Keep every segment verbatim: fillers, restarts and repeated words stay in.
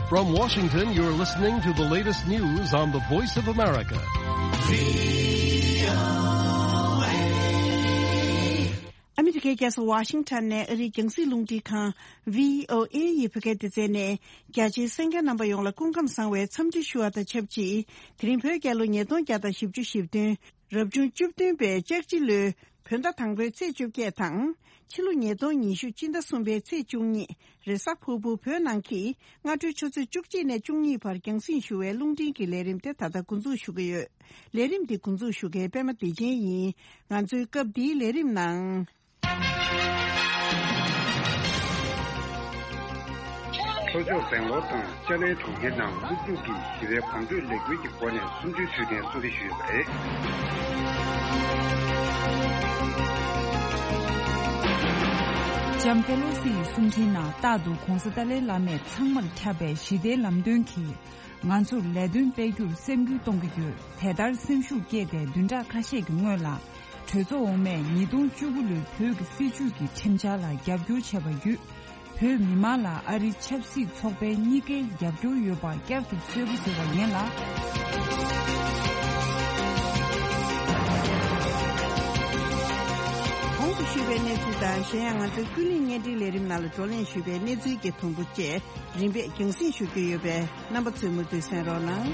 From Washington, you're listening to the latest news on the Voice of America. ཨ་མི་རི་ཀའི་རྒྱལ་ས་ཝ་ཤིང་ཊོན་ནས་ཨ་རིའི་རྒྱང་སྲིང་རླུང་འཕྲིན་ཁང་བྷི་ཨོ་ཨེ་ཡི་བོད་སྐད་སྡེ་ཚན་ནས། རྒྱ་ཆེའི་གསན་མཁན་རྣམ་པ་ཡོངས་ལ་སྐུ་ཁམས་བཟང་བའི་འཚམས་འདྲི་ཞུ་བ་དང་ཆབས་ཅིག་དེ་རིང་བོད་རྒྱལ་ལོ་ཉིས་སྟོང་བརྒྱ་དང་བཞི་བཅུ་ཞེ་བདུན། རབ་བྱུང་བཅུ་བདུན་པའི་ལྕགས་བྱི་ལོའི་བོད་ཟླ་དང་པོའི་ཚེས་བཅོ་བརྒྱད་དང་། ཕྱི་ལོ་ཉིས་སྟོང་ཉི་ཤུ་སྤྱི་ཟླ་གསུམ་པའི་ཚེས་བཅུ་གཉིས་རེས་གཟའ་ཕུར་བུ་བོད་ནང་གི་སྔ་དྲོའི་ཆུ་ཚོད་བཅུ་གཅིག་ནས་བཅུ་གཉིས་བར་རྒྱང་སྲིང་ཞུ་བའི་རླུང་འཕྲིན་གྱི་ལས་རིམ་དེ་ད་ལྟ་འགོ་འཛུགས་ཞུ་གི་ཡོད། ལས་རིམ་འདི་འགོ་འཛུགས་ཞུ་མཁན་པད་མ་བདེ་ཆེན་ཡིན། ང་ཚོའི་སྐབས་འདིའི་ལས་རིམ་ནང་། ལྷོ་ཕྱོགས་སྦེང་ལོར་དང་ཅཱ་ལའི་གྲོང་ཁྱེར་ནང་སློབ་ཕྲུག་གིས་ཞི་བའི་གོམ་བགྲོད་ལས་འགུལ་གྱི་སྒོ་ནས་གསུམ་བཅུའི་དུས་དྲན་སྲུང་བརྩི་ཞུས་ཡོད་པ་རེད། ལྕམ་པེ་ལོ་སི་ཡི་གསུང་འཕྲིན་ནང་རྟག་ཏུ་༧གོང་ས་ཏཱ་ལའི་བླ་མས་ཚང་མར་ཁྱབ་པའི་ཞི་བདེའི་ལམ་སྟོན་གྱིས། ང་ཚོར་ལས་དོན་སྤེལ་རྒྱུར་སེམས་འགུལ་གཏོང་གི་ཡོད། དེ་ལྟར་སེམས་ཤུགས་བསྐྱེད་དེ་བདུན་ཕྲག་ཁ་ཤས་ཀྱི་སྔོན་ལ། གྲོས་ཚོགས་འོག་མས་ཉིས་སྟོང་བཅུ་དགུ་ལོའི་བོད་ཀྱི་སྲིད་བྱུས་ཀྱི་ཁྲིམས་འཆར་ལ་རྒྱབ་སྐྱོར་བྱས་པ་བརྒྱུད། བོད་མི་མང་ལ་ཨ་རི་ཆབ་སྲིད་ཚོགས་པའི་གཉིས་ཀའི་རྒྱབ་སྐྱོར་ཡོད་པ་བསྐྱར་དུ་གསལ་པོ་བཟོས་པ་ཡིན་ལ། གོང་དུ་ཞུས་པའི་གནས་ཚུལ་དང་། གཞན་ཡང་ང་ཚོའི་ཀུན་གླེང་བརྙན་འཕྲིན་ལས་རིམ་ནང་ལ་བགྲོ་གླེང་ཞུས་པའི་གནས་ཚུལ་གྱི་དུམ་བུ་བཅས། རིམ་པས་རྒྱང་སྲིང་ཞུ་རྒྱུ་ཡོད་པས། རྣམ་པ་ཚོས་མུ་མཐུད་གསན་རོགས་གནང་།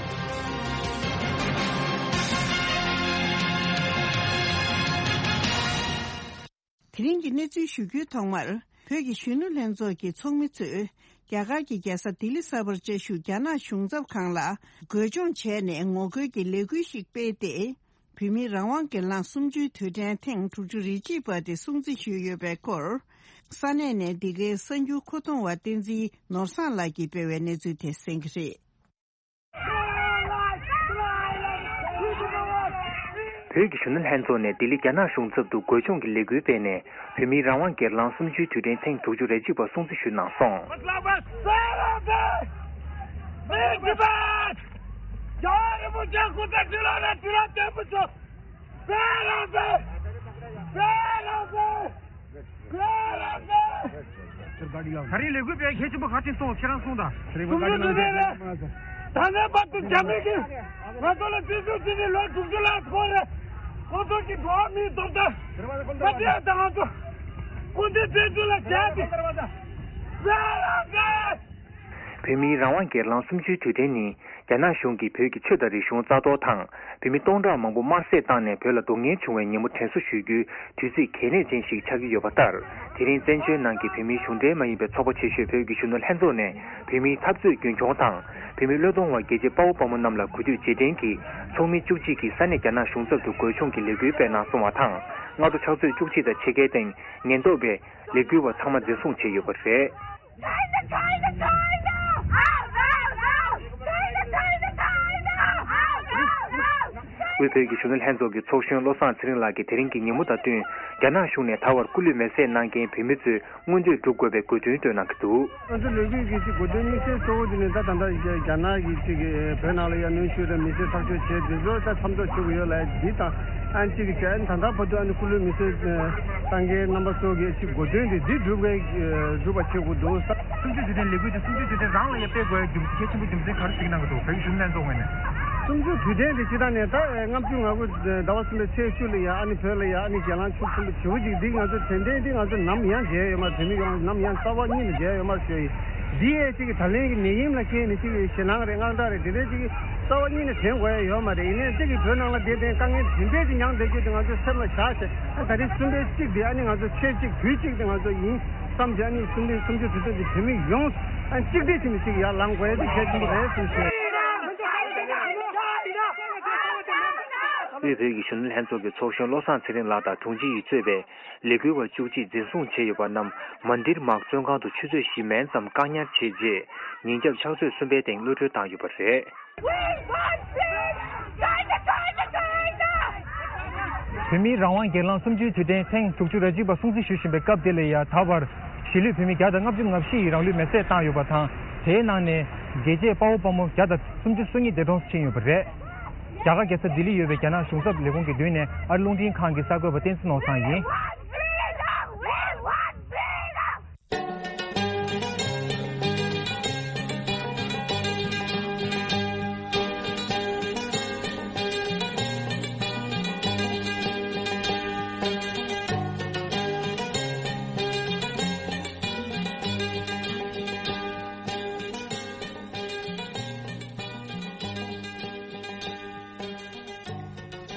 དེ་རིང་གི་གནས་ཚུལ་ཞུ་རྒྱུའི་ཐོག་མར། བོད་ཀྱི་གཞོན་ནུ་ལྷན་ཚོགས་ཀྱི་ཚོགས་མི་ཚོས། རྒྱ་གར་གྱི་རྒྱལ་ས་ལྡི་ལི་གསར་པར་བཅའ་བཞུགས་རྒྱ་ནག་གཞུང་ཚབ་ཁང་ལ། བགོས་སྦྱོང་བྱས་ནས་ངོ་རྒོལ་གྱི་ལས་འགུལ་ཞིག་སྤེལ་ཏེ། བོད་མིའི་རང་དབང་སྒེར་ལངས་གསུམ་བཅུའི་དུས་དྲན་ཐེངས་དྲུག་ཅུ་རེ་གཅིག་པ་དེ་སྲུང་བརྩི་ཞུས་ཡོད་པའི་སྐོར། ས་གནས་ནས་འདི་གའི་གསར་འགྱུར་མཁོ་གཏོང་བ་བསྟན་འཛིན་ནོར་བཟང་ལགས་ཀྱིས་སྤེལ་བའི་གནས་ཚུལ་དེ་གསན་གྱི་རེད། བོད་ཀྱི་གཞོན་ནུ་ལྷན་ཚོགས་ནས་ལྡི་ལི་རྒྱ་ནག་གཞུང་ཚབ་ཏུ་བགོས་སྦྱོང་གི་ལས་འགུལ་སྤེལ་ནས། བོད་མིའི་རང་དབང་སྒེར་ལངས་གསུམ་བཅུའི་དུས་དྲན་ཐེངས་དྲུག་ཅུ་རེ་གཅིག་པ་སྲུང་བརྩི་ཞུས་གནང་སོང་། རྒྱལ་བ་རིན་པོ་ཆེ་སྐུ་ཚེ་ཁྲི་ལོ་ནས་ཁྲི་ལོ་བརྟན་པོ་བྱོས། ད་རིང་ལས་འགུལ་སྤེལ་གལ་ཆེན་པོ་ག་ཅིག་སོང་། ཁྱེད་རང་གསུངས་དང་། གསུང་ཆོས་ནི་རེད། ད་ནས་བར་དུ་རྒྱ་མི་གིས་ང་ཚོ་ལ་བཙན་འཛུལ་བྱས་ནས་ལོ་དྲུག་ཅུ་ལྷག་འགོར་རེད། ཁོང་ཚོ་གི་འགྲོ་བ་མིའི་སྡུག་དང་མ་བྱས་དང་ང་ཚོ་སྐུ་ཚེ་བཙན་འཛུལ་ལ་བྱས་ཏེ། བོད་མིའི་རང་དབང་སྒེར་ལངས་གསུམ་བཅུའི་དུས་དྲན་ནི། རྒྱ་ནག་གཞུང་གིས་བོད་ཀྱི་ཆོས་དང་རིག་གཞུང་རྩ་གཏོར་དང་། བོད་མི་སྟོང་ཕྲག་མང་པོ་དམར་གསོད་བཏང་ནས་བོད་ལ་སྡུག་བསྔལ་བྱུང་བའི་ཉིན་མོ་དྲན་གསོ་ཞུ་རྒྱུའི་དུས་ཚིགས་གལ་གནད་ཅན་ཞིག་ཆགས་ཀྱི་ཡོད་པ་ལྟར། དེ་རིང་བཙན་བྱོལ་ནང་གི་བོད་མིའི་གཞུང་འབྲེལ་མ་ཡིན་པའི་ཚོགས་པ་ཆེ་ཤོས་བོད་ཀྱི་གཞོན་ནུ་ལྷན་ཚོགས་ནས། བོད་མིའི་འཐབ་རྩོད་རྒྱུན་འཁྱོངས་དང་། བོད་མི་བློས་གཏོང་བ་རྒྱལ་གཅེས་དཔའ་བོ་དཔའ་མོ་རྣམས་ལ་གུས་འདུད་རྗེས་དྲན་གྱིས། ཚོགས་མི་བཅུ་གཅིག་གིས་ས་གནས་རྒྱ་ནག་གཞུང་ཚབ་ཏུ་བགོས་སྦྱོང་གི་ལས་འགུལ་སྤེལ་གནང་སོང་བ་དང་། སྔ་དྲོ་ཕྱག་ཚོད་བཅུ་གཅིག་དང་ཕྱེད་ཀའི་སྟེང་། ཉེན་རྟོག་པས་ལས་འགུལ་བ་ཚང་མ་འཛིན་བཟུང་བྱས་ཡོད་པ་རེད། དབུས་བོད་ཀྱི་གཞོན་ནུ་ལྷན་ཚོགས་ཀྱི་ཚོགས་གཞོན་བློ་བཟང་ཚེ་རིང་ལགས་ཀྱིས་དེ་རིང་གི་ཉིན་མོ་དང་བསྟུན། རྒྱ་ནག་གཞུང་ནས་ད་བར་སྐུ་ལུས་མེར་སྲེག་གནང་མཁན་བོད་མི་ཚོས་མངོན་འདོད་སྒྲུབ་དགོས་པའི་དགོས་འདུན་བཏོན་གནང་གི་འདུག་ང་ཚོ་ལས་འགུལ་གྱི་གོ་དོན་དམིགས་བསལ་གཙོ་བོ་དེ་ནི་ད་ད་ལྟ་རྒྱ་ནག་གིས་ཅིག་བོད་ནང་ལ་ཡ་གནོན་ཤུགས་དང་མི་སེར་ཐག་གཅོད་བྱས་དེ་ཚོ་ད་མཚམས་འཇོག་བྱེད་དགོས་ཡོད་ལ། འདི་དང་ཨ་ནི་ཅིག་བྱས་ཨ་ནི་ད་ལྟ་བར་དུ་ཨ་ནི་སྐུ་ལུས་མེར་སྲེག་བཏང་མཁན་རྣམ་པ་ཚོ་གི་ཅིག་གོ་དོན་དེ་འདི་སྒྲུབ་དགོས་སྒྲུབ་པ་བྱེད་དགོས་འདུག་ས། གསུམ་བཅུའི་དུས་དྲན་ལས་འགུལ་དེ་གསུམ་བཅུའི་དུས་དྲན་རང་ལ་ཡ་སྤེལ་དགོས་རྒྱུ་མཚན་གལ་ཆེན་པོ་རྒྱུ་མཚན་ག་རེ་གཟིགས་གནང་གི་འདུག་བོད་ཀྱི་གཞོན་ནུ་ལྷན་ཚོགས་ངོས་ནས། གསུམ་བཅུའི་དུས་དྲན་དེ་སྤྱིར་བཏང་ནས་ད་ལྔ་བཅུ་ང་དགུ་ཟླ་བ་གསུམ་པའི་ཚེས་བཅུ་ལ་ཡ་ཨ་ནི་བོད་ལ་ཡ་ཨ་ནི་གྱེན་ལངས་ཆུ་གསུམ་པ་བྱེད་པོ་ཅིག་འདི་ང་ཚོ་དྲན་རྟེན་འདི་ང་ཚོ་ནམ་ཡང་བརྗེད་ཡོད་མ་རེད། བོད་མི་ཡོངས་ནམ་ཡང་རྩ་བ་ཉིད་ནས་བརྗེད་ཡོད་མ་རེད་ཞུ་ཡི། འདི་ཡས་ཅིག་གི་ད་ལན་གྱི་ནད་ཡམས་ལ་བརྟེན་ནས་ཅིག་གི་ཞེད་སྣང་རེད་དངངས་སྐྲག་རེད་དེ་འདྲའི་ཅིག་གི་རྩ་བ་ཉིད་ནས་དྲན་དགོས་ཡ་ཡོད་མ་རེད། ཡིན་ནའི་ཅིག་གི་བོད་ནང་ལ་བསྡད་དེ་དཀའ་ངལ་དེ་འདྲའི་ཅིག་མྱངས་བསྡད་རྒྱུ་དེ་ང་ཚོ་སེམས་ལ་བཞག་བྱས་ཨ་ད་རེས་གསུམ་པའི་གཅིག་དེ་ཨ་ནི་ང་ཚོ་ཚེས་གཅིག་དུས་གཅིག་དེ་ང་ཚོ་ཡིན་བསམ་བྱས་ཨ་ནི་གསུམ་པའི་གསུམ་བཅུ་དུས་དྲན་གྱི་བོད་མི་ཡོངས་ཨ་གཅིག་སྒྲིལ་བྱས་ནས་ཅིག་ཡར་ལངས་དགོས་ཡ་དེ་གལ་ཆེན་པོ་རེད་གསུངས་ཤིང་། དབུས་བོད་ཀྱི་གཞོན་ནུ་ལྷན་ཚོགས་ཀྱི་ཚོགས་གཞོན་བློ་བཟང་ཚེ་རིང་ལགས་དང་དྲུང་ཆེ་ཡིས་གཙོས་པའི་ལས་འགུལ་བ་བཅུ་གཅིག་འཛིན་བཟུང་བྱས་ཡོད་པ་རྣམས་མན་དིར་མག་བཙོན་ཁང་དུ་ཆུ་ཚོད་བཞི་མན་ཙམ་བཀག་ཉར་བྱས་རྗེས། ཉིན་རྒྱབ་ཕྱག་ཚོད་གསུམ་པའི་སྟེང་གློད་གྲོལ་བཏང་ཡོད་པ་རེད། བོད་མིའི་རང་དབང་སྒེར་ལངས་གསུམ་བཅུའི་དུས་དྲན་ཐེངས་དྲུག་ཅུ་རེ་གཅིག་པ་སྲུང་བརྩི་ཞུ་བཞིན་པའི་སྐབས་འདི་ལ་ཡ་ད་བར་གཞིས་ལུས་བོད་མི་བརྒྱ་དང་ལྔ་བཅུ་ང་བཞི་ཡིས་རང་ལུས་མེར་སྲེག་བཏང་ཡོད་པ་དང་། དེའི་ནང་ནས་རྒྱལ་གཅེས་དཔའ་བོ་དཔའ་མོ་བརྒྱ་དང་སུམ་ཅུ་སོ་གཉིས་འདས་གྲོངས་སུ་ཕྱིན་ཡོད་པ་རེད། རྒྱ་གར་རྒྱལ་ས་ལྡི་ལི་ཡོད་པའི་རྒྱ་ནག་གཞུང་ཚབ་ལས་ཁུངས་ཀྱི་མདུན་ནས་ཨ་རི་རླུང་འཕྲིན་ཁང་གི་གསར་འགོད་པ་བསྟན་འཛིན་ནོར་བཟང་ཡིན།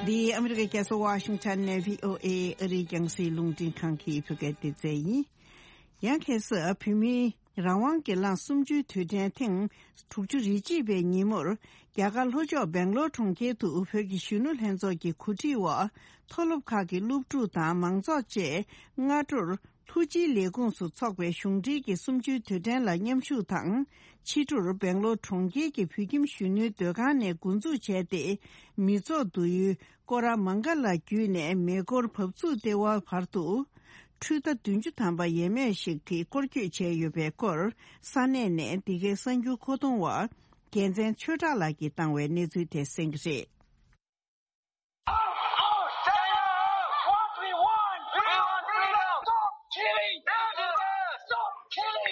འདི་ཨ་མི་རི་ཀའི་རྒྱལ་ས་ཝ་ཤིང་ཊོན་ནས་བྷི་ཨོ་ཨེ་ཨ་རིའི་རྒྱང་སྲིང་རླུང་འཕྲིན་ཁང་གི་བོད་སྐད་སྡེ་ཚན་ཡིན། ཡང་ཁ་སང་བོད་མིའི་རང་དབང་སྒེར་ལངས་གསུམ་བཅུའི་དུས་དྲན་ཐེངས་དྲུག་ཅུ་རེ་གཅིག་པའི་ཉིན་མོར། རྒྱ་གར་ལྷོ་ཕྱོགས་སྦེང་ལོར་གྲོང་ཁྱེར་དུ་བོད་ཀྱི་གཞོན་ནུ་ལྷན་ཚོགས་ཀྱི་གོ་སྒྲིག་འོག་མཐོ་སློབ་ཁག་གི་སློབ་ཕྲུག་དང་མང་ཚོགས་བཅས་སྔ་དྲོར་ལྷོ་སྤྱིའི་ལས་ཁུངས་སུ་འཚོགས་པའི་གཞུང་འབྲེལ་གྱི་གསུམ་བཅུའི་དུས་དྲན་ལ་མཉམ་ཞུགས་དང་། ཕྱི་དྲོར་སྦེང་ལོར་གྲོང་ཁྱེར་གྱི་བོད་ཁྱིམ་གཞོན་ནུའི་སྡོད་ཁང་ནས་འགོ་འཛུགས་བྱས་ཏེ། མི་ཚོགས་བསྡུ་ཡུལ་ཀོ་ར་མང་ག་ལ་བརྒྱུད་ནས་མེ་འཁོར་བབས་ཚུགས་ལྟེ་བ་བར་དུ་འཕྲུལ་རྟ་བདུན་ཅུ་ཐམ་པ་ཡས་མས་ཤིག་དེ་སྐོར་སྐྱོད་བྱས་ཡོད་པའི་སྐོར། ས་གནས་ནས་འདི་གའི་གསར་འགྱུར་མཁོ་གཏོང་བ་རྒྱལ་མཚན་ཆོས་གྲགས་ལགས་ཀྱིས་བཏང་བའི་གནས་ཚུལ་དེ་གསན་གྱི་རེད།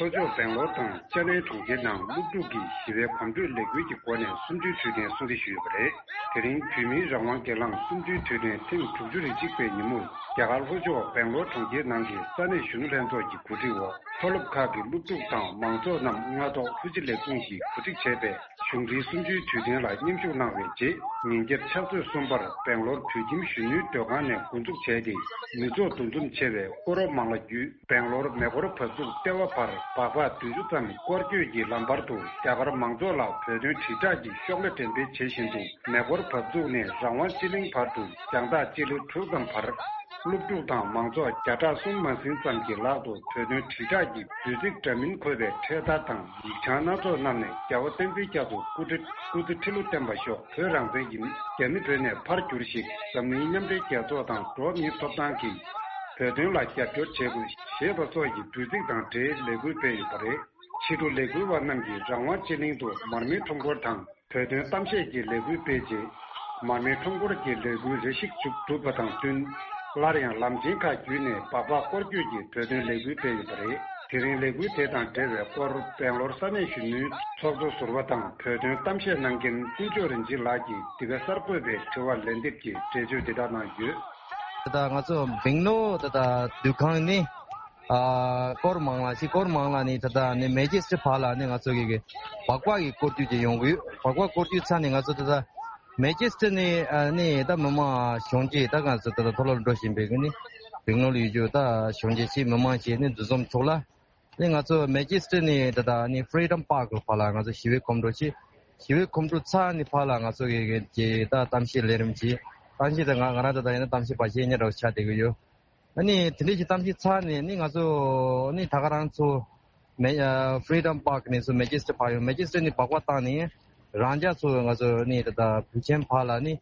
ལྷོ་ཕྱོགས་སྦེང་ལོར་དང་ཅེ་ནའི་གྲོང་ཁྱེར་ནང་སློབ་ཕྲུག་གིས་ཞི་བའི་གོམ་བགྲོད་ལས་འགུལ་གྱི་སྒོ་ནས་གསུམ་བཅུའི་དུས་དྲན་སྲུང་བརྩི་ཞུས་ཡོད་པ་རེད། དེ་རིང་བོད་མིའི་རང་དབང་སྒེར་ལངས་གསུམ་བཅུའི་དུས་དྲན་ཐེངས་དྲུག་ཅུ་རེ་གཅིག་པའི་ཉིན་མོར། རྒྱ་གར་ལྷོ་ཕྱོགས་སྦེང་ལོར་གྲོང་ཁྱེར་ནང་གི་ས་གནས་གཞོན་ནུ་ལྷན་ཚོགས་ཀྱི་གོ་སྒྲིག་འོག་མཐོ་སློབ་ཁག་གི་སློབ་ཕྲུག་དང་མང་ཚོགས་རྣམས་སྔ་ཐོག་ལྷོ་སྤྱི་ལས་ཁུངས་ཀྱིས་གོ་སྒྲིག་བྱས་པའི་གཞུང་འབྲེལ་གསུམ་བཅུའི་དུས་དྲན་ལ་མཉམ་ཞུགས་གནང་བའི་རྗེས། ཉིན་རྒྱབ་ཕྱག་ཚོད་གསུམ་པར་སྦེང་ལོར་བོད་ཁྱིམ་གཞོན་ནུའི་སྡོད་ཁང་ནས་འགོ་འཛུགས་བྱས་ཏེ། མི་ཚོགས་འདུ་འཛོམས་ཆེ་བའི་ཀོ་རོ་མང་ལ་བརྒྱུད། སྦེང་ལོར་མེ་འཁོར་བབས་ཚུགས་ལྟེ་བ་བར་སྦག་སྦག་བདུན་ཅུ་ཙམ་སྐོར་སྐྱོད་ཀྱི་ལམ་བར་དུ། རྒྱ་གར་མང་ཚོགས་ལ་བོད་དོན་དྲིལ་བསྒྲགས་ཀྱི་ཤོག་ལྷེ་འགྲེམས་སྤེལ་བྱེད་བཞིན་དུ། མེ་འཁོར་བབས་ཚུགས་ནས་རང་དབང་སྤྱི་གླིང་བར་དུ་རྒྱང་ཐག་སྤྱི་ལེ་དྲུག་ཙམ་བར། སློབ་ཕྲུག་དང་མང་ཚོགས་བརྒྱ་ཕྲག་གསུམ་མ་ཟིན་ཙམ་གྱི་ལག་ཏུ་བོད་དོན་དྲིལ་བསྒྲགས་ཀྱི་བོད་ཚིག་འདྲ་མིན་འཁོད་པའི་འཕྲེད་དར་དང་ཡིག་བྱང་སྣ་ཚོགས་བསྣམས་ནས། རྒྱལ་བ་བསྟན་འཛིན་རྒྱ་མཚོ་སྐུ་ཁྲི་སྐུ་ཚེ་ཁྲི་ལོ་བརྟན་པ་ཤོག་བོད་རང་བཙན་ཡིན། རྒྱ་མི་བོད་ནས་ཕར་རྒྱུགས་ཤིག་འཛམ་གླིང་མཉམ་འབྲེལ་རྒྱལ་ཚོགས་དང་འགྲོ་བ་མིའི་ཐོབ་ཐང་གིས་བོད་དོན་ལ་རྒྱབ་སྐྱོར་བྱེད་དགོས་ཞེས་པ་སོགས་ཀྱི་འབོད་ཚིག་དང་འབྲེལ་ལས་འགུལ་སྤེལ་ཡོད་པ་རེད། ཕྱི་དྲོ་ལས་འགུལ་བ་རྣམས་ཀྱིས་རང་དབང་སྤྱི་གླིང་དུ་མར་མེའི་ཁྲོམ་སྐོར་དང་། བོད་དོན་གཏམ་བཤད་ཀྱི་ལས་འགུལ་སྤེལ་རྗེས། མར་མེའི་ཁྲོམ་སྐོར་གྱི་ལས་འགུལ་རེ་ཞིག་མཇུག་གྲུབ་པ་དང་བསྟུན། སླར་ཡང་ལམ་ཆེན་ཁག་བརྒྱུད་ནས་སྦག་སྦག་སྐོར་སྐྱོད་ཀྱི་བོད་དོན་ལས་འགུལ་སྤེལ་ཡོད་པ་རེད། དེ་རིང་ལས་འགུལ་དེ་དང་འབྲེལ་བའི་སྐོར་སྦེང་ལོར་ས་གནས་གཞོན་ནུའི་ཚོགས་གཙོ་ཟུར་པ་དང་བོད་དོན་གཏམ་བཤད་གནང་མཁན་ཀུན་སྤྱོད་རིན་ཆེན་ལགས་ཀྱིས་འདི་ག་གསར་འགོད་པའི་དྲི་བར་ལན་འདེབས་ཀྱིས་འགྲེལ་བརྗོད་འདི་དག་གནང་ཡོད། ད་ལྟ་ང་ཚོ་སྦེང་ལོར་ད་ལྟ་འདུ་ཁང་ནི། ཨ་སྐོར་མང་ལ་ཅི་སྐོར་མང་ལ་ནི་ད་ལྟ་ནི་མེ་ཇེ་སི་ཊི་བར་ལ་ནི་ང་ཚོ་གི་གི་སྦག་སྦག་གི་སྐོར་སྐྱོད་ཅིག་ཡོང་གི་ཡོད། སྦག་སྦག་སྐོར་སྐྱོད་ཚར་ནི་ང་ཚོ་ད་ལྟ་མེ་ཇེ་སི་ཊི་ནི་ཨ་ནི་ད་མི་མང་གཞོན་སྐྱེས་ད་ང་ཚོ་ད་ལྟ་མཐོ་སློབ་འགྲོ་བཞིན་པའི་གི་ནི་སྦེང་ལོར་ཡོད་རྒྱུ་ད་གཞོན་སྐྱེས་ཅིག་མི་མང་ཅིག་ནི་འདུ་འཛོམས་ཚོགས་ལ་ནི་ང་ཚོ་མེ་ཇེ་སི་ཊི་ནི་ད་ལྟ་ནི་ཕི་རི་ཌམ་པཱརྐ་བར་ལ་ང་ཚོ་ཞི་བའི་གོམ་བགྲོད་ཅིག་ཞི་བའི་གོམ་བགྲོད་ཚར་ནི་བར་ལ་ང་ཚོ་གི་གི་ད་གཏམ་བཤད་ལས་རིམ་ཅིག་གཏམ་བཤད་ད་ང་ང་རང་ད་ལྟ་ཡིན་ན་གཏམ་བཤད་པ་ཞིག་ཉེ་འདྲ་བོ་ཆགས་བསྡད་གི་ཡོད། ཨ་ནི་དེ་འདྲ་ཞིག་གཏམ་བཤད་ཚར་ནས་ནི་ང་ཚོ་ནི་ད་ག་རང་ཚོ་མེ་ཨ་ཕི་རི་ཌམ་པཱརྐ་ནས་ཚུར་མེ་ཇེ་སི་ཊི་བར་ཡོང་། མེ་ཇེ་སི་ཊི་ནས་སྦག་སྦག་བཏང་ནས་རང་འཇགས་ཚུར་ང་ཚོ་ནི་ད་ལྟ་བོད་ཆེན་བར་ལ་ནི་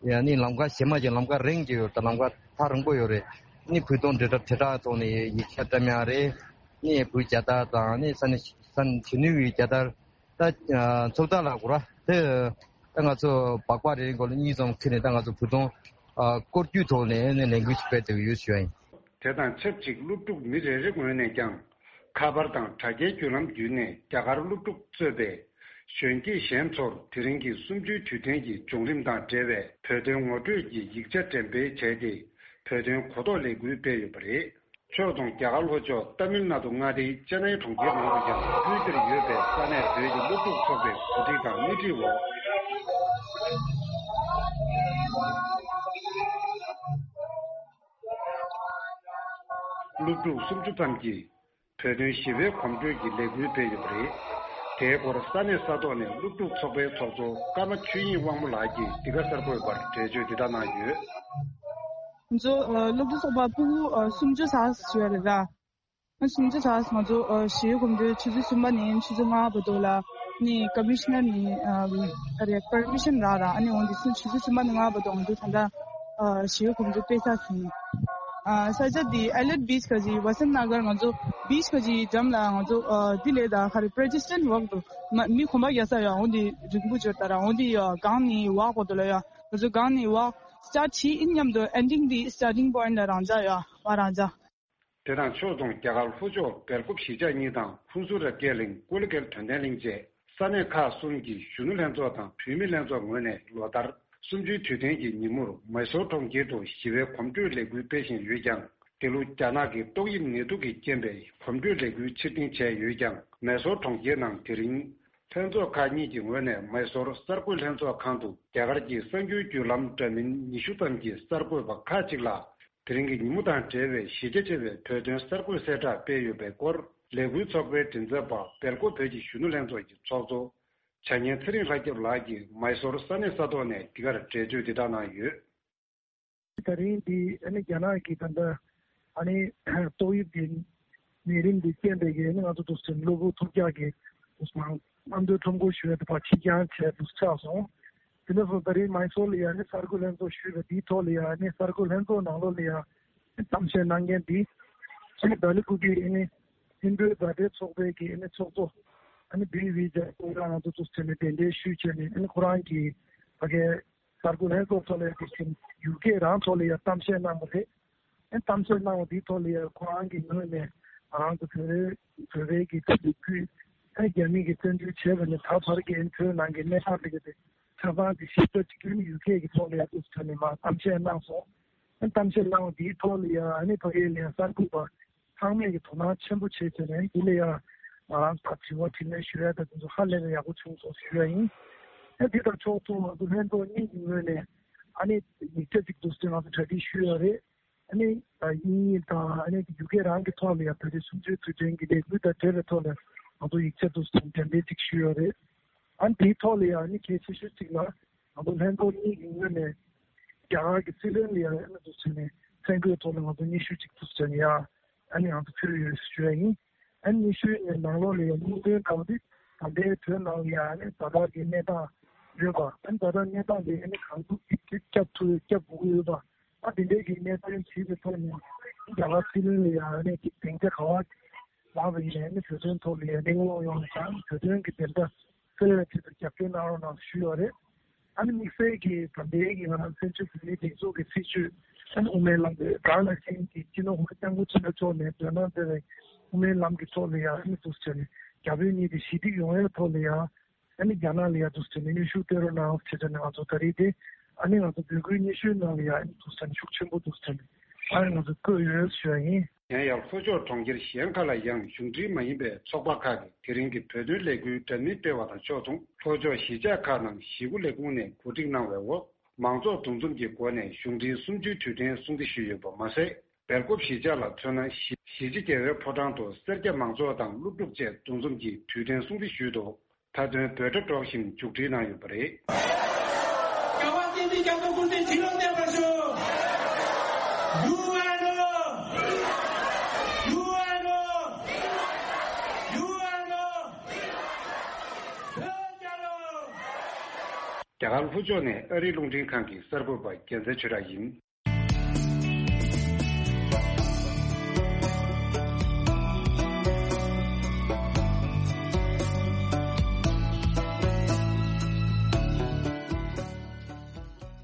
ཡ་ནི་ལམ་ཁ་གཞན་མ་ཅིག་ལམ་ཁ་རིང་གི་ཡོད། ད་ལམ་ཁ་ཐག་རིང་པོ་ཡོད་རེད། ནི་བོད་དོན་དྲིལ་བསྒྲགས་དྲིལ་བསྒྲགས་ཐོག་ནས་ཡིག་ཆ་བཀྲམ་ཡག་རེད། ནི་བོད་རྒྱལ་དར་དང་ནི་ས་གནས་ས་གནས་གཞོན་ནུ་ཡི་རྒྱལ་དར། ད་ཚོགས་བདག་ལགས་གོ་ར་དེ་ད་ང་ཚོ་སྦག་སྦག་རེ་རེ་མགོ་ལ་གཉིས་ཙམ་ཁྱེར་ནས་ད་ང་ཚོ་བོད་དོན་ཨ་སྐོར་སྐྱོད་ཐོག་ནས་ནས་ལས་འགུལ་ཞིག་སྤེལ་བསྡད་ཀྱི་ཡོད་ཞུ་ཡ་ཡིན། དེ་དང་ཆབས་ཅིག་སློབ་ཕྲུག་མི་རེ་རེ་ངོས་ནས་ཀྱང་ཁ་པར་དང་དྲ་རྒྱའི་བརྒྱུད་ལམ་བརྒྱུད་ནས་རྒྱ་གར་སློབ་ཕྲུག་གཙོས་པའི་གཞོན་སྐྱེས་གཞན་ཚོར་དེ་རིང་གི་གསུམ་བཅུའི་དུས་དྲན་གྱི་བྱུང་རིམ་དང་འབྲེལ་བའི་བོད་དོན་ངོ་སྤྲོད་ཀྱི་ཡིག་ཆ་འགྲེམས་སྤེལ་བྱས་ཏེ་བོད་དོན་གོ་རྟོགས་ལས་འགུལ་སྤེལ་ཡོད་པ་རེད། ཕྱོགས་མཚུངས་རྒྱ་གར་ལྷོ་ཕྱོགས་ཏཱ་མིལ་ནཱ་ཌུ་མངའ་སྡེའི་ཅེ་ནའི་གྲོང་ཁྱེར་ནང་དུ་ཀྱང་དབུས་འདིར་ཡོད་པའི་ས་གནས་བོད་ཀྱི་སློབ་ཕྲུག་ཚོགས་པའི་གོ་སྒྲིག་དང་སྣེ་ཁྲིད་འོག་སློབ་ཕྲུག་སུམ་ཅུ་ཙམ་གྱིས་བོད་དོན་ཞི་བའི་གོམ་བགྲོད་ཀྱི་ལས་འགུལ་སྤེལ་ཡོད་པ་རེད། དེའི་སྐོར་ས་གནས་ས་ཐོག་ནས་སློབ་ཕྲུག་ཚོགས་པའི་ཚོགས་གཙོ་ཀརྨ་ཆོས་དབྱིངས་དབང་མོ་ལགས་ཀྱིས་འདི་ག་གསར་འགོད་པར་འགྲེལ་བརྗོད་འདི་ལྟར་གནང་ཡོད། ང་ཚོ་ཨ་སློབ་ཕྲུག་ཚོགས་པ་ཕྲུ་གུ་ཨ་སུམ་ཅུ་ཙམ་ཞིག་ཡོད་རེད་ད། ཨ་སུམ་ཅུ་ཙམ་ང་ཚོ་ཨ་ཞི་བའི་གོམ་བགྲོད་ཆུ་ཚོད་གསུམ་པ་ནས་ཆུ་ཚོད་ལྔ་བར་དུ་ལ་ནི་ཀོ་མི་ཤི་ནར་ནས་ཨ་ཨ་རེ་པར་མི་ཤན་རག་ར། ཨ་ནི་འོན་ཏེ་ཆུ་ཚོད་གསུམ་པ་ནས་ལྔ་བར་དུ་ང་ཚོ་ད་ལྟ་ཨ་ཞི་བའི་གོམ་བགྲོད་སྤེལ་ས་ཟིན། ཨ་ས་ཆ་འདི་ཨེ་ལེཊ་བྷིཆ་ག་ཅིག་ཝ་སན་ན་གར་ང་ཚོ་བྷིཆ་ག་ཅིག་འགྲམ་ལ་ང་ཚོ་ཨ་འདི་ལས་ད་ག་རེ་པེ་ཌེ་སི་ཊན་ཝོག་འདུག་མ་མི་གོམ་པ་རྒྱག་ས་ཡོད། འོན་ཏེ་རིང་པོ་འགྱོ་ད་ར། འོན་ཏེ་ཡ་སྒང་ནས་ཝོག་བར་དུ་ལ་ཡ་ང་ཚོ་སྒང་ནས་ཝོག་སི་ཊར་ཊི་བྱེད་ཡིན་མཉམ་དུ་ཨེན་ཌིང་འདི་སི་ཊར་ཊིང་པོ་ཡིན་ལ་རང་འཇགས་ཡ་བ་རང་འཇགས། དེ་དང་ཕྱོགས་མཚུངས་རྒྱ་གར་ལྷོ་ཕྱོགས་སྦེལ་ཀོབ་གཞིས་ཆགས་གཉིས་དང་ཧུན་སུར་རབ་རྒྱས་གླིང་ཀོ་ལི་གྷལ་དོན་ལྡན་གླིང་བཅས་ས་གནས་ཁག་གསུམ་གྱི་གཞོན་ནུ་ལྷན་ཚོགས་དང་བུད་མེད་ལྷན་ཚོགས་ངོས་ནས་ལོ་ལྟར་གསུམ་བཅུའི་དུས་དྲན་གྱི་ཉིན་མོར་མེ་སོར་གྲོང་ཁྱེར་དུ་ཞི་བའི་གོམ་བགྲོད་ལས་འགུལ་སྤེལ་བཞིན་ཡོད་ཀྱང་། འདི་ལོ་རྒྱ་ནག་གི་ཏོག་དབྱིབས་ནད་དུག་གི་རྐྱེན་པས་གོམ་བགྲོད་ལས་འགུལ་ཕྱིར་འཐེན་བྱས་ཡོད་ཀྱང་། མེ་སོར་གྲོང་ཁྱེར་ནང་དེ་རིང་ ལྷན་ཚོགས་ཁག་གཉིས་ཀྱི་ངོས་ནས་མའི་སོར་གསར་འགོད་ལྷན་ཚོགས་ཁང་དུ་རྒྱ་གར་གྱི་གསར་འགྱུར་བརྒྱུད་ལམ་འདྲ་མིན་ཉི་ཤུ་ཙམ་གྱི་གསར་འགོད་པ་ཁག་ཅིག་ལ། དེ་རིང་གི་ཉིན་མོ་དང་འབྲེལ་བའི་གཞི་རྒྱ་ཆེ་བའི་བོད་དོན་གསར་འགོད་གསལ་བསྒྲགས་སྤེལ་ཡོད་པའི་སྐོར། ལས་འགུལ་ཚོགས་པའི་མགྲིན་ཚབ་པ་སྦེལ་ཀོབ་བོད་ཀྱི་གཞོན་ནུ་ལྷན་ཚོགས་ཀྱི་ཚོགས་གཙོ་བྱ་ཉན་ཚེ་རིང་ལྷ་སྐྱབས་ལགས་ཀྱིས་མའི་སོར་ས་གནས་ས་ཐོག་ནས་འདི་གར་འགྲེལ་བརྗོད་འདི་དག་གནང་ཡོད། ད་རིང་འདི་ཨ་ནི་རྒྱ་ནག་གི་ད་ལྟ་ཨ་ནི་ཏོག་དབྱིབས་ཀྱི་ནད་རིམས་འདི་རྐྱེན་པས་ཀྱི་ཨ་ནི་ང་ཚོ་འདུག་སེ་གློ་བུར་ཐུག་འཇགས་ཀྱི་འདུག་སེ་རྣམ་རྟོག་ཁྲོམ་སྐོར་ཞུ་ཡ་དེ་ཕར་ཕྱིར་འགྱངས་བྱས་འདུག་ཆགས་སོང་། དེ་འདྲ་སོང་ད་རིང་མའི་སོར་ལ་ཡ་ཨ་ནི་གསར་འགོད་ལྷན་ཚོགས་ཞུས་པ་འདིའི་ཐོག་ལ་ཡ་ཨ་ནི་གསར་འགོད་ལྷན་ཚོགས་ནང་ལོགས་ལ་ཡ་ཨ་ནི་གཏམ་བཤད་གནང་མཁན་འདི་ཨ་ནི་ལྡི་ལི་ཁུལ་གྱི་ཨ་ནི་ཧིན་རྡུའི་མཛའ་འབྲེལ་ཚོགས་པའི་གི་ཨ་ནི་ཚོགས་གཙོ་ཨ་ནི་བི་བི་ཇ་ཁོ་རང་ང་ཚོ་འདུག་སེ་ནས་གདན་འདྲེན་ཞུས་བྱས་ནས་ཨ་ནི་ཁོ་རང་གི་ཕ་གའི་གསར་འགོད་ལྷན་ཚོགས་ཐོག་ལ་འདུག་སེ་ཡུ་ཀེ་རང་ཐོག་ལ་ཡ་གཏམ་བཤད་གནང་བ་རེད། ཨ་ནི་གཏམ་བཤད་གནང་བ་འདིའི་ཐོག་ལ་ཡ་ཁོ་རང་གི་ངོས་ནས་ང་རང་ཚོ་བོད་རེ་བོད་པའི་གི་ད་ལོ་རྒྱུས་ཨ་ནི་རྒྱ་མི་གི་བཙན་འཛུལ་བྱས་པ་ནས་ད་བར་གྱི་ཨ་ནི་བོད་ནང་གི་གནས་སྟངས་དེ་ག་དེ་ཆ་ཚང་དེ་ཞིབ་ཕྲ་གཅིག་གྱུར་ཡུ་ཀེ་གི་ཐོག་ལ་ཡ་འདུག་སེ་ནས་མར་གཏམ་བཤད་གནང་སོང་། ཨ་ནི་གཏམ་བཤད་གནང་བ་འདིའི་ཐོག་ལ་ཡ་ཨ་ནི་ཕ་གིའི་ལ་ཡ་གསར་འགོད་པ་ཚང་མས་ཀྱི་དོ་སྣང་ཆེན་པོ་བྱས་བྱས་ནས་འདི་ལ་ཡ་ང་རང་ཚོ་དྲི་བ་དྲིས་ལན་ཞུ་ཡ་དང་དེ་ཚོ་ཧ་ལས་པའི་ཡག་པོ་བྱུང་སོང་ཞུ་ཡ་ཡིན། ཨ་འདི་དང་ཕྱོགས་མཚུངས་ང་ཚོ་ལྷན་ཚོགས་གཉིས་ཀྱི་ངོས་ནས་ཨ་ནི་ཡིག་ཆ་ཅིག་འདུག་སེ་ང་ཚོ་གྲ་སྒྲིག་ཞུས་ཡོད་རེད། ཨ་ནི་དབྱིན་ཡིག་དང་ཨ་ནི་ཡུ་ཀེ་རང་གི་ཐོག་ལ་ཡ་བོད་རིགས་གསུམ་བཅུའི་དུས་དྲན་གྱི་ལས་འགུལ་དང་འབྲེལ་བའི་ཐོག་ལ་ང་ཚོ་ཡིག་ཆ་འདུག་སེ་འགྲེམས་སྤེལ་ཅིག་ཞུས་ཡོད་རེད། ཨ་ནི་དེའི་ཐོག་ལ་ཡ་ཨ་ནི་གལ་ཆེ་ཤོས་ཅིག་ལ། ང་ཚོ་ལྷན་ཚོགས་གཉིས་ཀྱི་ངོས་ནས་རྒྱ་གར་གྱི་སྲིད་བློན་ལ་ཡང་ཨ་ནི་འདུག་བྱས་ནས་མཚན་བཀོད་ཐོག་ལ་ང་ཚོ་སྙན་ཞུ་གཅིག་འདུག་བྱས་ནས་ཡང་ཨ་ནི་ང་ཚོ་ཕུལ་ཡོད་ཞུ་ཡ་ཡིན། ཨ་ནི་སྙན་ཞུའི་ནང་ལོགས་ལ་ཡང་སྙིང་དོན་དང་པོ་དེ་ད་ལྟའི་བོད་ནང་ལ་ཡང་ཨ་ནི་ཛ་དྲག་གི་གནས་སྟངས་ཡོད་པ། ཨ་ནི་ཛ་དྲག་གནས་སྟངས་དེ་ཨ་ནི་གང་ཐུབ་ཅིག་སྐྱབས་ཐུབ་སྐྱབས་དགོས་ཀྱི་ཡོད་པ། ཨ་དེ་འདྲའི་གི་གནས་སྟངས་ཞིག་གི་ཐོག་ནས་རྒྱ་གར་སྲིད་བློན་ལ་ཡང་ཨ་ནི་སྡིངས་ཆ་ག་བ་ལངས་པ་ཡིན་ནའི་ནི་བོད་དོན་ཐོག་ལ་ཡང་གླེང་སློང་ཡོང་བ་དང་བོད་དོན་གྱི་བདེན་མཐའ་གསལ་བའི་ཆེད་དུ་རྒྱབ་སྐྱོར་གནང་རོགས་གནང་ཞུས་ཡོད་རེད། ཨ་ནི་དམིགས་བསལ་གྱིས་ད་ལྟའི་གི་ང་རང་བཙན་བྱོལ་བོད་མིའི་སྒྲིག་འཛུགས་ཀྱི་སྲིད་བྱུས་ཨ་ནི་དབུ་མའི་ལམ་གྱི་དགའ་ལ་ཤེས་ཀྱི་སྤྱི་ནོར་གོང་ས་སྐྱབས་མགོན་ཆེན་པོ་མཆོག་ནས་འདོན་གནང་མཛད་པའི་དབུ་མའི་ལམ་གྱི་ཐོག་ལ་ཡང་ཨ་ནི་འདུག་སེ་བྱས་ནས་རྒྱ་བོད་གཉིས་ཀྱི་ཞི་བདེ་ཡོང་ཡའི་ཐོག་ལ་ཡང་ཨ་ནི་རྒྱ་ནག་ལ་ཡང་འདུག་སེ་བྱས་ནས་གནོན་ཤུགས་སྤྲོད་རོགས་གནང་ཟེར་བྱས་ནས་ང་ཚོ་ད་རེས་དེ་ཨ་ནི་ང་ཚོ་འབོད་སྐུལ་སྙན་ཞུའི་ནང་ལ་ཡང་ཨ་ནི་འདུག་སེ་བྱས་ནས་ཤུགས་ཆེན་པོ་འདུག་སེ་བྱས་ནས་ཨ་ནི་ང་ཚོ་བཀོད་ཡོད་ཞུ་བ་ཡིན། གཞན་ཡང་ལྷོ་ཕྱོགས་གྲོང་ཁྱེར་གཞན་ཁག་ལ་ཡང་གཞུང་འབྲེལ་མ་ཡིན་པའི་ཚོགས་པ་ཁག་གིས་དེ་རིང་གི་བོད་དོན་ལས་འགུལ་འདྲ་མིན་སྤེལ་བ་དང་ཕྱོགས་མཚུངས་ལྷོ་ཕྱོགས་གཞིས་ཆགས་ཁག་ནང་གཞིས་འགོ་ལས་ཁུངས་ནས་གོ་སྒྲིག་གནང་བའི་འོག་མང་ཚོགས་འདུ་འཛོམས་ཀྱི་སྒོ་ནས་གཞུང་འབྲེལ་གསུམ་བཅུའི་དུས་དྲན་སྲུང་བརྩི་ཞུས་ཡོད་པ་མ་ཟད། སྦེལ་ཀོབ་གཞིས་ཆགས་ལ་མཚོན་ན་གཞིས་གཞིས་བྱེས་རྒྱལ་བའི་ཕོ་བྲང་དུ་སེར་སྐྱ་མང་ཚོགས་དང་སློབ་ཕྲུག་བཅས་འདུ་འཛོམས་ཀྱིས་དུས་དྲན་སྲུང་བརྩི་ཞུས་འདུག་མཐའ་དོན་འབོད་སྒྲ་སྒྲོག་བཞིན་མཇུག་སྒྲིལ་གནང་ཡོད་པ་རེད། རྒྱལ་བ་བསྟན་འཛིན་རྒྱ་མཚོ་སྐུ་ཚེ་ཁྲི་ལོ་གནས་པར་ཤོག་ཡུ་ཨེན་ཨོ། ཡུ་ཨེན་ཨོ། ཡུ་ཨེན་ཨོ། བོད་རྒྱལ་ལོ། རྒྱ་གར་ལྷོ་ཕྱོགས་ནས་ཨ་རིའི་རླུང་འཕྲིན་ཁང་གི་གསར་འགོད་པ་རྒྱལ་མཚན་ཆོས་གྲགས་ཡིན།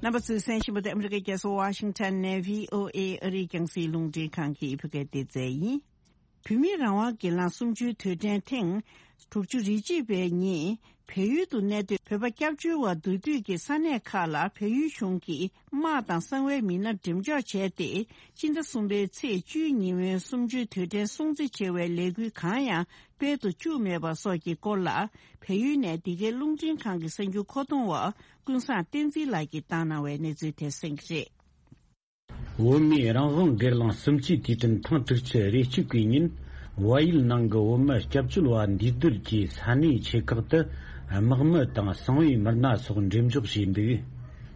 རྣམ་པ་ཚོས་གསན་བཞིན་པ་དེ་ཨ་མི་རི་ཀའི་རྒྱལ་ས་ཝ་ཤིང་ཊོན་ནས་བྷི་ཨོ་ཨེ་ཨ་རིའི་རྒྱང་སྲིང་རླུང་འཕྲིན་ཁང་གི་བོད་སྐད་སྡེ་ཚན་ཡིན། བོད་མིའི་རང་དབང་སྒེར་ལངས་གསུམ་བཅུའི་དུས་དྲན་ཐེངས་དྲུག་ཅུ་རེ་གཅིག་པའི་ཉིན་བལ་ཡུལ་དུ་གནས་སྡོད་བོད་པ་སྐྱབས་བཅོལ་བ་བསྡུ་སྡོད་ཀྱི་ས་གནས་ཁག་ལ་བལ་ཡུལ་གཞུང་གིས་དམག་དང་གསང་བའི་མི་སྣ་འགྲེམས་འཇོག་བྱས་ཏེ། སྤྱི་ཟླ་གསུམ་པའི་ཚེས་བཅུའི་ཉིན་མོའི་གསུམ་བཅུའི་དུས་དྲན་སྲུང་བརྩི་བྱེད་པའི་ལས་འགུལ་གང་ཡང་སྤེལ་དུ་བཅུག་མེད་པ་སོགས་ཀྱི་སྐོར་ལ། བལ་ཡུལ་ནས་འདི་གའི་རླུང་འཕྲིན་ཁང་གི་གསར་འགྱུར་མཁོ་གཏོང་བ་ཀུན་བཟང་བསྟན་འཛིན་ལགས་ཀྱིས་བཏང་གནང་བའི་གནས་ཚུལ་དེ་གསན་གྱི་རེད། བོད་མིའི་རང་དབང་སྒེར་ལངས་གསུམ་བཅུའི་དུས་དྲན་ཐེངས་དྲུག་ཅུ་རེ་གཅིག་པའི་ཉིན། བལ་ཡུལ་ནང་གི་བོད་མི་སྐྱབས་བཅོལ་བ་འདུས་སྡོད་ཀྱི་ས་གནས་ཆེ་ཁག་ཏུ་དམག་མི་དང་གསང་བའི་མི་སྣ་སོགས་འགྲེམས་འཇོག་བྱས་འདུག་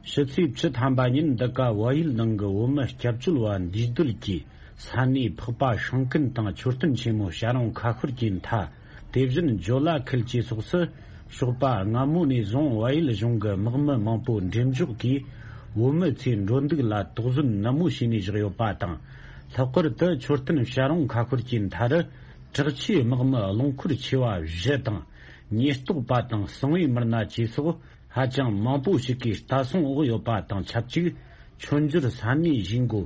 ཕྱི་ཚེས་བཅུ་ཐམ་པ་ཉིན་འདི་ག་བལ་ཡུལ་ནང་གི་བོད་མི་སྐྱབས་བཅོལ་བ་འདུས་སྡོད་ཀྱི་ས་གནས་འཕགས་པ་ཤང་ཀུན་དང་མཆོད་རྟེན་ཆེན་མོ་བྱ་རུང་ཁ་ཤོར་གྱི་མཐའ། དེ་བཞིན་ཇོ་ལ་ཁུལ་བཅས་སོགས་སུ། ཞོགས་པ་སྔ་མོ་ནས་བཟུང་བལ་ཡུལ་གཞུང་གི་དམག་མི་མང་པོ་འགྲེམས་འཇོག་གིས་བོད་མི་ཚོའི་འགྲོ་འདུག་ལ་དོགས་ཟོན་ནན་མོ་བྱས་ནས་བཞག་ཡོད་པ་དང་། ལྷག་པར་དུ་མཆོད་རྟེན་བྱ་རུང་ཁ་ཤོར་གྱི་མཐའ་རུ་དྲག་ཆས་དམག་མི་རླངས་འཁོར་ཆེ་བ་བཞི་དང་། ཉེན་རྟོག་པ་དང་གསང་བའི་མི་སྣ་བཅས་སོགས་ཧ་ཅང་མང་པོ་ཞིག་གིས་ལྟ་སྲུང་འོག་ཡོད་པ་དང་ཆབས་ཅིག་མཆོད་འཇོར་ས་གནས་བཞེས་འགོ་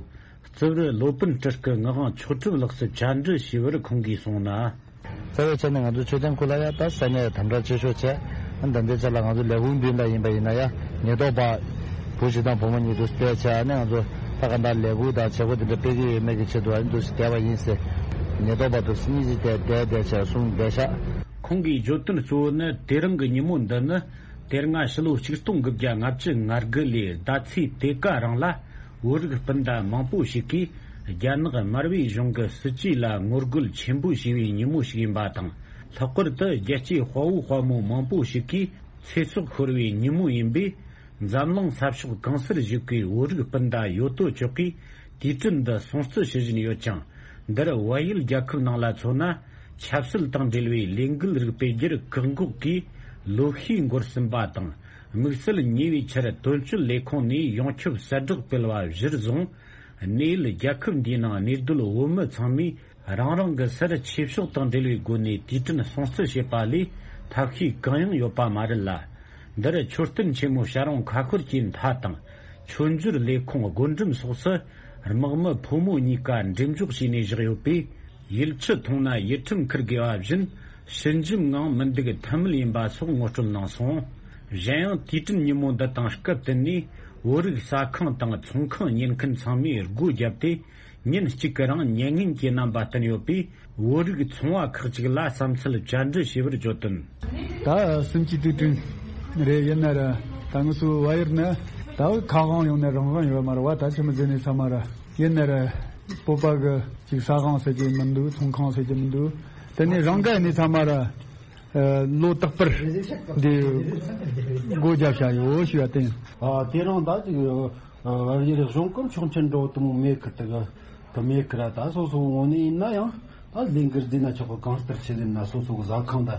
རྩིབ་རི་ལོ་པཎ་སྤྲུལ་སྐུ་ངག་དབང་མཆོག་གྲུབ་ལགས་སུ་བཅར་འདྲི་ཞུས་པར་ཁོང་གིས་གསུངས་ན། རྩ་བའི་ཆ་ནས་ང་ཚོ་མཆོད་རྟེན་ཁུལ་ལ་ཡ་ད་ས་གནས་དམ་དྲག་ཆེ་ཤོས་བྱས། ཨ་ནི་ད་ལྟའི་ཆ་ལ་ང་ཚོ་ལས་ཁུངས་མདུན་ལ་ཡིན་པ་ཡིན་ན་ཡ་ཉེན་རྟོག་པ་བུ་གཞིས་དང་བུ་མོ་གཉིས་འདུག་བསྡད་བྱས། ཨ་ནི་ང་ཚོ་ད་ག་འདྲ་ལས་འགུལ་དང་བྱེད་སྒོ་དེ་འདྲ་སྤེལ་གྱི་ཡོད་མེད་ཀྱི་ཆེད་དུ་ཨ་ནི་འདུག་བསྡད་པ་ཡིན་ཟེར། ཉེན་རྟོག་པ་འདུག་གཉིས་ཀྱིས་བསྡད་བསྡད་བསྡད་བྱས་གསུངས་བསྡད་ཤག་ཁོང་གིས་བརྗོད་དོན་གཙོ་བོ་ནི། དེ་རིང་གི་ཉིན་མོ་འདི་ནི་དེ་སྔ་ཕྱི་ལོ་ཆིག་སྟོང་དགུ་བརྒྱ་ལྔ་བཅུ་ང་དགུ་ལོའི་ཟླ་ཚེས་དེ་ག་རང་ལ། བོད་རིགས་སྤུན་ཟླ་མང་པོ་ཞིག་གིས་རྒྱ་ནག་མར་པའི་གཞུང་གི་སྲིད་ཇུས་ལ་ངོ་རྒོལ་ཆེན་པོ་བྱས་པའི་ཉིན་མོ་ཞིག་ཡིན་པ་དང་། ལྷག་པར་དུ་རྒྱལ་གཅེས་དཔའ་བོ་དཔའ་མོ་མང་པོ་ཞིག་གིས་ཚེ་སྲོག་ཤོར་བའི་ཉིན་མོ་ཡིན་པས། འཛམ་གླིང་ས་ཕྱོགས་གང་སར་བཞུགས་པའི་བོད་རིགས་སྤུན་ཟླ་ཡོད་དོ་ཅོག་གིས་དུས་དྲན་འདི་སྲུང་བརྩི་ཞུ་བཞིན་ཡོད་ཅིང་། འདིར་བལ་ཡུལ་རྒྱལ་ཁབ་ནང་ལ་མཚོན་ན། ཆབ་སྲིད་དང་འབྲེལ་བའི་ལས་འགུལ་རིགས་སྤེལ་རྒྱུར་བཀག་འགོག་གིས་ལོ་ཤས་འགོར་ཟིན་པ་དང་། དམིགས་བསལ་ཉེ་བའི་ཆར་དོན་གཅོད་ལས་ཁུངས་ནས་ཡོངས་ཁྱབ་གསལ་བསྒྲགས་སྤེལ་བ་གཞིར་བཟུང་། གནས་ཡུལ་རྒྱལ་ཁབ་འདིའི་ནང་གནས་སྡོད་བོད་མི་ཚང་མས་རང་རང་གི་སར་ཆོས་ཕྱོགས་དང་འབྲེལ་བའི་སྒོ་ནས་དུས་དྲན་སྲུང་བརྩི་བྱེད་པ་ལས་ཐབས་ཤེས་གང་ཡང་ཡོད་པ་མ་རེད་ལ། འདིར་མཆོད་རྟེན་ཆེན་མོ་བྱ་རུང་ཁ་ཤོར་གྱི་མཐའ་དང་། མཆོད་འཇོར་ལས་ཁུངས་སྒོ་འགྲམ་སོགས་སུ་དམག་མི་ཕོ་མོ་གཉིས་ཀ་འགྲེམས་འཇོག་བྱས་ནས་བཞག་ཡོད་པས། ཡུལ་སྤྱི་མཐོང་ན་ཡིད་ཁྲིམས་འཁུར་དགོས་པ་བཞིན། ཞི་འཇམ་ངང་མི་འདུག་ཐབས་མེད་ཡིན་པ་སོགས་ངོ་སྤྲོད་གནང་སོང་། གཞན་ཡང་དུས་དྲན་ཉིན་མོ་འདི་དང་སྐབས་བསྟུན་ནས། བོད་རིགས་ཟ་ཁང་དང་ཚོང་ཁང་ཉན་མཁན་ཚང་མས་སྒོ་བརྒྱབ་སྟེ། ཉིན་གཅིག་གི་རིང་ཉན་ངན་གྱི་རྣམ་པ་བསྟན་ཡོད་པས། བོད་རིགས་ཚོང་བ་ཁག་ཅིག་ལ་བསམ་ཚུལ་བཅར་འདྲི་ཞུས་པར་བརྗོད་དོན། ད་སུམ་ཅུ་དུས་དྲན་རེད། ཡིན་ན་ར་ད་ང་ཚོའི་བལ་ཡུལ་ནི་ད་ཁ་དབང་ཡོང་ནས་རང་དབང་ཡོད་མ་རེད་བ། ད་ཆི་མོ་ཟེར་ནས་ཚང་མ་ར་ཡིན་ན་ར་བོད་པ་གི་ཅིག་ཟ་ཁང་ཟེར་གྱི་མི་འདུག་ཚོང་ཁང་ཟེར་གྱི་མི་འདུག་དེ་ནས་རང་དགའ་ནས་ཚང་མ་ར་ལོ་རྟག་པར་འདི་སྒོ་བརྒྱབ་བཞག་ཡོད་ཞུ་བ་བསྟན། ཨ་དེ་རིང་ད་ཅིག་བལ་ཡུལ་གཞུང་གི་ཆོག་མཆན་འགྲོ་དུ་མོ་མེད་གི་དེ་གི་དུ་མེད་གི་ར། ད་སོ་སོ་ངོ་ནས་ཡིན་ན་ཡང་ད་ལས་འགུལ་འདི་ན་ཆོག་གི་གང་ལྟར་ཆེ་ལེན་ན་སོ་སོ་གི་ཟ་ཁང་ད་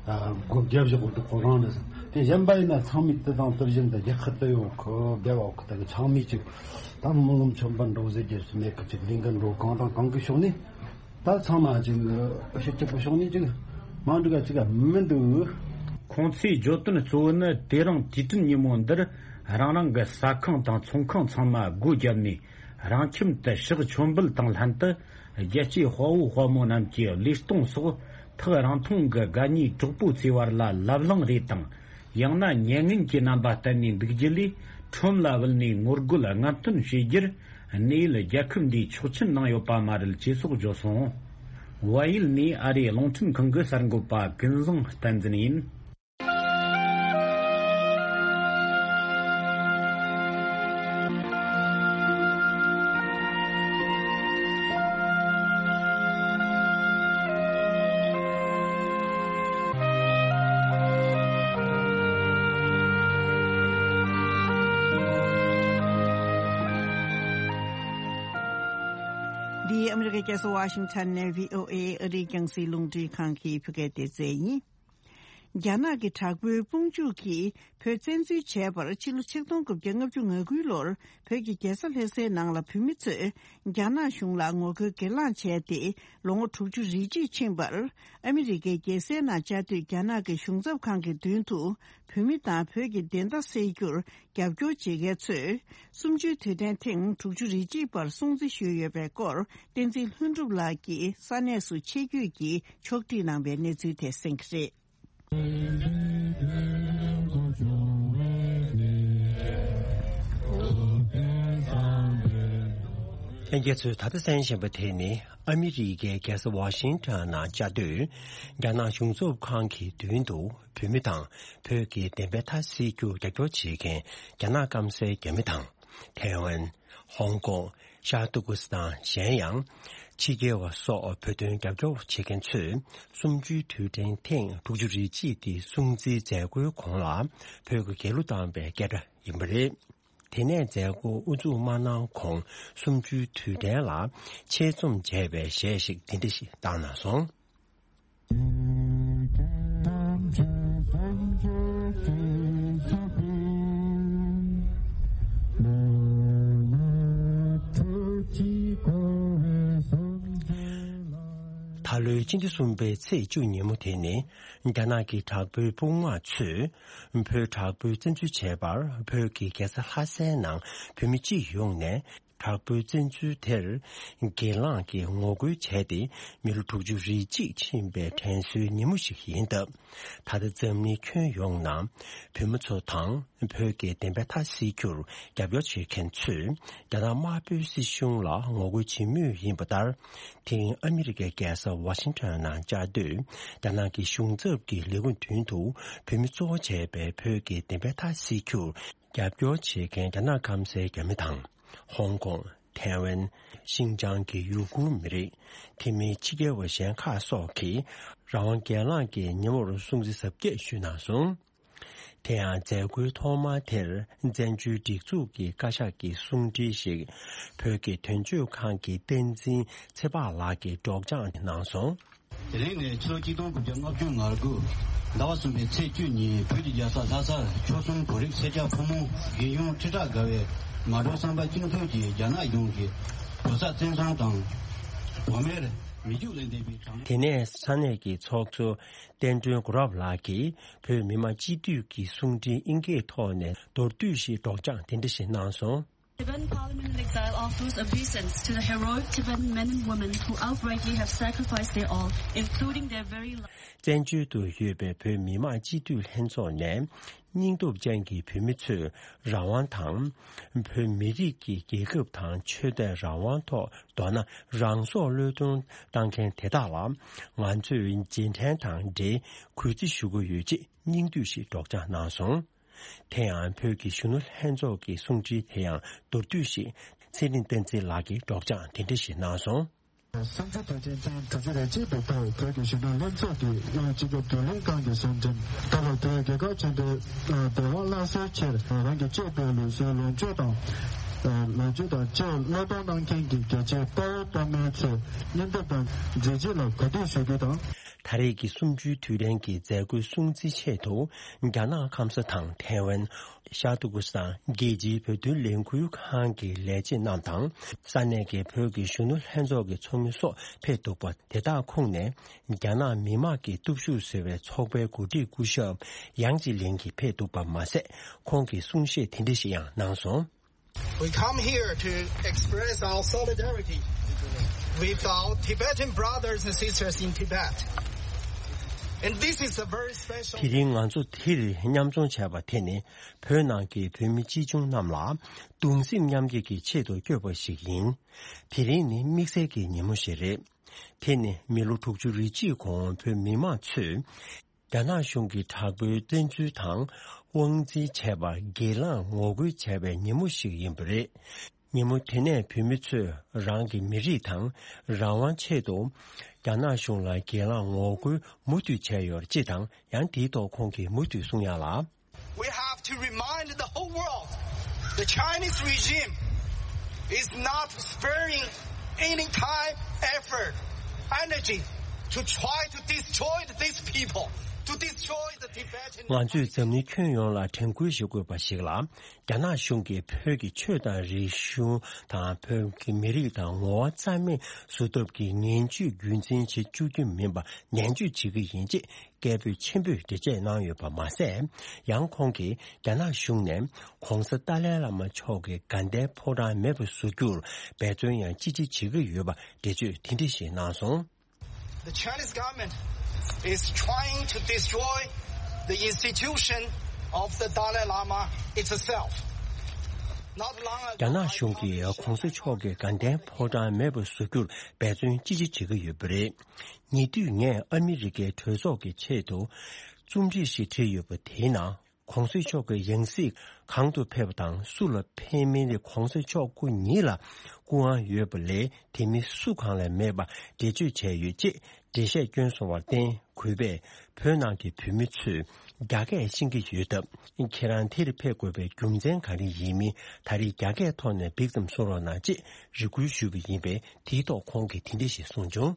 སྒོ་བརྒྱབ་བཞག་གི་འདུག་ཁོ་རང་རེད། དེ་གཞན་པ་ཡིན་ན་ཚང་མས་དེ་དང་དེ་བཞིན་དུ་རྒྱལ་ཁབ་དུ་ཡོད་གི་བསྡད་ཡོད་གི་དེ་གི་ཚང་མས་ཅིག་ད་མི་ལོ་མཆོད་པ་འགྲོ་ཟེར་རྒྱུ་མེད་གི། ཅིག་ལས་འགུལ་འགྲོ་གང་དང་གང་གི་ཕྱོགས་ནས་ད་ཚང་མ་ཅིག་ཕྱི་སྐྱིད་པོ་ཕྱོགས་ནས་ཅིག་མ་འགྲིག་ག་ཅིག་མི་འདུག་ཁོང་ཚོས་བརྗོད་དོན་གཙོ་བོ་ནི། དེ་རིང་དུས་དྲན་ཉིན་མོ་འདིར་རང་རང་གི་ཟ་ཁང་དང་ཚོང་ཁང་ཚང་མ་སྒོ་བརྒྱབ་ནས། རང་ཁྱིམ་དུ་ཕྱག་མཆོད་འབུལ་དང་ལྷན་དུ། རྒྱལ་གཅེས་དཔའ་བོ་དཔའ་མོ་རྣམས་ཀྱི་བློས་གཏོང་སོགས། ཐག་རིང་ཐུང་གི་དགའ་ཉེ་གྲོགས་པོ་ཚོའི་བར་ལ་ལབ་གླེང་རེས་དང་། ཡང་ན་མྱ་ངན་གྱི་རྣམ་པ་བསྟན་ནས་འདུག་རྒྱུ་ལས། ཁྲོམ་ལ་བུད་ནས་ངོ་རྒོལ་རྔམ་སྟོན་བྱེད་རྒྱུར། གནས་ཡུལ་རྒྱལ་ཁབ་འདིས་ཆོག་མཆན་གནང་ཡོད་པ་མ་རེད་ཅེས་སོགས་བརྗོད་སོང་། བལ་ཡུལ་ནས་ཨ་རིའི་རླུང་འཕྲིན་ཁང་གི་གསར་འགོད་པ་ཀུན་བཟང་བསྟན་འཛིན་ཡིན། འདི་ཨ་མི་རི་ཀའི་རྒྱལ་ས་ཝ་ཤིང་ཊོན་ནས་བྷི་ཨོ་ཨེ་ཨ་རིའི་རྒྱང་སྲིང་རླུང་འཕྲིན་ཁང་གི་བོད་སྐད་སྡེ་ཚན་ཡིན། རྒྱ་ནག་གི་དྲག་པོའི་དཔུང་འཇུག་གིས་བོད་བཙན་འཛུལ་བྱས་པར་ཕྱི་ལོ་ཆིག་སྟོང་དགུ་བརྒྱ་ལྔ་བཅུ་ང་དགུའི་ལོར་བོད་ཀྱི་རྒྱལ་ས་ལྷ་སའི་ནང་ལ་བོད་མི་ཚོས་རྒྱ་ནག་གཞུང་ལ་ངོ་རྒོལ་སྒེར་ལངས་བྱས་ཏེ་ལོ་ངོ་དྲུག་ཅུ་རེ་གཅིག་ཕྱིན་པར། ཨ་མི་རི་ཀའི་རྒྱལ་སའི་ནང་བཅའ་སྡོད་རྒྱ་ནག་གི་གཞུང་ཚབ་ཁང་གི་མདུན་དུ་བོད་མི་དང་བོད་ཀྱི་བདེན་མཐའ་གསལ་རྒྱུར་རྒྱབ་སྐྱོར་བྱེད་མཁན་ཚོས་གསུམ་བཅུའི་དུས་དྲན་ཐེངས་དྲུག་ཅུ་རེ་གཅིག་པར་སྲུང་བརྩི་ཞུས་ཡོད་པའི་སྐོར། བསྟན་འཛིན་ལྷུན་གྲུབ་ལགས་ཀྱིས་ས་གནས་སུ་ཆེད་བསྐྱོད་ཀྱིས་ཕྱོགས་སྒྲིག་གནང་བའི་གནས་ཚུལ་དེ་གསན་གྱི་རེད། ལྷན་རྒྱས་ཚོས་ད་ལྟ་གསན་བཞིན་པ་དེ་ནི་ཨ་མི་རི་ཀའི་རྒྱལ་ས་ཝ་ཤིང་ཊོན་ནང་བཅའ་སྡོད་རྒྱ་ནག་གཞུང་ཚབ་ཁང་གི་མདུན་དུ་བོད་མི་དང་བོད་ཀྱི་བདེན་པའི་མཐའ་གསལ་རྒྱུར་རྒྱབ་སྐྱོར་བྱེད་མཁན་རྒྱ་ནག་སྐམ་སའི་རྒྱ་མི་དང་། ཐའེ་ཝན། ཧོང་ཀོང་། ཤར་ཏུར་ཀི་སི་ཐན། གཞན་ཡང་ཕྱི་རྒྱལ་བ་སོགས་བོད་དོན་རྒྱབ་སྐྱོར་བྱེད་མཁན་ཚོས་གསུམ་བཅུའི་དུས་དྲན་ཐེངས་དྲུག་ཅུ་རེ་གཅིག་འདི་སྲུང་བརྩིའི་མཛད་སྒོའི་གོང་ལ་བོད་ཀྱི་རྒྱལ་གླུ་བཏང་བའི་སྐད་སྒྲ་ཡིན་པ་རེད། དེ་ནས་མཛད་སྒོ་དབུ་འཛུགས་མ་གནང་གོང་གསུམ་བཅུའི་དུས་དྲན་ལ་ཆེད་རྩོམ་བྱས་པའི་གཞས་ཤིག་འདི་འདྲ་ཞིག་བཏང་གནང་སོང་། ད་ལོའི་སྤྱི་ཟླ་གསུམ་པའི་ཚེས་བཅུ་ཉིན་མོ་དེ་ནི་རྒྱ་ནག་གི་དྲག་པོའི་དཔུང་དམག་ཚོས་བོད་དྲག་པོའི་བཙན་འཛུལ་བྱས་པར་བོད་ཀྱི་རྒྱལ་ས་ལྷ་སའི་ནང་བོད་མི་སྤྱི་ཡོངས་ནས་ དྲག་པོའི་བཙན་འཛུལ་དེར་སྒེར་ལངས་ཀྱིས་ངོ་རྒོལ་བྱས་ཏེ། མི་ལོ་དྲུག་ཅུ་རེ་གཅིག་ཕྱིན་པའི་དྲན་གསོའི་ཉིན་མོ་ཞིག་ཡིན་སྟབས། ད་ལྟ་འཛམ་གླིང་ཁྱོན་ཡོངས་ནང་བོད་མི་ཚོ་དང་། བོད་ཀྱི་བདེན་པ་མཐའ་གསལ་རྒྱུར་རྒྱབ་སྐྱོར་བྱེད་མཁན་ཚོས། རྒྱ་ནག་དམར་པོའི་སྲིད་གཞུང་ལ་ངོ་རྒོལ་བྱེད་མུས་ཡིན་པ་ལྟར། དེ་རིང་ཨ་མི་རི་ཀའི་རྒྱལ་ས་ཝ་ཤིང་ཊོན་ནང་བཅའ་སྡོད་རྒྱ་ནག་གི་གཞུང་ཚབ་ཀྱི་ལས་ཁུངས་མདུན་དུ། བོད་མི་གཙོ་བོ་བྱས་པའི་བོད་ཀྱི་བདེན་པ་མཐའ་གསལ་རྒྱུར་རྒྱབ་སྐྱོར་བྱེད་མཁན་རྒྱ་ནག་སྐམ་སའི་རྒྱ་མི་དང་། ཧོང་ཀོང་། ཐའེ་ཝན། ཤིན་ཅང་གི་ཡུ་གུར་མི་རིགས། དེ་མིན་ཕྱི་རྒྱལ་བ་གཞན་ཁག་སོགས་ཀྱིས་རང་དབང་སྒེར་ལངས་ཀྱི་ཉིན་མོར་སྲུང་བརྩི་གཟབ་རྒྱས་ཞུས་གནང་སོང་། དེ་ཡང་མཛད་སྒོའི་ཐོག་མ་དེར་བཙན་བྱོལ་སྒྲིག་འཛུགས་ཀྱི་བཀའ་ཤག་གི་གསུང་འཕྲིན་ཞིག་བོད་ཀྱི་དོན་གཅོད་ཁང་གི་བསྟན་འཛིན་ཚེ་དཔག་ལགས་ཀྱིས་སྒྲོག་སྦྱང་གནང་སོང་། དེ་རིང་ནི་ཕྱི་ལོ་ཆིག་སྟོང་དགུ་བརྒྱ་ལྔ་བཅུ་ང་དགུ་ཟླ་བ་གསུམ་པའི་ཚེས་བཅུ་ཉིན་བོད་ཀྱི་རྒྱལ་ས་ལྷ་སར་ཆོལ་གསུམ་བོད་རིགས་སེར་སྐྱ་ཕོ་མོ་རྒན་གཞོན་ཁྲི་ཕྲག་བརྒལ་བས་མ་འགྲོ་བསམ་པ་གཅིག་མཚུངས་ཀྱིས་རྒྱ་ནག་གཞུང་གིས་བོད་ས་བཙན་བཟུང་དང་། བོད་མིར་མི་རྒྱུགས་ལས་འདས་པའི་དྲང་། དེ་ནས་ས་གནས་ཀྱི་ཚོགས་གཙོ་བསྟན་སྒྲོན་གོ་རབ་ལགས་ཀྱིས་བོད་མི་མང་སྤྱི་འཐུས་ཀྱི་གསུང་འཕྲིན་དབྱིན་སྐད་ཐོག་ནས་མདོར་བསྡུས་ཤིག་སྒྲོག་སྦྱང་དེ་འདྲ་ཞིག་གནང་སོང་། Tibetan Parliament in Exile offers obeisance to the heroic Tibetan men and women who outrightly have sacrificed their all, including their very lives. བཙན་བྱོལ་དུ་ཡོད་པའི་བོད་མི་མང་སྤྱི་འཐུས་ལྷན་ཚོགས་ནས། སྙིང་སྟོབས་ཅན་གྱི་བོད་མི་ཚོས་རང་དབང་དང་། བོད་མི་རིགས་ཀྱི་རྒྱལ་ཁབ་དང་ཆོས་དད་རང་དབང་ཐོག་མདོར་ན་རང་སྲོག་བློས་གཏོང་བཏང་མཁན་དེ་དག་ལ། ང་ཚོས་རྗེས་དྲན་དང་འབྲེལ་གུས་བརྩི་ཞུ་གི་ཡོད་ཅེས་སྙིང་བསྡུས་ཤིག་སྒྲོག་སྦྱང་གནང་སོང་། དེ་ཡང་བོད་ཀྱི་གཞོན་ནུ་ལྷན་ཚོགས་ཀྱི་གསུང་འཕྲིན་དེ་ཡང་མདོར་བསྡུས་ཤིག་ཚེ་རིང་བསྟན་འཛིན་ལགས་ཀྱིས་སྒྲོག་སྦྱང་དེ་འདྲ་ཞིག་གནང་སོང་། སུམ་ཅུ་དོན་ཆེན་ཐེངས་དྲུག་ཅུ་རེ་གཅིག་པའི་ཐོག་བོད་ཀྱི་གཞོན་ནུ་ལྷན་ཚོགས་ཀྱི་དབུས་སྤྱི་ཁྱབ་བགྲོ་གླེང་ཁང་གི་གསུང་འཕྲིན། ད་ལོ་དེ་རྒྱལ་ཁབ་ཆེན་པོའི་བདེ་དབང་བླང་སའི་ཕྱིར་རང་གི་གཅེས་པའི་ལུགས་སྲོལ་ལོངས་སྤྱོད་དང་། ལོངས་སྤྱོད་དང་བཅས་བློས་གཏོང་གནང་མཁན་གྱི་རྒྱལ་གཅེས་དཔའ་བོ་དཔའ་མོའི་ཚོའི་སྙིང་སྟོབས་དང་མཛད་རྗེས་ལ་གུས་འདུད་ཞུ་རྒྱུ་དང་། ད་རེས་ཀྱི་གསུམ་བཅུའི་དུས་དྲན་གྱི་མཛད་སྒོའི་སྲུང་བརྩིའི་ཆེད་དུ། རྒྱ་ནག་ཁམས་ས་དང་ཐའེ་ཝན། ཤར་ཏུར་ཀི་སི་ཐན་རྒྱལ་སྤྱིའི་བོད་དོན་ལས་འགུལ་ཁང་གི་ལས་བྱེད་རྣམས་དང་། ས་གནས་ཀྱི་བོད་ཀྱི་གཞོན་ནུ་ལྷན་ཚོགས་ཀྱི་ཚོགས་མི་སོགས་ཕེབས་འདུག་པ་དེ་དག་ཁོངས་ནས། རྒྱ་ནག་མི་དམངས་ཀྱི་སྟོབས་ཤུགས་ཟེར་བའི་ཚོགས་པའི་འགོ་ཁྲིད་སྐུ་ཞབས་ཡང་ཅི་ལིན་གྱིས་ཕེབས་འདུག་པ་མ་ཟད། ཁོང་གིས་གསུང་བཤད་དེ་འདྲ་ཞིག་ཡང་གནང་སོང་། We come here to express our solidarity with our Tibetan brothers and sisters in Tibet. And this is a very special དེ་རིང་ང་ཚོ་འདིར་མཉམ་འཛོམས་བྱས་པ་དེ་ནི། བོད་ནང་གི་བོད་མི་ཅི་ཆུང་རྣམས་ལ་གདུང་སེམས་མཉམ་སྐྱེད་ཀྱི་ཆེད་དུ་བསྐྱོད་པ་ཞིག་ཡིན། དེ་རིང་ནི་དམིགས་བསལ་གྱི་ཉིན་མོ་ཞིག་རེད། དེ་ནི་མི་ལོ་དྲུག་ཅུ་རེ་གཅིག་གོང་བོད་མི་མང་ཚོས། རྒྱ་ནག་གཞུང་གི་དྲག་པོའི་བཙན་འཛུལ་དང་། དབང་འཛིན་བྱས་པར་སྒེར་ལངས་ངོ་རྒོལ་བྱས་པའི་ཉིན་མོ་ཞིག་ཡིན་པ་རེད། ཉིན་མོ་དེ་ནས་བོད་མི་ཚོས་རང་གི་མི་རིགས་དང་། རང་དབང་ཆེད་དུ། རྒྱ་ནག་གཞུང་ལ་སྒེར་ལངས་ངོ་རྒོལ་མུ་མཐུད་བྱས་ཡོད་ཅེས་དང་། ཡང་དེའི་ཐོག་ཁོང་གིས་མུ་མཐུད་གསུང་ཡག་ལ། We have to remind the whole world, the Chinese regime is not sparing any time, effort, energy to try to destroy these people, to destroy the Tibetan. ང་ཚོས་འཛམ་གླིང་ཁྱོན་ཡོངས་ལ་དྲན་སྐུལ་ཞུ་དགོས་པ་ཞིག་ལ། རྒྱ་ནག་གཞུང་གིས་བོད་ཀྱི་ཆོས་དང་རིག་གཞུང་དང་། བོད་ཀྱི་མི་རིགས་དང་ངོ་བོ་རྩ་མེད་བཟོ་ཐབས་ཀྱི་ངན་ཇུས་རྒྱུན་འཛིན་བྱེད་བཅུག་རྒྱུ་མིན་པ་ནན་བརྗོད་བྱེད་ཀྱི་ཡིན་ཅེས། སྐད་འབོད་ཆེན་པོས་འགྲེལ་བཤད་གནང་ཡོད་པ་མ་ཟད། ཡང་ཁོང་གིས་རྒྱ་ནག་གཞུང་ནས་༧གོང་ས་ཏཱ་ལའི་བླ་མ་མཆོག་གི་དགའ་ལྡན་ཕོ་བྲང་མེད་པར་བཟོ་རྒྱུར་འབད་བརྩོན་ཡང་ཅི་ཆེ་བྱེད་ཀྱི་ཡོད་པ་འགྲེལ་བརྗོད་དེ་འདྲ་ཞིག་གནང་སོང་། The Chinese government is trying to destroy the institution of the Dalai Lama itself. Not long ago, རྒྱ་ནག་གཞུང་གིས་༧གོང་ས་མཆོག་གི་དགའ་ལྡན་ཕོ་བྲང་མེད་པར་བཟོ་རྒྱུར་འབད་བརྩོན་ཅི་ཆེ་བྱེད་ཀྱི་ཡོད་པ་རེད། ཉེ་དུས་ངས་ཨ་མི་རི་ཀའི་གྲོས་ཚོགས་ཀྱི་ཆེད་དུ་རྩོམ་སྒྲིག་ཞིག་བྲིས་ཡོད་པ་དེའི་ནང་། ༧གོང་ས་མཆོག་གི་ཡང་སྲིད་གང་དུ་ཕེབས་པ་དང་སུ་ལ་ཕེབས་མིན་དེ་༧གོང་ས་མཆོག་སྐུ་ཉིད་ལ་སྐུ་དབང་ཡོད་པ་ལས་དེ་མིན་སུ་གང་ལ་མེད་པ་འགྲེལ་བརྗོད་བྱས་ཡོད་ཅེས་འགྲེལ་བཤད་བསྐྱོན་སོང་བར་བརྟེན། གུས་པས་བོད་ནང་གི་བོད་མི་ཚོས་རྒྱ་སྐད་ཤེས་ཀྱི་ཡོད་སྟབས། ཁྱེད་རང་དེར་ཕེབས་དགོས་པའི་རྒྱུ་མཚན་ག་རེ་ཡིན་མིན་ད་རེས་རྒྱ་སྐད་ཐོག་ནས་འབིགས་ཙམ་གསུང་རོགས་གནང་ཅེས་རེ་སྐུལ་ཞུས་པ་ཡིན་པས། དེའི་ཐོག་ཁོང་གིས་དེ་འདྲ་ཞིག་གསུངས་བྱུང་།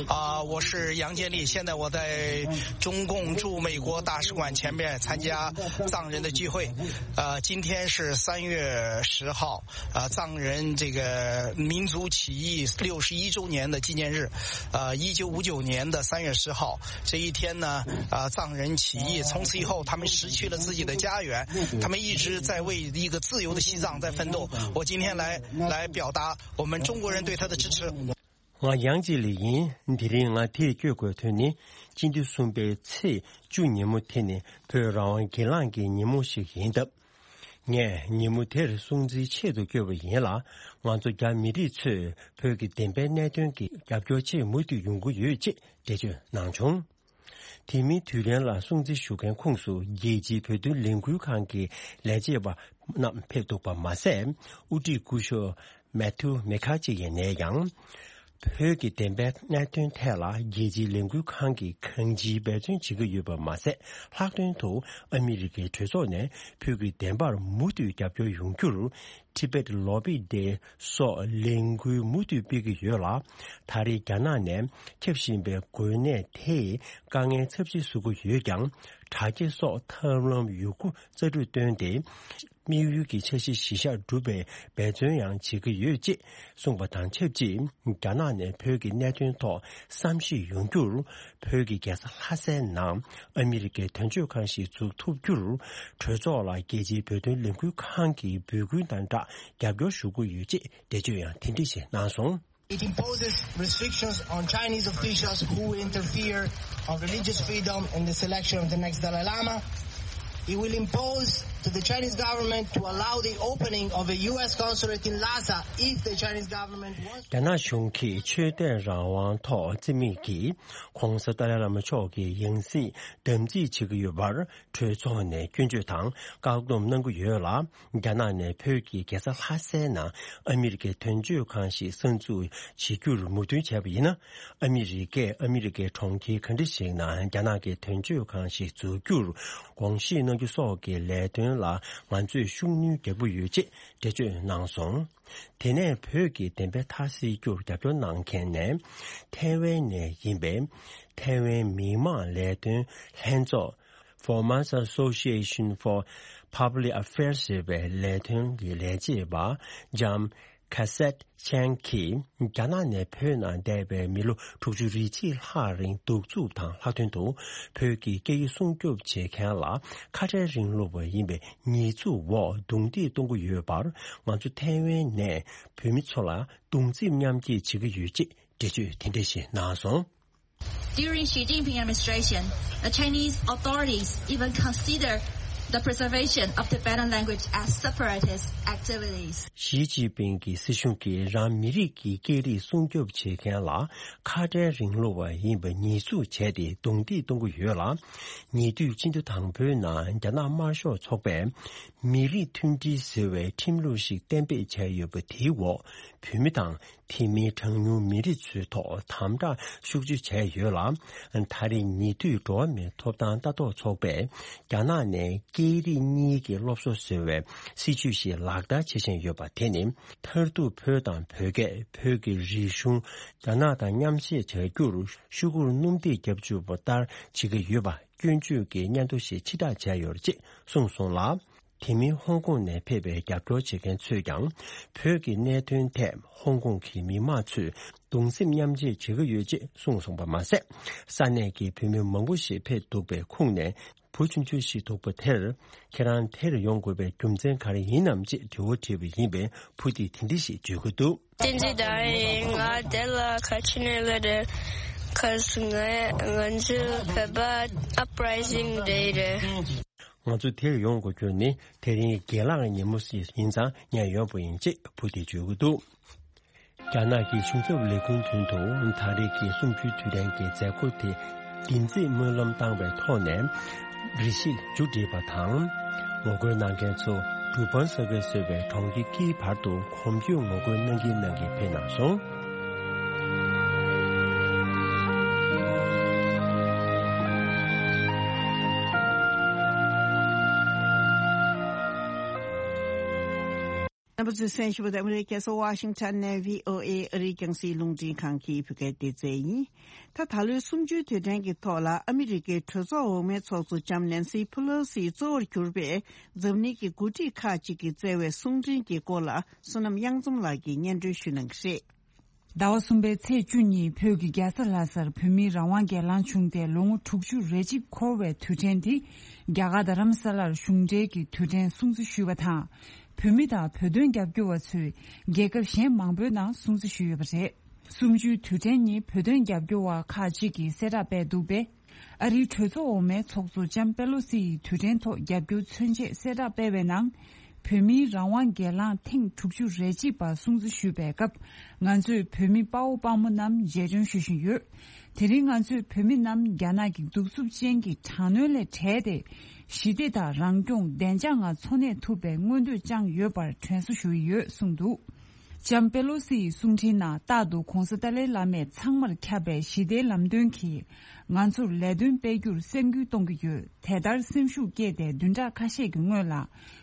啊，我是杨建利，现在我在中共驻美国大使馆前面参加藏人的聚会。呃，今天是三月十号，呃，藏人这个民族起义六十一周年的纪念日。呃，一九五九年的三月十号这一天呢，呃，藏人起义，从此以后他们失去了自己的家园，他们一直在为一个自由的西藏在奋斗。我今天来来表达我们中国人对他的支持。 ང་ཡང་ཅིག་ལ་ཡིན། དེ་རིང་ང་འདིར་བསྐྱོད་དགོས་དོན་ནི། སྤྱི་ཟླ་གསུམ་པའི་ཚེས་བཅུ་ཉིན་མོ་དེ་ནི་བོད་རང་དབང་སྒེར་ལངས་ཀྱི་ཉིན་མོ་ཞིག་ཡིན་སྟབས། ངས་ཉིན་མོ་དེར་སྲུང་བརྩིའི་ཆེད་དུ་བསྐྱོད་པ་ཡིན་ལ། ང་ཚོ་རྒྱ་མི་རིགས་ཚོས་བོད་ཀྱི་བདེན་པའི་གནད་དོན་གྱི་རྒྱབ་སྐྱོར་ཆེད་མུ་མཐུད་ཡོང་གི་ཡོད་ཅེས་འགྲེལ་བརྗོད་གནང་བྱུང་། དེ་མིན་དུས་ལན་ལ་སྲུང་བརྩི་ཞུ་མཁན་ཁོངས་སུ་རྒྱལ་སྤྱིའི་བོད་དོན་ལས་འགུལ་ཁང་གི་ལས་བྱེད་པ་རྣམས་ཕེབས་འདུག་པ་མ་ཟད། དབུ་ཁྲིད་སྐུ་ཞབས་མེ་ཐུ་མེ་ཁ་ཅི་ཡིས་ནས་ཀྱང་། བོད་ཀྱི་བདེན་པའི་གནད་དོན་ཐད་ལ་རྒྱལ་སྤྱིའི་ལས་འགུལ་ཁང་གིས་གང་ཅིའི་འབད་བརྩོན་བྱེད་ཀྱི་ཡོད་པ་མ་ཟད། ལྷག་དོན་དུ་ཨ་མི་རི་ཀའི་གྲོས་ཚོགས་ནས་བོད་ཀྱི་བདེན་པར་མུ་མཐུད་རྒྱབ་སྐྱོར་ཡོང་རྒྱུར། Tibet Lobby Day སོགས་ལས་འགུལ་མུ་མཐུད་སྤེལ་གྱི་ཡོད་ལ། ད་རེས་རྒྱ་ནག་ནས་ཁྱབ་བཞིན་པའི་འགོས་ནད་དེས་དཀའ་ངལ་ཚབས་ཆེ་བཟོ་གི་ཡོད་ཀྱང་། དྲག་སྐྱེད་སོགས་ཐབས་ལམ་ཡོད་རྒུ་རྩལ་སྤྲུགས་བཏོན་ཏེ། དམིགས་ཡུལ་གྱི་འཆར་གཞི་གཞིར་བཞག་སྒྲུབ་པའི་འབད་བརྩོན་ཡང་བྱེད་ཀྱི་ཡོད་ཅེས་གསུངས་པ་དང་ཆབས་ཅིག་རྒྱ་ནག་ནས་བོད་ཀྱི་གནད་དོན་ཐོག་བསམ་ཤེས་ཡོང་རྒྱུར། བོད་ཀྱི་རྒྱལ་ས་ལྷ་སའི་ནང་ཨ་མི་རི་ཀའི་དོན་གཅོད་ཁང་ཞིག་འཛུགས་ཐུབ་རྒྱུར། གྲོས་ཚོགས་ལ་རྒྱལ་སྤྱིའི་བོད་དོན་ལས་འགུལ་ཁང་གི་འབོད་སྐུལ་དང་སྦྲགས་རྒྱབ་སྐྱོར་ཞུ་གི་ཡོད་ཅེས་འགྲེལ་བརྗོད་ཡང་དེ་འདྲ་ཞིག་གནང་སོང་། It imposes restrictions on Chinese officials who interfere on religious freedom and the selection of the next Dalai Lama. It will impose to the Chinese government to allow the opening of a U S consulate in Lhasa if the Chinese government wants. རྒྱ་ནག་གཞུང་གིས་ཆོས་དད་རང་དབང་ཐོག་བརྩི་མེད་ཀྱིས་༧གོང་ས་ཏཱ་ལའི་བླ་མ་མཆོག་གི་ཡང་སྲིད་དམ་འཛིན་བྱེད་ཀྱི་ཡོད་པར། གྲོས་ཚོགས་ནས་སྐྱོན་བརྗོད་དང་བཀག་སྡོམ་གནང་གི་ཡོད་ལ། རྒྱ་ནག་ནས་བོད་ཀྱི་རྒྱལ་ས་ལྷ་སའི་ནང་ཨ་མི་རི་ཀའི་དོན་གཅོད་ཁང་ཞིག་གསར་འཛུགས་བྱེད་རྒྱུར་མོས་མཐུན་བྱས་པ་ཡིན་ན། ཨ་མི་རི་ཀས་ཨ་མི་རི་ཀའི་གྲོང་ཁྱེར་ག་འདྲ་ཞིག་ནང་རྒྱ་ནག་གི་དོན་གཅོད་ཁང་ཞིག་འཛུགས་རྒྱུར་དགོངས་བཞེས་གནང་རྒྱུ་སོགས་ཀྱི་ལས་དོན་ལ་ང་ཚོས་ཤུགས་སྣོན་རྒྱག་གི་ཡོད་ཅེས་འགྲེལ་བརྗོད་གནང་སོང་། དེ་ནས་བོད་ཀྱི་བདེན་པའི་མཐའ་གསལ་རྒྱུར་རྒྱབ་སྐྱོར་གནང་མཁན་ནས། ཐའེ་ཝན་ནས་ཡིན་པའི་ཐའེ་ཝན་མི་དམངས་ལས་དོན་ལྷན་ཚོགས། Formosa Association for Public Affairs ཞེས་པའི་ལས་དོན་གྱི་ལས་བྱེད་པ་ལྕམ་ཁ་སེད་ཆན་གྱིས་རྒྱ་ནག་ནས་བོད་ནང་བསྡད་པའི་མི་ལོ་དྲུག་ཅུ་རེ་གཅིག་ལྷག་རིང་གདུག་རྩུབ་དང་ལྷག་དོན་དུ་བོད་ཀྱི་སྐད་ཡིག་སྲུང་སྐྱོབ་བྱེད་མཁན་ལ་ཁ་བྲལ་རིང་ལུགས་པ་ཡིན་པའི་ཉེས་འཛུགས་འོག་རྡུང་རྡེག་གཏོང་གི་ཡོད་པར། ང་ཚོ་ཐའེ་ཝན་ནས་བོད་མི་ཚོ་ལ་གདུང་སེམས་མཉམ་སྐྱེད་བྱེད་ཀྱི་ཡོད་ཅེས་འགྲེལ་བརྗོད་དེ་འདྲ་ཞིག་གནང་སོང་། During Xi Jinping administration, the Chinese authorities even consider the preservation of Tibetan language as separatist activities. ཞི་ཅིན་ཕིང་གི་སྲིད་གཞུང་གིས་རང་མི་རིགས་ཀྱི་སྐད་རིགས་སྲུང་སྐྱོབ་བྱེད་མཁན་ལ་ཁ་བྲལ་རིང་ལུགས་པ་ཡིན་པ་ཉེས་འཛུགས་བྱས་ཏེ་རྡུང་རྡེག་གཏོང་གི་ཡོད་ལ། ཉེ་དུས་སྤྱི་ཟླ་དང་པོའི་ནང་རྒྱ་ནག་དམར་ཤོག་ཚོགས་པས་མི་རིགས་མཐུན་སྒྲིལ་ཟེར་བའི་ཁྲིམས་ལུགས་ཤིག་གཏན་འབེབས་བྱས་ཡོད་པ་དེའི་འོག་བོད་མི་དང་། དེ་མིན་གྲངས་ཉུང་མི་རིགས་ཚོའི་ཐོག་དམ་དྲག་ཤུགས་ཆེ་བྱས་ཡོད་ལ། ད་རེས་ཉེ་དུས་འགྲོ་བ་མིའི་ཐོབ་ཐང་ལྟ་རྟོག་ཚོགས་པས་རྒྱ་ནག་ནས་སྐད་རིགས་གཉིས་ཀྱི་སློབ་གསོ་ཟེར་བའི་སྲིད་ཇུས་ཤིག་ལག་བསྟར་བྱེད་བཞིན་ཡོད་པ་དེ་ནི། མཐར་ཐུག་བོད་དང་བོད་སྐད། བོད་ཀྱི་རིག་གཞུང་རྒྱ་ནག་དང་མཉམ་བཤད་བྱ་རྒྱུར་ཤུ་གུར་སྣུམ་འདེགས་བརྒྱབ་བཅུག་པ་ལྟར་བྱེད་ཀྱི་ཡོད་པ་སྐྱོན་བརྗོད་ཀྱི་སྙན་ཐོ་ཞིག་ཕྱིར་བསྒྲགས་བྱས་ཡོད་ཅེས་གསུངས་སོང་ལ། དེ་མིན་ཧོང་ཀོང་ནས་ཕེབས་པའི་རྒྱབ་སྐྱོར་བྱེད་མཁན་ཚོས་ཀྱང་བོད་ཀྱི་གནད་དོན་ཐད་ཧོང་ཀོང་གི་མི་མང་ཚོས་གདུང་སེམས་མཉམ་སྐྱེད་བྱེད་ཀྱི་ཡོད་ཅེས་གསུངས་སོང་པ་མ་ཟད། ས་གནས་ཀྱི་བོད་མི་མང་པོ་ཞིག་ཕེབས་འདུག་པའི་ཁུངས་ནས་བུ་ཆུང་ཆུང་ཞིག་འདུག་པ་དེར་ཁྱེད་རང་དེར་ཡོང་དགོས་པའི་རྒྱུ་མཚན་ག་རེ་ཡིན་ནམ་ཅེས་དྲི་བ་དྲིས་པ་ཡིན་པས་བུ་དེས་དེ་འདྲ་ཞིག་བརྗོད་ཀྱི་འདུག་བསྟན་འཛིན་ཟླ་བ་ཡིན། ང་དེ་ལ་ག་ཅི་ནས་སླེབས་རེད། ག་ང་ང་ཚོའི་བོད་པ་uprising day རེད། ང་ཚོ་དེར་ཡོང་དགོས་རྒྱུ་ནི་དེ་རིང་དགེ་ལགས་ཉིན་མོ་ཞིག་ཡིན་ཙང་ཉན་ཡོང་པ་ཡིན་ཅེས་བུ་དེས་བརྗོད་ཀྱི་འདུག་རྒྱ་ནག་གི་གཞུང་ཚབ་ལས་ཁུངས་མདུན་དུ་ད་རེས་ཀྱི་གསུམ་བཅུའི་དུས་དྲན་གྱི་མཛད་སྒོ་དེ་བདེན་ཚིག་སྨོན་ལམ་བཏང་བའི་ཐོག་ནས་རེ་ཞིག་མཇུག་བསྒྲིལ་བ་དང་། ངོ་རྒོལ་གནང་མཁན་ཚོ་གྲུ་པན་ས་ག་ཟེར་བའི་གྲོང་ཁྱེར་དཀྱིལ་བར་དུ་གོམ་བགྲོད་ངོ་རྒོལ་གནང་གིན་གནང་གིན་ཕེབས་གནང་སོང་། བུ་ཚོས་གསན་བཞིན་པ་དེ་ཨ་མི་རི་ཀའི་རྒྱལ་ས་ཝ་ཤིང་ཊོན་ནས་བྷི་ཨོ་ཨེ་ཨ་རིའི་རྒྱང་སྲིང་རླུང་འཕྲིན་ཁང་གི་བོད་སྐད་སྡེ་ཚན་ཡིན། ད་ད་ལོའི་གསུམ་བཅུའི་དུས་དྲན་གྱི་ཐོག་ལ་ཨ་མི་རི་ཀའི་གྲོས་ཚོགས་འོག་མའི་ཚོགས་གཙོ་ལྕམ་ནན་སི་ཕུ་ལོ་སི་གཙོ་བོར་གྱུར་པའི་འཛམ་གླིང་གི་འགོ་ཁྲིད་ཁག་ཅིག་གིས་བསྩལ་བའི་གསུང་འཕྲིན་གྱི་སྐོར་ལ་བསོད་ནམས་གཡང་འཛོམས་ལགས་ཀྱིས་སྙན་སྒྲོན་ཞུ་གནང་གི་རེད། ཟླ་བ་གསུམ་པའི་ཚེས་བཅུ་ཉིན་བོད་ཀྱི་རྒྱལ་ས་ལྷ་སར་བོད་མིའི་རང་དབང་སྒེར་ལངས་བྱུང་སྟེ་ལོ་ངོ་དྲུག་ཅུ་རེ་གཅིག་འཁོར་བའི་དུས་དྲན་འདི་རྒྱ་གར་རྡ་རམ་ས་ལར་གཞུང་འབྲེལ་གྱི་དུས་དྲན་སྲུང་བརྩི་ཞུས་པ་དང་། བོད་མི་དང་བོད་དོན་རྒྱབ་སྐྱོར་བ་ཚོས་རྒྱལ་ཁབ་གཞན་མང་པོའི་ནང་སྲུང་བརྩི་ཞུས་ཡོད་པ་རེད། གསུམ་བཅུའི་དུས་དྲན་ཉིན་བོད་དོན་རྒྱབ་སྐྱོར་བ་ཁག་ཅིག་གིས་གསལ་བསྒྲགས་སྤེལ་འདུག་པས། ཨ་རིའི་གྲོས་ཚོགས་འོག་མའི་ཚོགས་གཙོ་ལྕམ་པེ་ལོ་སི་ཡིས་དུས་དྲན་ཐོག་རྒྱབ་སྐྱོར་མཚོན་ཆེད་གསལ་བསྒྲགས་སྤེལ་བའི་ནང་། བོད་མིའི་རང་དབང་སྒེར་ལངས་ཐེངས་དྲུག་ཅུ་རེ་གཅིག་པ་སྲུང་བརྩི་ཞུས་པའི་སྐབས། ང་ཚོས་བོད་མི་དཔའ་བོ་དཔའ་མོ་རྣམས་རྗེས་དྲན་ཞུ་བཞིན་ཡོད། དེ་རིང་ང་ཚོས་བོད་མི་རྣམས་རྒྱ་ནག་གི་གདུག་རྩུབ་ཅན་གྱི་དྲག་གནོན་ལས་བྲལ་ཏེ། ཞི་བདེ་དང་རང་སྐྱོང་བདེ་འཇགས་ངང་འཚོ་གནས་ཐུབ་པའི་མངོན་འདོད་བཅངས་ཡོད་པར་དྲན་གསོ་ཞུ་ཡི་ཡོད་གསུངས་འདུག་ལྕམ་པེ་ལོ་སི་ཡི་གསུང་འཕྲིན་ནང་རྟག་ཏུ་༧གོང་ས་ཏཱ་ལའི་བླ་མས་ཚང་མར་ཁྱབ་པའི་ཞི་བདེའི་ལམ་སྟོན་གྱིས་ང་ཚོར་ལས་དོན་སྤེལ་རྒྱུར་སེམས་འགུལ་གཏོང་གི་ཡོད། དེ་ལྟར་སེམས་ཤུགས་བསྐྱེད་དེ་བདུན་ཕྲག་ཁ་ཤས་ཀྱི་སྔོན་ལ་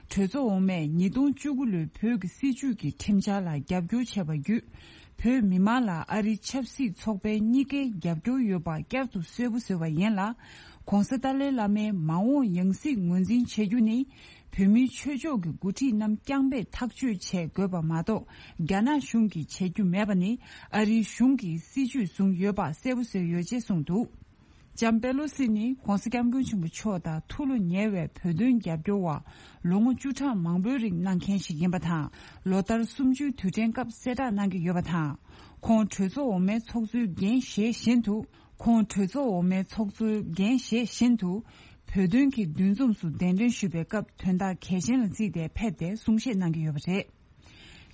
གྲོས་ཚོགས་འོག་མས་ཉིས་སྟོང་བཅུ་དགུ་ལོའི་བོད་ཀྱི་སྲིད་བྱུས་ཀྱི་ཁྲིམས་འཆར་ལ་རྒྱབ་སྐྱོར་བྱས་པ་བརྒྱུད། བོད་མི་མང་ལ་ཨ་རིའི་ཆབ་སྲིད་ཚོགས་པའི་གཉིས་ཀའི་རྒྱབ་སྐྱོར་ཡོད་པ་བསྐྱར་དུ་གསལ་པོ་བཟོས་པ་ཡིན་ལ། ྋགོང་ས་ཏཱ་ལའི་བླ་མའི་མ་འོངས་ཡང་སྲིད་ངོས་འཛིན་བྱེད་རྒྱུ་ནི། བོད་མིའི་ཆོས་ཕྱོགས་ཀྱི་འགོ་ཁྲིད་རྣམས་རྐྱང་པས་ཐག་གཅོད་བྱེད་དགོས་པ་མ་གཏོགས། རྒྱ་ནག་གཞུང་གིས་བྱེད་རྒྱུ་མེད་པ་ནི་ཨ་རིའི་གཞུང་གིས་སྲིད་ཇུས་བཟུང་ཡོད་པ་གསལ་པོ་བཟོས་ཡོད་ཅེས་གསུངས་འདུག་ལྕམ་པེ་ལོ་སི་ནི་༧གོང་ས་༧སྐྱབས་མགོན་ཆེན་པོ་མཆོག་དང་ཐུགས་ལ་ཉེ་བའི་བོད་དོན་རྒྱབ་སྐྱོར་བ་ལོ་ངོ་བཅུ་ཕྲག་མང་པོའི་རིང་གནང་མཁན་ཞིག་ཡིན་པ་དང་། ལོ་ལྟར་གསུམ་བཅུའི་དུས་དྲན་སྐབས་གསལ་བསྒྲགས་གནང་གི་ཡོད་པ་དང་། ཁོང་གྲོས་ཚོགས་འོག་མའི་ཚོགས་གཙོའི་འགན་བཞེས་བཞིན་དུ། ཁོང་གྲོས་ཚོགས་འོག་མའི་ཚོགས་གཙོའི་འགན་བཞེས་བཞིན་དུ། བོད་དོན་གྱི་འདུ་འཛོམས་སུ་གདན་འདྲེན་ཞུས་པའི་སྐབས་དོན་དག་གལ་ཆེན་ལ་བརྩིས་ཏེ་ཕེབས་ཏེ་གསུང་བཤད་གནང་གི་ཡོད་པ་རེད།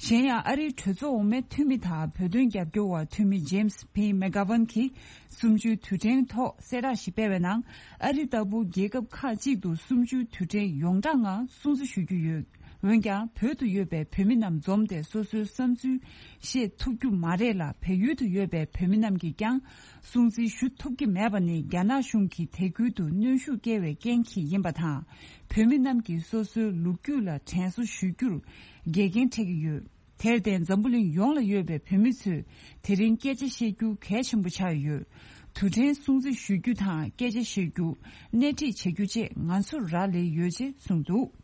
གཞན་ཡང་ཨ་རིའི་གྲོས་ཚོགས་འོག་མའི་འཐུས་མི་དང་བོད་དོན་རྒྱབ་སྐྱོར་བ་འཐུས་མི་ཇེམ་སི་ཕི་མེག་གྷ་ཝན་གྱིས་གསུམ་བཅུའི་དུས་དྲན་ཐོག་གསལ་བསྒྲགས་ཤིག་སྤེལ་བའི་ནང་། ཨ་རི་ལྟ་བུ་རྒྱལ་ཁབ་ཁག་ཅིག་ཏུ་གསུམ་བཅུའི་དུས་དྲན་ཡོངས་གྲགས་ངང་སྲུང་བརྩི་ཞུ་རྒྱུ་ཡོད། འོན་ཀྱང་བོད་དུ་ཡོད་པའི་བོད་མི་རྣམས་འཛོམས་ཏེ་སོ་སོའི་བསམ་ཚུལ་བཤད་ཐུབ་རྒྱུ་མ་རེད་ལ། བལ་ཡུལ་དུ་ཡོད་པའི་བོད་མི་རྣམས་ཀྱིས་ཀྱང་སྲུང་བརྩི་ཞུ་ཐུབ་ཀྱི་མེད་པ་ནི་རྒྱ་ནག་གཞུང་གིས་དེ་ཁུལ་དུ་གནོན་ཤུགས་སྐྱེལ་བའི་རྐྱེན་གྱིས་ཡིན་པ་དང་། བོད་མི་རྣམས་ཀྱིས་སོ་སོའི་ལོ་རྒྱུས་ལ་དྲན་གསོ་ཞུ་རྒྱུར་འགལ་རྐྱེན་འཕྲད་ཀྱི་ཡོད། དེར་བརྟེན་འཛམ་བུ་གླིང་ཡོངས་ལ་ཡོད་པའི་བོད་མི་ཚོས་དེ་རིང་སྐད་ཆ་བཤད་རྒྱུ་གལ་ཆེན་པོ་ཆགས་ཡོད། དུས་དྲན་སྲུང་བརྩི་ཞུ་རྒྱུ་དང་སྐད་ཆ་བཤད་རྒྱུ། སྣེ་ཁྲིད་བྱེད་རྒྱུ་བཅས་ང་ཚོར་རག་ལས་ཡོད་ཅེས་གསུངས་འདུག་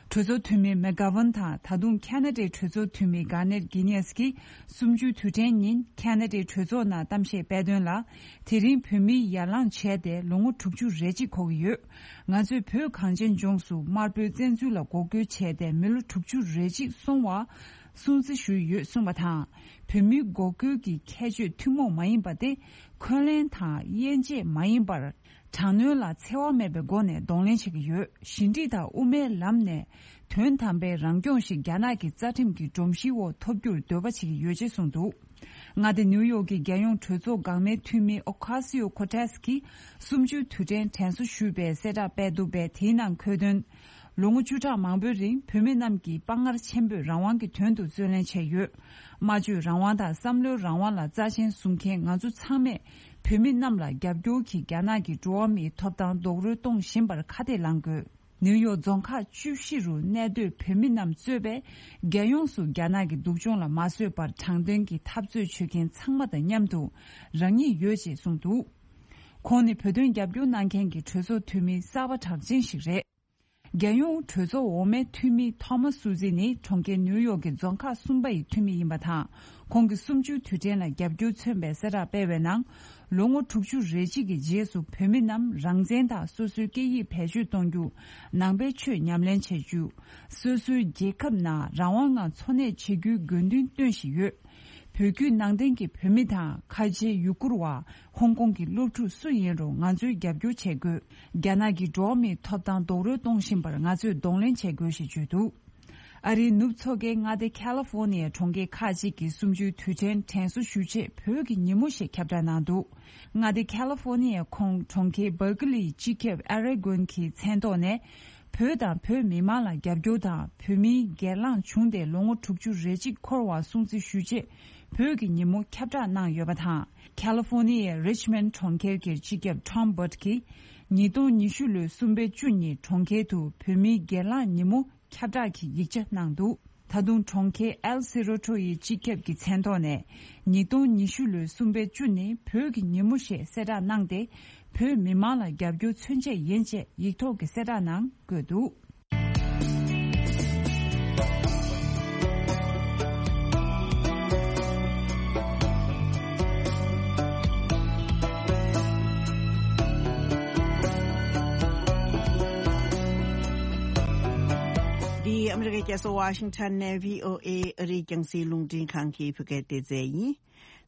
གྲོས་ཚོགས་འཐུས་མི་མེག་གྷ་ཝན་དང་ད་དུང་ཁ་ན་ཌའི་གྲོས་ཚོགས་འཐུས་མི་གྷ་ནེར་གྷི་ནེས་ཀྱིས་གསུམ་བཅུའི་དུས་དྲན་ཉིན་ཁ་ན་ཌའི་གྲོས་ཚོགས་ནང་གཏམ་བཤད་སྤེལ་དོན་ལ། དེ་རིང་བོད་མིས་ཡར་ལངས་བྱས་ཏེ་ལོ་ངོ་དྲུག་ཅུ་རེ་གཅིག་འཁོར་གྱི་ཡོད། ང་ཚོས་བོད་གངས་ཅན་ལྗོངས་སུ་དམར་པོའི་བཙན་འཛུལ་ལ་འགོག་རྒོལ་བྱས་ཏེ་མི་ལོ་དྲུག་ཅུ་རེ་གཅིག་སོང་བ་སྲུང་བརྩི་ཞུས་ཡོད་གསུངས་པ་དང་། བོད་མིའི་འགོག་རྒོལ་གྱི་ཁྱད་ཆོས་ཐུན་མོང་མ་ཡིན་པ་སྟེ། འཁོན་ལན་དང་དབྱེ་འབྱེད་མ་ཡིན་པར། དྲག་གནོན་ལ་འཚེ་བ་མེད་པའི་སྒོ་ནས་གདོང་ལེན་བྱེད་ཀྱི་ཡོད། ཞི་འགྲིག་དང་དབུ་མའི་ལམ་ནས་དོན་དམ་པའི་རང་སྐྱོང་ཞིག་རྒྱ་ནག་གི་རྩ་ཁྲིམས་ཀྱི་སྒྲོམ་གཞིའི་འོག་ཐོབ་རྒྱུར་འདོད་པ་བྱེད་ཀྱི་ཡོད་ཅེས་གསུངས་འདུག་མངའ་སྡེ་ནིའུ་ཡོག་གི་རྒྱལ་ཡོངས་གྲོས་ཚོགས་འགག་མའི་འཐུས་མི་ཨོ་ཁ་སི་ཡོ་ཁོ་ཏེས་ཀྱིས་གསུམ་བཅུའི་དུས་དྲན་དྲན་གསོ་ཞུས་པའི་གསལ་བསྒྲགས་སྤེལ་འདུག་པས། དེའི་ནང་འཁོད་དོན། ལོ་ངོ་བཅུ་ཕྲག་མང་པོའི་རིང་བོད་མི་རྣམས་ཀྱིས་དཔའ་ངར་ཆེན་པོས་རང་དབང་གི་དོན་དུ་རྩོད་ལེན་བྱས་ཡོད། སྨྲ་བརྗོད་རང་དབང་དང་བསམ་བློའི་རང་དབང་ལ་རྩ་ཆེན་བཟུང་མཁན་ང་ཚོ་ཚང་མས་བོད་མི་རྣམས་ལ་རྒྱབ་སྐྱོར་གྱིས་རྒྱ་ནག་གི་འགྲོ་བ་མིའི་ཐོབ་ཐང་རྡོག་རོལ་གཏོང་བཞིན་པར་ཁ་གཏད་ལངས་དགོས། ནིའུ་ཡོག་རྫོང་ཁག་བཅུ་བཞི་རུ་གནས་སྡོད་བོད་མི་རྣམས་གཙོས་པའི་རྒྱལ་ཡོངས་སུ་རྒྱ་ནག་གི་སྡུག་སྦྱོང་ལ་མ་བཟོད་པར་དྲང་བདེན་གྱི་འཐབ་རྩོད་བྱེད་མཁན་ཚང་མ་དང་མཉམ་དུ་རང་ཉིད་ཡོད་ཅེས་གསུངས་འདུག་ཁོང་ནི་བོད་དོན་རྒྱབ་སྐྱོར་གནང་མཁན་གྱི་གྲོས་ཚོགས་འཐུས་མི་གསར་པ་གྲགས་ཅན་ཞིག་རེད། རྒྱལ་ཡོངས་གྲོས་ཚོགས་འོག་མའི་འཐུས་མི་ཐོ་མཱ་སུ་ཛི་ནི་གྲོང་ཁྱེར་ནིའུ་ཡོག་གི་རྫོང་ཁག་གསུམ་པ་ཡི་འཐུས་མི་ཡིན་པ་དང་། ཁོང་གིས་གསུམ་བཅུའི་དུས་དྲན་ལ་རྒྱབ་སྐྱོར་མཚོན་པའི་གསལ་བསྒྲགས་སྤེལ་བའི་ནང་། ལོ་ངོ་དྲུག་ཅུ་རེ་གཅིག་གི་རྗེས་སུ་བོད་མི་རྣམས་རང་བཙན་དང་སོ་སོའི་སྐད་ཡིག་བེད་སྤྱོད་གཏོང་རྒྱུ། ནང་པའི་ཆོས་ཉམས་ལེན་བྱེད་རྒྱུ། སོ་སོའི་རྒྱལ་ཁབ་ནང་རང་དབང་ངང་འཚོ་གནས་བྱེད་རྒྱུའི་དགོས་འདུན་བཏོན་བཞིན་ཡོད། བོད་བརྒྱུད་ནང་བསྟན་གྱི་བོད་མི་དང་ཁ་ཆེའི་ཡུ་གུར་བ། ཧོང་ཀོང་གི་སློབ་ཕྲུག་སུ་ཡིན་རུང་ང་ཚོས་རྒྱབ་སྐྱོར་བྱེད་དགོས། རྒྱ་ནག་གིས་འགྲོ་བ་མིའི་ཐོབ་ཐང་རྡོག་རོལ་གཏོང་བཞིན་པར་ང་ཚོས་གདོང་ལེན་བྱེད་དགོས་ཞེས་བརྗོད་འདུག་ཨ་རིའི་ནུབ་མཚོ་ཁའི་མངའ་སྡེ་ཁ་ལི་ཧྥོ་ནི་ཡའི་གྲོང་ཁྱེར་ཁག་ཅིག་གིས་གསུམ་བཅུའི་དུས་དྲན་དྲན་གསོ་ཞུ་ཆེད་བོད་ཀྱི་ཉིན་མོ་ཞེས་ཁྱབ་བསྒྲགས་གནང་འདུག་མངའ་སྡེ་ཁ་ལི་ཧྥོ་ནི་ཡའི་ཁོངས་གྲོང་ཁྱེར་བར་ཀི་ལིའི་སྤྱི་ཁྱབ་ཨ་རེ་གོན་གྱི་མཚན་ཐོག་ནས། བོད་དང་བོད་མི་མང་ལ་རྒྱབ་སྐྱོར་དང་། བོད་མིའི་སྒེར་ལངས་བྱུང་སྟེ་ལོ་ངོ་དྲུག་ཅུ་རེ་གཅིག་འཁོར་བ་སྲུང་བརྩི་ཞུ་ཆེད་བོད་ཀྱི་ཉིན་མོ་ཁྱབ་བསྒྲགས་གནང་ཡོད་པ་དང་། ཁ་ལི་ཧྥོ་ནི་ཡའི་རིཆ་མོན་ཌི་གྲོང་ཁྱེར་གྱི་སྤྱི་ཁྱབ་ཊོམ་བྷར་ཊི་གིས་ཉིས་སྟོང་ཉི་ཤུ་ལོའི་གསུམ་པའི་བཅུ་ཉིན་གྲོང་ཁྱེར་དུ་བོད་མིའི་སྒེར་ལངས་ཉིན་མོ་ཁྱབ་བསྒྲགས་ཀྱི་ཡིག་ཆ་གནང་འདུག་ད་དུང་གྲོང་ཁྱེར་ཨེལ་སི་རོ་ཊོ་ཡི་སྤྱི་ཁྱབ་ཀྱི་མཚན་ཐོག་ནས་ཉིས་སྟོང་ཉི་ཤུ་ལོའི་གསུམ་པའི་བཅུ་ནི་བོད་ཀྱི་ཉིན་མོ་ཞེས་གསལ་བསྒྲགས་གནང་སྟེ། བོད་མི་མང་ལ་རྒྱབ་སྐྱོར་མཚོན་ཆེད་ཡིན་ཅེས་ཡིག་ཐོག་གི་གསལ་བསྒྲགས་ནང་བཀོད་འདུག། འདི་ཨ་མི་རི་ཀའི་རྒྱལ་ས་ཝ་ཤིང་ཊོན་ནས་བྷི་ཨོ་ཨེ་ཨ་རིའི་རྒྱང་སྲིང་རླུང་འཕྲིན་ཁང་གི་བོད་སྐད་སྡེ་ཚན་ཡིན།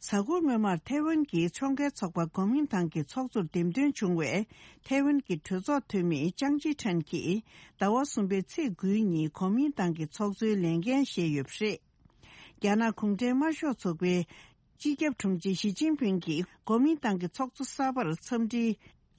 གཟའ་འཁོར་སྔོན་མར་ཐའེ་ཝན་གྱི་ཕྱོགས་འགལ་ཚོགས་པ་གོ་མིན་ཏང་གི་ཚོགས་གཙོར་འདེམས་ཐོན་བྱུང་བའི་ཐའེ་ཝན་གྱི་གྲོས་ཚོགས་འཐུས་མི་ཅང་ཅི་ཁྲན་གྱིས་ཟླ་བ་གསུམ་པའི་ཚེས་དགུའི་ཉིན་གོ་མིན་ཏང་གི་ཚོགས་གཙོའི་ལས་འགན་བཞེས་ཡོད་པ་རེད། རྒྱ་ནག་གུང་ཁྲན་དམར་ཤོག་ཚོགས་པའི་སྤྱི་ཁྱབ་དྲུང་ཆེ་ཞི་ཅིན་ཕིང་གིས་གོ་མིན་ཏང་གི་ཚོགས་གཙོ་གསར་པར་འཚམས་འདྲི་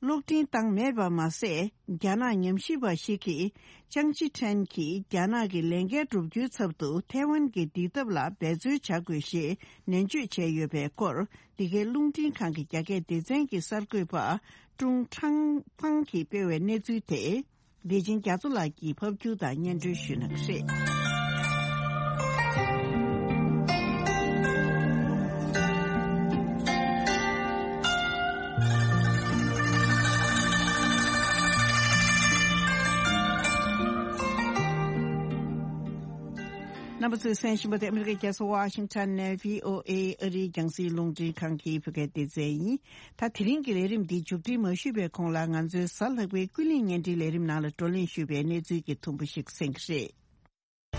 གློག་འཕྲིན་བཏང་མེད་པ་མ་ཟད། རྒྱ་ནག་ཉམས་ཞིབ་པ་ཞིག་གིས་ཅང་ཅི་ཁྲན་གྱིས་རྒྱ་ནག་གི་ལས་འགན་བསྒྲུབ་རྒྱུའི་ཚབ་ཏུ་ཐའེ་ཝན་གྱི་བདེ་ཐབས་ལ་འབད་རྩོལ་བྱ་དགོས་ཞེས་ནན་བརྗོད་བྱས་ཡོད་པའི་སྐོར། འདི་གའི་རླུང་འཕྲིན་ཁང་གི་རྒྱ་སྐད་སྡེ་ཚན་གྱི་གསར་འགོད་པ་ཀྲུང་ཁྲང་ཕང་གིས་སྤེལ་བའི་གནས་ཚུལ་དེ། བདེ་ཆེན་རྒྱ་མཚོ་ལགས་ཀྱིས་ཕབ་སྒྱུར་དང་སྙན་སྒྲོན་ཞུ་གནང་གི་རེད། རྣམ་པ་ཚོས་གསན་བཞིན་པ་དེ་ཨ་མི་རི་ཀའི་རྒྱལ་ས་ཝ་ཤིང་ཊོན་ནས་བྷི་ཨོ་ཨེ་ཨ་རིའི་རྒྱང་སྲིང་རླུང་འཕྲིན་ཁང་གི་བོད་སྐད་སྡེ་ཚན་ཡིན། ད་དེ་རིང་གི་ལས་རིམ་འདི་མཇུག་སྒྲིལ་མ་ཞུས་པའི་གོང་ལ་ང་ཚོའི་གཟའ་ལྷག་པའི་ཀུན་གླེང་བརྙན་འཕྲིན་ལས་རིམ་ནང་ལ་བགྲོ་གླེང་ཞུས་པའི་གནས་ཚུལ་གྱི་ཐུང་པོ་ཞིག་གསན་གྱི་རེད།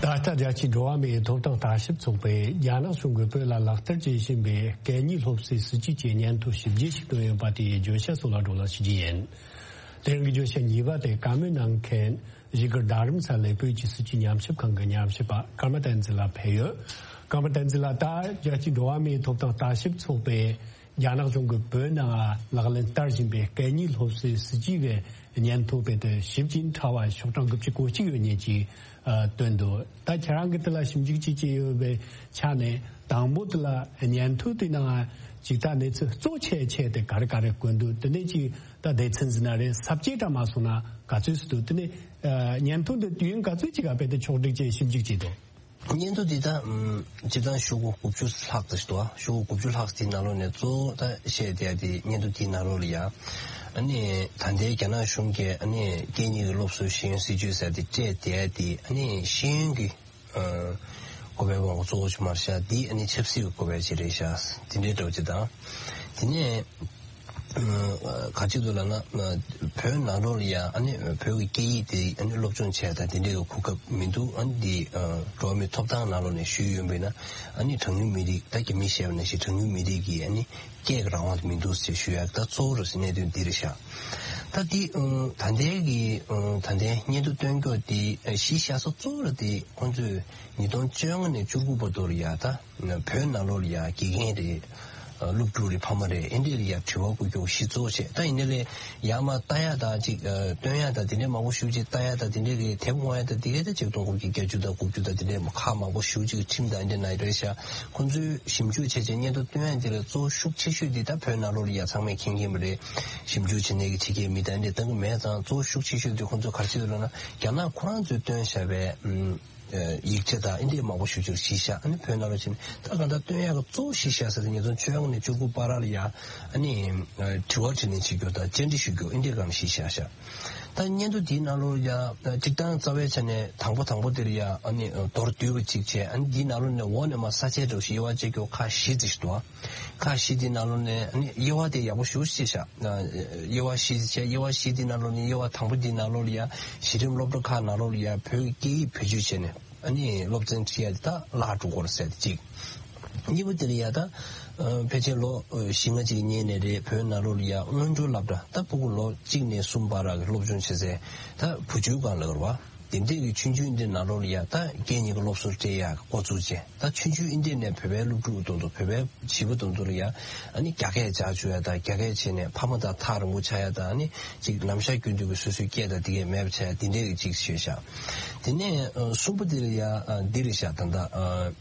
ད་ལྟ་རྒྱལ་སྤྱིའི་འགྲོ་བ་མིའི་ཐོབ་ཐང་ལྟ་ཞིབ་ཚོགས་པས་རྒྱ་ནག་གཞུང་གིས་བོད་ལ་ལག་བསྟར་བྱེད་བཞིན་པའི་གད་སྙིགས་སློབ་གསོའི་སྲིད་ཇུས་ཀྱི་སྙན་ཐོ་ཞིབ་འཇུག་ཞིག་བཏོན་ཡོད་པ་དེའི་བརྗོད་བྱ་སོགས་ལ་བགྲོ་གླེང་ཞུ་རྒྱུ་ཡིན། དེ་རིང་གི་བརྗོད་བྱ་གཉིས་པ་དེ་བཀའ་མོལ་གནང་མཁན་བཞུགས་སྒར་རྡ་རམ་ས་ལའི་བོད་ཀྱི་སྲིད་བྱུས་ཉམས་ཞིབ་ཁང་གི་ཉམས་ཞིབ་པ་ཀརྨ་བསྟན་འཛིན་ལགས་ཕེབས་ཡོད། ཀརྨ་བསྟན་འཛིན་ལགས། ད་རྒྱལ་སྤྱིའི་འགྲོ་བ་མིའི་ཐོབ་ཐང་ལྟ་ཞིབ་ཚོགས་པས་རྒྱ་ནག་གཞུང་གིས་བོད་ནང་ལག་ལེན་བསྟར་བཞིན་པའི་གད་སྙིགས་སློབ་གསོའི་སྲིད་ཇུས་ཀྱི་སྙན་ཐོ་དཔེ་དེབ་ཞིབ་ཅིང་ཕྲ་བ་ཤོག་གྲངས་དགུ་བཅུ་གོ་གཅིག་ཡོད་མཁན་ཅིག་ཨ། བཏོན་འདུག། ད་ཁྱེད་རང་གིས་དེ་ལ་ཞིབ་འཇུག་ཅིག་བྱས་ཡོད་པའི་ཆ་ནས། དང་པོ་དེ་ལ་སྙན་ཐོ་དེ་ནང་ཅིག་ད་གནས་ཚུལ་གཙོ་ཆེ་ཆེ་དེ་ག་རེ་ག་རེ་བཀོད་འདུག། དེ་ནས་ཅིག་ད་སྡེ་ཚན་ཟེར་ན་རེད། ས་བཅད་འདྲ་མ་སོང་ན་ག་ཚོད་ཅིག་འདུག། དེ་ནས་ཨ། སྙན་ཐོ་འདི་དུས་ཡུན་ག་ཚོད་ཅིག་ག་དཔེ་དེབ་ཕྱོགས་སྒྲིག་བྱས་ཞིབ་འཇུག་བྱས་འདུག། སྙན་ཐོ་འདི་ད་ཨམ། སྤྱིར་བཏང་ཤོག་གུ་དགུ་བཅུ་ལྷག་ཙམ་ཞིག་འདུག། ཨ། ཤོག་གུ་དགུ་བཅུ་ལྷག་ཙམ་ནང་ལོགས་ནས་གཙོ་བོ་ད་བཤད་བསྡད་ཡ་དེ་སྙན་ཐོ་དེའི་ནང་ལོགས་ལ་ཡ། ཨ་ནི་ད་ལྟའི་རྒྱ་ནག་གཞུང་གིས་ཨ་ནི་སྐད་གཉིས་ཀྱི་སློབ་གསོའི་ཤེས་ཡོན་སྲིད་ཇུས་ཟེར་དེ་སྤྲད་བསྡད་ཡ་དེ། ཨ་ནི་ཤེས་ཡོན་གྱི་ཨ། བཀོད་པའི་དབང་གཙོ་བོ་ཞིག་མ་རེད་ཤག། འདི་ཨ་ནི་ཆབ་སྲིད་ཀྱི་བཀོད་པ་ཅིག་རེད་ཤག། དེ་འདྲའི་འདྲ་བོ་ཅིག་དང་། དེ་ནས་ཨ། ག་ཅིག་འདུག་ལབ་ན། ཨ། བོད་ནང་ལོགས་ལ་ཡ་ཨ་ནི་བོད་ཀྱི་སྐད་ཡིག་དེ་ཨ་ནི་སློབ་སྦྱོང་བྱས་དང་དེ་འདྲའི་གོ་སྐབས་མི་འདུག། ཨ་ནི་འདི་ཨ། འགྲོ་བ་མིའི་ཐོབ་ཐང་ནང་ལོགས་ནས་ཞུས་ཡོང་བས་ན། ཨ་ནི་གྲངས་ཉུང་མི་རིགས། ད་རྒྱ་མིས་བཤད་པ་ནང་བཞིན་གྲངས་ཉུང་མི་རིགས་ཀྱི་ཨ་ནི་སྐད་ཀྱི་རང་དབང་དེ་མི་འདུག་ཟེར་ཞུ་ཡ། ད་གཙོ་བོ་རེད་ཟེར་གནད་དོན་འདི་རེད་ཤག། ད་འདི་ཨ། ད་ལྟའི་གི་ཨ། ད་ལྟའི་སྙན་ཐོ་བཏོན་སྐྱོར་དེ་ཨ། གཞི་བཞག་ས་གཙོ་བོ་ར་དེ་ཁོང་ཚོས་ཉིས་སྟོང་བཅོ་ལྔ་ནས་བཅུ་དགུ་བར་དུ་ལ་ཡ། ད་བོད་ནང་ལོགས་ལ་ཡ་དགེ་རྒན་རེད། ཨ། སློབ་ཕྲུག་རེད། ཕ་མ་རེད། ཨེ་འདྲས་ལ་ཡ་དྲི་བ་བཀོད་རྒྱུ་གཞི་གཙོ་བོ་བྱས། ད་ཡིན་ནའི་ལས་ཡར་མར་ལྟ་ཡ་དང་ཅིག་ཨ། སྟོན་ཡ་དང་དེ་འདྲས་མང་པོ་ཞེ་པོ་ཅིག་ལྟ་ཡ་དང་དེ་འདྲས་ཀྱི་དེབ་དབང་ཡ་དང་དེ་གའི་ད་ཆིག་སྟོང་དགུ་བརྒྱ་བརྒྱད་ཅུ་དང་དགུ་བཅུ་དང་དེ་འདྲས་ཁག་མང་པོ་ཞེ་པོ་ཅིག་ཁྲིམས་དང་ཨེ་འདྲས་ནང་རེད་ཤག། ཁོང་ཚོས་ཞིབ་འཇུག་བྱས་བྱས་སྙན་ཐོ་བཏོན་ཡ་དེ་ལ་གཙོ་བོ་ཤུགས་ཆེ་ཤོས་དེ་ད་བོད་ནང་ལོགས་ལ་ཡ་ཚང་མས་མཁྱེན་མཁྱེན་པ་རེད། ཞིབ་འཇུག་བྱེད་མཁན་གྱི་ཕྱི་རྒྱལ་མི་དང་ཨེ་འདྲས་གཏོང་གི་མེད་ཙང་། གཙོ་བོ་ཤུགས་ཆེ་ཤོས་དེ་ཁོང་ཚོ་ག་རེ་བྱེད་འདུག་ལབ་ན། རྒྱ་ནག་ཁོ་རང་ཚོས་བཏོན་བཞག་པའི་ཨམ། ཡིག་ཆ་དང་ཨེ་འདྲས་མང་པོ་ཞེ་པོ་ཅིག་གཞི་བཞག། ཨ་ནི་བོད་ནང་ལོགས་ཕྱིན་ནས་ད་གང་ལྟར་བཏོན་ཡག་གི་གཙོ་བོ་གཞི་བཞག་ས་དེ་ཉིས་སྟོང་བཅོ་ལྔ་ནས་བཅུ་དགུ་བར་ལ་ཡ། ཨ་ནི་དྲི་བ་དྲིས་ལན་བྱེད་རྒྱུ་དང་བཅར་འདྲི་ཞུ་རྒྱུ་ཨེ་འདྲས་སྒང་ལ་གཞི་བཞག་ཤག། ད་སྙན་ཐོ་འདིའི་ནང་ལོགས་ལ་ཡ་སྤྱིར་བཏང་རྩ་བའི་ཆ་ནས་དང་པོ་དང་པོ་དེ་ལ་ཡ། ཨ་ནི་མདོར་བསྡུས་པ་ཅིག་བྱས། ཨ་ནི་འདིའི་ནང་ལོགས་ནས་འོག་ནས་མར་ས་བཅད་འདྲ་བོ་ཞིག་དབྱེ་བ་ཕྱེ་རྒྱུ་ཁག་བཞི་ཙམ་ཞིག་འདུག། ཨ། ཁག་བཞི་དེའི་ནང་ལོགས་ནས་ཨ་ནི་དབྱེ་བ་དེ་ཡག་པོ་ཞེ་པོ་ཅིག་བྱས། ཨ། དབྱེ་བ་བཞི་ཅིག་བྱས། དབྱེ་བ་བཞི་དེའི་ནང་ལོགས་ནས་དབྱེ་བ་དང་པོ་དེའི་ནང་ལོགས་ལ་ཡ་གཞི་རིམ་སློབ་གྲྭ་ཁག་ནང་ལོགས་ལ་ཡ་བོད་ཀྱི་སྐད་ཡིག་བེད་སྤྱོད་བྱས་ནས་ཨ་ནི་སློབ་ཚན་ཁྲིད་ཡ་དེ་ད་བརླག་འགྲོ་གི་རེད་ཟེར་ཏེ་གཅིག། གཉིས་པ་དེ་ལ་ཡ་ད་ཨ། ཕལ་ཆེར་ལོ་བཞི་ལྔ་ཅིག་སྔོན་ནས་རེད། བོད་ནང་ལོགས་ལ་ཡ་སྔོན་འགྲོའི་སློབ་གྲྭ། ད་ཕྲུ་གུ་ལོ་གཅིག་ནས་གསུམ་བར་གྱི་སློབ་སྦྱོང་བྱེད་སའི་ད་བུ་བཅོལ་སྒང་ལ་རེད་བ། དེ་འདྲས་ཀྱི་ཆུང་ཆུང་འདི་ནང་ལོགས་ལ་ཡ་ད་སྐད་གཉིས་ཀྱི་སློབ་གསོ་སྤྲད་ཡག་འགོ་བཙུགས་བྱས། ད་ཆུང་ཆུང་འདི་འདྲས་ནས་བོད་པའི་སློབ་ཕྲུག་དང་དུ། བོད་པའི་བྱིས་པ་དང་དུ་ལ་ཡ་ཨ་ནི་རྒྱ་སྐད་སྦྱར་བཅུག་ཡ་དང་། རྒྱ་སྐད་བྱས་ནས་ཕ་མ་དང་ཐག་རིང་པོ་ཆགས་ཡ་དང་། ཨ་ནི་ཅིག་ལམ་ཤར་རྒྱུན་དུ་གྱི་སོ་སོའི་སྐད་དང་དེ་གས་མེད་པ་ཆགས་ཡ་དེ་འདྲས་ཀྱི་ཅིག་བྱས་ཤག། དེ་ནས་ཨ། གསུམ་པ་འདི་ལ་ཡ། ཨ། འདི་རེད་ཤག། ད་ལྟ་ཨ།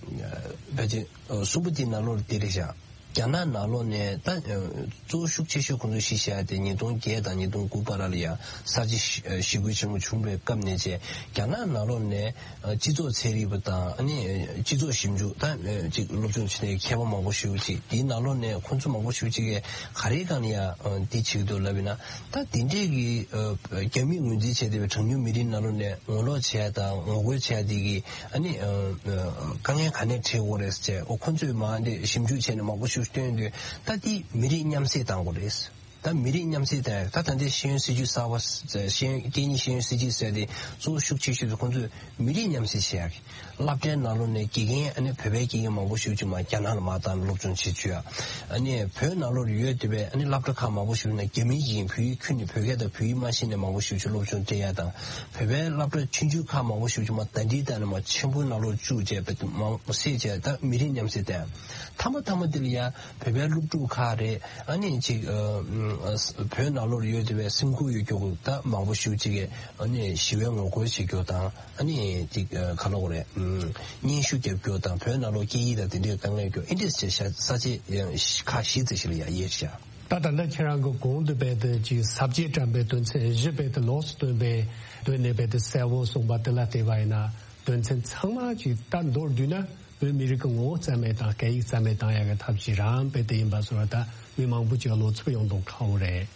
ཕལ་ཆེར་ཨ། གསུམ་པ་འདི་ནང་ལོགས་འདི་རེད་ཤག། རྒྱ་ནག་ནང་ལོགས་ནས་ད་གཙོ་བོ་ཤུགས་ཆེ་ཤོས་ཁོང་ཚོས་གཞི་བཞག་ཡ་དེ་ཉིས་སྟོང་བརྒྱད་དང་ཉིས་སྟོང་དགུ་བར་ལ་ཡ་གསར་བརྗེ་ཞི་རྒོལ་ཆེན་མོ་བྱུང་བའི་སྐབས་ནས་བྱས། རྒྱ་ནག་ནང་ལོགས་ནས་སྤྱི་ཚོགས་ཚན་རིག་པ་དང་ཨ་ནི་སྤྱི་ཚོགས་ཞིབ་འཇུག་ད་ཅིག་སློབ་སྦྱོང་བྱེད་མཁན་མཁས་པ་མང་པོ་ཞེ་པོ་ཅིག་དེའི་ནང་ལོགས་ནས་ཁོང་ཚོ་མང་པོ་ཞེ་པོ་ཅིག་གིས་ག་རེའི་སྒང་ལ་ཡ་འདི་བྱེད་ཀྱི་འདུག་ལབ་ཡིན་ན། ད་དེ་འདྲས་ཀྱི་རྒྱ་མིས་ངོས་འཛིན་བྱས་བསྡད་པའི་གྲངས་ཉུང་མི་རིགས་ནང་ལོགས་ནས་ངོ་ལོག་བྱས་དང་ངོ་རྒོལ་བྱས་དེ་གི་ཨ་ནི་དཀའ་ངལ་ག་ནས་འཕྲད་དགོས་རེད་ཟེར་བྱས། འོ་ཁོང་ཚོས་མ་འདི་ཞིབ་འཇུག་བྱས་ནས་མང་པོ་ཞིག་བཏོན་དུས། ད་དེ་མི་རིགས་མཉམ་བསྲེས་བཏང་དགོས་རེད། ད་མི་རིགས་མཉམ་བསྲེས་བཏང་ཡ། ད་ད་ལྟའི་ཤེས་ཡོན་སྲིད་བྱུས་གསར་བ། ཤེས་ཡོན་སྐད་གཉིས་ཤེས་ཡོན་སྲིད་བྱུས་ཟེར་དེ་གཙོ་བོ་ཤུགས་ཆེ་ཤོས་དེ་ཁོང་ཚོས་མི་རིགས་མཉམ་བསྲེས་བྱེད་ཡ་གི། སློབ་གྲྭའི་ནང་ལོགས་ནས་དགེ་རྒན་ཨ་ནི་བོད་པའི་དགེ་རྒན་མང་པོ་ཞིག་ཅིག་མར་རྒྱ་ནག་ལ་མར་བཏང་སློབ་སྦྱོང་བྱེད་བཅུག་ཡ། ཨ་ནི་བོད་ནང་ལོགས་ཡོད་བསྡད་པའི་ཨ་ནི་སློབ་གྲྭ་ཁག་མང་པོ་ཞིག་ན་རྒྱ་མིའི་དགེ་རྒན་བོད་ཡིག་ཁྱོན་ནས་བོད་སྐད་དང་བོད་ཡིག་མ་ཤེས་ནས་མང་པོ་ཞིག་ཅིག་སློབ་སྦྱོང་སྤྲད་ཡ་དང་། བོད་པའི་སློབ་གྲྭ་ཆུང་ཆུང་ཁག་མང་པོ་ཞིག་ཅིག་མར་ཟླ་སྒྲིལ་བཏང་ནས་མར་ཆེན་པོའི་ནང་ལོགས་བཅུག་བྱས་བོད་མང་པོ་བསྲེས་བྱས་ད་མི་རིགས་མཉམ་བསྲེས་བཏང་ཡ། མཐའ་མ་མཐའ་མ་དེ་ལ་ཡ་བོད་པའི་སློབ་ཕྲུག་ཁག་རེད། ཨ་ནི་ཅིག་ཨ་ཨ་བོད་ནང་ལོགས་ཡོད་བསྡད་པའི་སེམས་ཁུར་ཡོད་རྒྱུ་ད་མང་པོ་ཞིག་ཅིག་གིས་ཨ་ནི་ཞི་བའི་ངོ་རྒོལ་བྱེད་རྒྱུ་དང་། ཨ་ནི་ཅིག་ཨ་ག་ལབ་དགོས་རེད། ཨམ་སྙན་ཞུ་རྒྱབ་རྒྱུ་དང་བོད་ནང་ལོགས་སྐད་ཡིག་དང་དེ་འདྲའི་དཀའ་ངལ་རྒྱུ་ཨེ་འདྲས་བྱས་ཤག་ས་བཅད་ཡང་ཁག་བཞི་ཙམ་ཞིག་ལ་ཡ་དབྱེ་ཤག་ད་ད་ལྟ་ཁྱེད་རང་གི་གོང་དུ་བས་དེ་ཅིག་ས་བཅད་བཀྲམ་པའི་དོན་ཚན་བཞི་བས་དེ་ལོགས་སུ་བཏོན་པའི་དོན་ནས་བས་དེ་གསལ་བོ་གསུངས་པ་དེ་ལ་བལྟས་པ་ཡིན་ན། དོན་ཚན་ཚང་མ་ཅིག་ད་མདོར་བསྡུས་ན་བོད་མི་རིགས་ཀྱི་ངོ་བོ་རྩ་མེད་དང་སྐད་ཡིག་རྩ་མེད་བཏང་ཡག་གི་ཐབས་ཤེས་རང་རྦད་དེ་ཡིན་པ་སོགས་ད་མི་མང་པོ་ཅིག་བློ་འཚབ་ཡོང་མདོག་ཁ་པོ་རེད།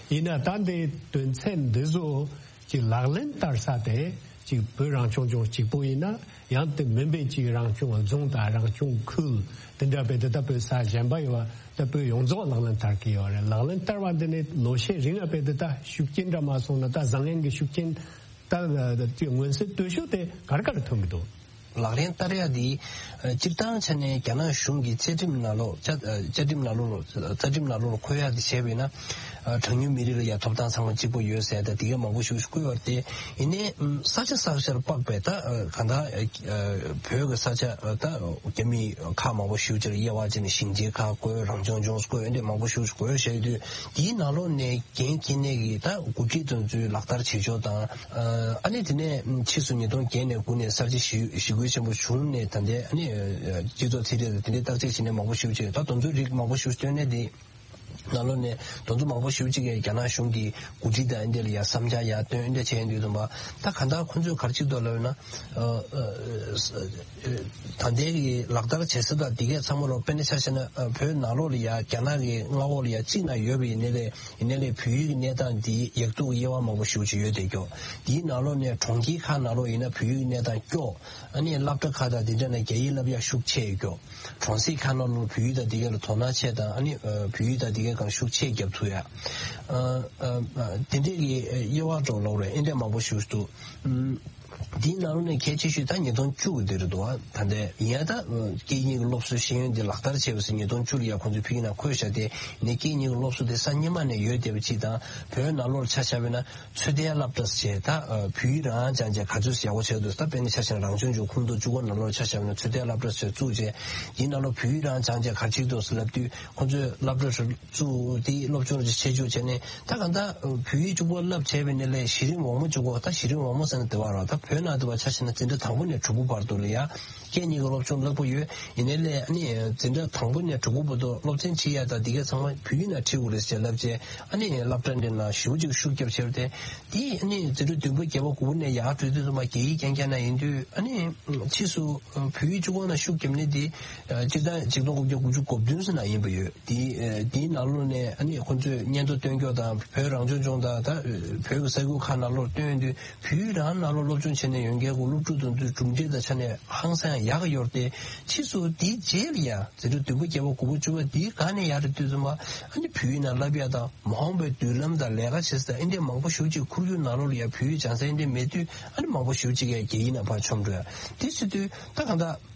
ཡིན་ན་ད་འདི་དོན་ཚན་འདི་ཚོ་ཅིག་ལག་ལེན་བསྟར་ས་དེ་ཅིག་བོད་རང་སྐྱོང་ལྗོངས་གཅིག་པོ་ཡིན་ན་ཡང་དེ་མིན་པའི་ཅིག་རང་སྐྱོང་རྫོང་དང་རང་སྐྱོང་ཁུལ་དེ་འདྲ་རྦད་དེ་ད་བོད་ས་གཞན་པ་ཡོད་པ་ད་བོད་ཡོངས་རྫོགས་ལག་ལེན་བསྟར་གི་ཡོད་རེད། ལག་ལེན་བསྟར་བ་འདི་ནི་ལོ་ཤས་རིང་ལ་རྦད་དེ་ད་ཤུགས་རྐྱེན་འདྲ་མ་སོང་ན་ད་བཟང་ངན་གྱི་ཤུགས་རྐྱེན། ད་ཅིག་མངོན་གསལ་དོད་ཤོས་དེ་ག་རེ་ག་རེ་ཐོན་གྱི་འདུག་ལག་ལེན་བསྟར་ཡ་འདི་སྤྱིར་བཏང་ཆ་ནས་རྒྱ་ནག་གཞུང་གི་བཅའ་ཁྲིམས་ནང་ལོགས་བཅའ་བཅའ་ཁྲིམས་ནང་ལོགས་རྩ་ཁྲིམས་ནང་ལོགས་ལ་འཁོད་ཡ་འདི་བྱས་པ་ཡིན་ན། གྲངས་ཉུང་མི་རིགས་ལ་ཡ་ཐོབ་ཐང་ཚང་མ་གཅིག་པ་ཡོད་ཟེར་ད་འདི་ག་མང་པོ་ཞིག་བཀོད་ཡོད་རེད་དེ། ཡིན་ནའི་ས་ཆ་ས་ཆར་དཔག་པའི་ད་གང་ལྟར་བོད་ཀྱི་ས་ཆ་ད་རྒྱ་མི་ཁག་མང་པོ་ཞིག་ཅིག་ལ་དབྱེ་བ་བྱས་ནས་ཞིང་ཆེན་ཁག་བཀོད། རང་སྐྱོང་ལྗོངས་བཀོད། འདི་མང་པོ་ཞིག་བཀོད་བཞག་དུས་འདིའི་ནང་ལོགས་ནས་འགན་འཁྱེར་མཁན་གྱི་ད་འགོ་ཁྲིད་དེ་ཚོས་ལག་བསྟར་བྱེད་ཕྱོགས་དང་། ཨ་ནི་དེ་ནས་ཕྱིས་སུ་ཉིས་སྟོང་བརྒྱད་ནས་དགུ་ནས་གསར་བརྗེ་ཞི་ཞི་རྒོལ་ཆེན་པོ་བྱུང་ནས་ད་ལྟའི་ཨ་ནི་སྤྱི་ཚོགས་ཚན་རིག་དང་དེ་འདྲའི་བརྟག་དཔྱད་བྱས་ནས་མང་པོ་ཞིག་བྱས། ད་དེ་ཚོའི་རིགས་མང་པོ་ཞིག་བཏོན་ནས་དེ་ནང་ལོགས་ནས་དེ་ཚོ་མང་པོ་ཞིག་ཅིག་གིས་རྒྱ་ནག་གཞུང་གི་འགོ་ཁྲིད་དང་ཨ་འདྲ་ལ་ཡ་བསམ་འཆར་ཡར་བཏོན་ཨ་འདྲ་བྱས་ཡོང་དུས་ཙམ་པ། ད་གང་ལྟར་ཁོང་ཚོས་ག་རེ་བྱེད་ཀྱི་འདུག་ལབ་ན། ད་ལྟའི་གི་ལག་བསྟར་བྱེད་ས་དང་དེ་གས་ཚང་མ་ལོ་དཔེར་ན་ཆ་བཞག་ན་བོད་ནང་ལོགས་ལ་ཡ་རྒྱ་ནག་གི་མངའ་འོག་ལ་ཡ་གཅིག་ན་ཡོད་པ་ཡིན་ནའི་ལས། ཡིན་ནའི་ལས་བོད་ཡིག་གི་གནས་སྟངས་འདི་ཡག་སྡུག་དབྱེ་བ་མང་པོ་ཞེ་པོ་ཅིག་ཡོད་དེ་སྐྱོ། དེའི་ནང་ལོགས་ནས་གྲོང་ཁྱེར་ཁག་ནང་ལོགས་ཡིན་ན་བོད་ཡིག་གི་གནས་སྟངས་སྐྱོ། ཨ་ནི་སློབ་གྲྭ་ཁག་དང་དེ་འདྲ་ན་རྒྱ་ཡིག་བསླབ་ཡག་ཤུགས་ཆེ་ཡོད་སྐྱོ། གྲོང་གསེབ་ཁག་ནང་ལོགས་བོད་ཡིག་དང་དེ་ག་ལ་དོ་སྣང་ཆེ་དང་། ཨ་ནི་བོད་ཡིག་དང་དེ་གའི་སྒང་ཤུགས་ཆེ་རྒྱབ་ཐུབ་ཡ། དེ་འདྲའི་གི་དབྱེ་བ་འགྲོ་ལོག་རེད། ཨེ་འདྲ་མང་པོ་ཞེ་པོ་ཅིག་འདུག་འདིའི་ནང་ལོགས་ནས་གལ་ཆེ་ཤོས་ད་ཉིས་སྟོང་བཅུ་གི་དེ་རེད་འདུག་ད་ལྟའི་ཡིན་ཡང་ད་སྐད་གཉིས་ཀྱི་སློབ་གསོའི་ཤེས་ཡོན་དེ་ལག་བསྟར་བྱས་པ་ཟེར་ཉིས་སྟོང་བཅུ་ལ་ཡ་ཁོང་ཚོས་ཕ་གི་ནང་འཁོད་བཞག་སྟེ། ནས་སྐད་གཉིས་ཀྱི་སློབ་གསོ་དེ་ས་སྔོན་མ་ནས་ཡོད་བསྡད་པ་ཅིག་དང་། བོད་ནང་ལོགས་ཆ་བཞག་པ་ཡིན་ན་ཚོད་ལྟའི་སློབ་གྲྭ་ཟེར་ད་བོད་ཡིག་རང་སྦྱངས་བྱས་ག་ཚོད་ཡག་པོ་བྱས་འདུག་ད་དཔེར་ན་ཆ་བཞག་ན་རང་སྐྱོང་ལྗོངས་ཁུལ་མདོ་སྤྱི་ཁོག་ནང་ལོགས་ཆ་བཞག་པ་ཡིན་ན་ཚོད་ལྟའི་སློབ་གྲྭ་ཟེར་བཙུགས་བྱས། དེའི་ནང་ལོགས་བོད་ཡིག་རང་སྦྱངས་བྱས་ག་ཚོད་འདུག་ཟེར་ལབ་དུས་ཁོང་ཚོས་སློབ་གྲྭ་བཙུགས་དེའི་སློབ་སྦྱོང་ཆེད་འཇུག་བྱས་ནས། ད་གང་ལྟར་བོད་ཡིག་གཅིག་པོ་བསླབ་བྱས་པ་ཡིན་ནའི་ལས་གཞི་རིམ་འོག་མ་གཅིག་པོ། ད་གཞི་རིམ་འོག་མ་ཟེར་ན་དེ་བ་ར། ད་བོད་ནང་དུ་བ་ཆ་བཞག་ན་འཛིན་གྲྭ་དང་པོ་ནས་དྲུག་པ་བར་དུ་ལ་ཡ་སྐད་གཉིས་ཀྱི་སློབ་སྦྱོང་བསླབ་ཀྱི་ཡོད། ཡིན་ནའི་ལས་ཨ་ནི་འཛིན་གྲྭ་དང་པོ་ནས་དྲུག་པ་བར་དུ་སློབ་ཚན་ཁྲིད་ཡ་དང་དེ་གའི་ཚང་མ་བོད་ཡིག་ནང་ཁྲིད་དགོས་རེད་ཟེར་ལབ་བྱས། ཨ་ནི་སློབ་གྲྭ་འདི་ནང་ཞེ་པོ་ཅིག་ཤུགས་རྒྱབ་བྱས་པ་དེ། དེ་ཨ་ནི་འཛིན་གྲྭ་བདུན་པ་བརྒྱད་པ་དགུ་པ་ནས་ཡར་འགྲོ་དུས་ཙམ་པ་རྒྱ་ཡིག་རྐྱང་རྐྱང་ནང་ཡིན་དུས། ཨ་ནི་ཕྱིས་སུ་བོད་ཡིག་གཅིག་པོ་ནང་ཤུགས་རྒྱབ་ནས་དེ་སྤྱིར་བཏང་ཆིག་སྟོང་དགུ་བརྒྱ་དགུ་བཅུ་གོ་བདུན་ཙམ་ནང་ཡིན་པ་ཡོད། དེ་དེའི་ནང་ལོགས་ནས་ཨ་ནི་ཁོང་ཚོས་སྙན་ཐོ་སྟོན་སྐྱོར་དང་། བོད་རང་སྐྱོང་ལྗོངས་དང་ད་བོད་ཀྱི་ས་ཁུལ་ཁག་ནང་ལོགས་སྟོན་དུས། བོད་ཡིག་རང་ནང་ལོགས་སློབ་སྦྱོང་བྱས་ནས་ཡོང་མཁན་གྱི་སློབ་ཕྲུག་དེ་ཚོའི་གྲུབ་འབྲས་དང་ཆ་ནས་ཧང་སང་ཡག་གི་ཡོད་རེད་དེ། ཕྱིས་སུ་དེའི་རྗེས་ལ་ཡ་འཛིན་གྲྭ་བདུན་པ་བརྒྱད་པ་དགུ་པ་བཅུ་པ་དེའི་སྒང་ནས་ཡར་འགྲོ་དུས་ཙམ་པ་ཨ་ནི་བོད་ཡིག་ནང་བསླབ་ཡ་དང་། མ་འོངས་པའི་མདུན་ལམ་དང་ལས་ཀ་བྱེད་ས་དང་ཨེ་འདྲས་མང་པོ་ཞེ་པོ་ཅིག་ཁོར་ཡུག་ནང་ལོགས་ལ་ཡ་བོད་ཡིག་སྦྱང་ས་ཨེ་འདྲས་མེད་དུས། ཨ་ནི་མང་པོ་ཞེ་པོ་ཅིག་ཡ་རྒྱ་ཡིག་ནང་ཕར་མཆོང་འགྲོ་ཡ། དེ་བྱེད་དུས་ད་གང་ལྟར་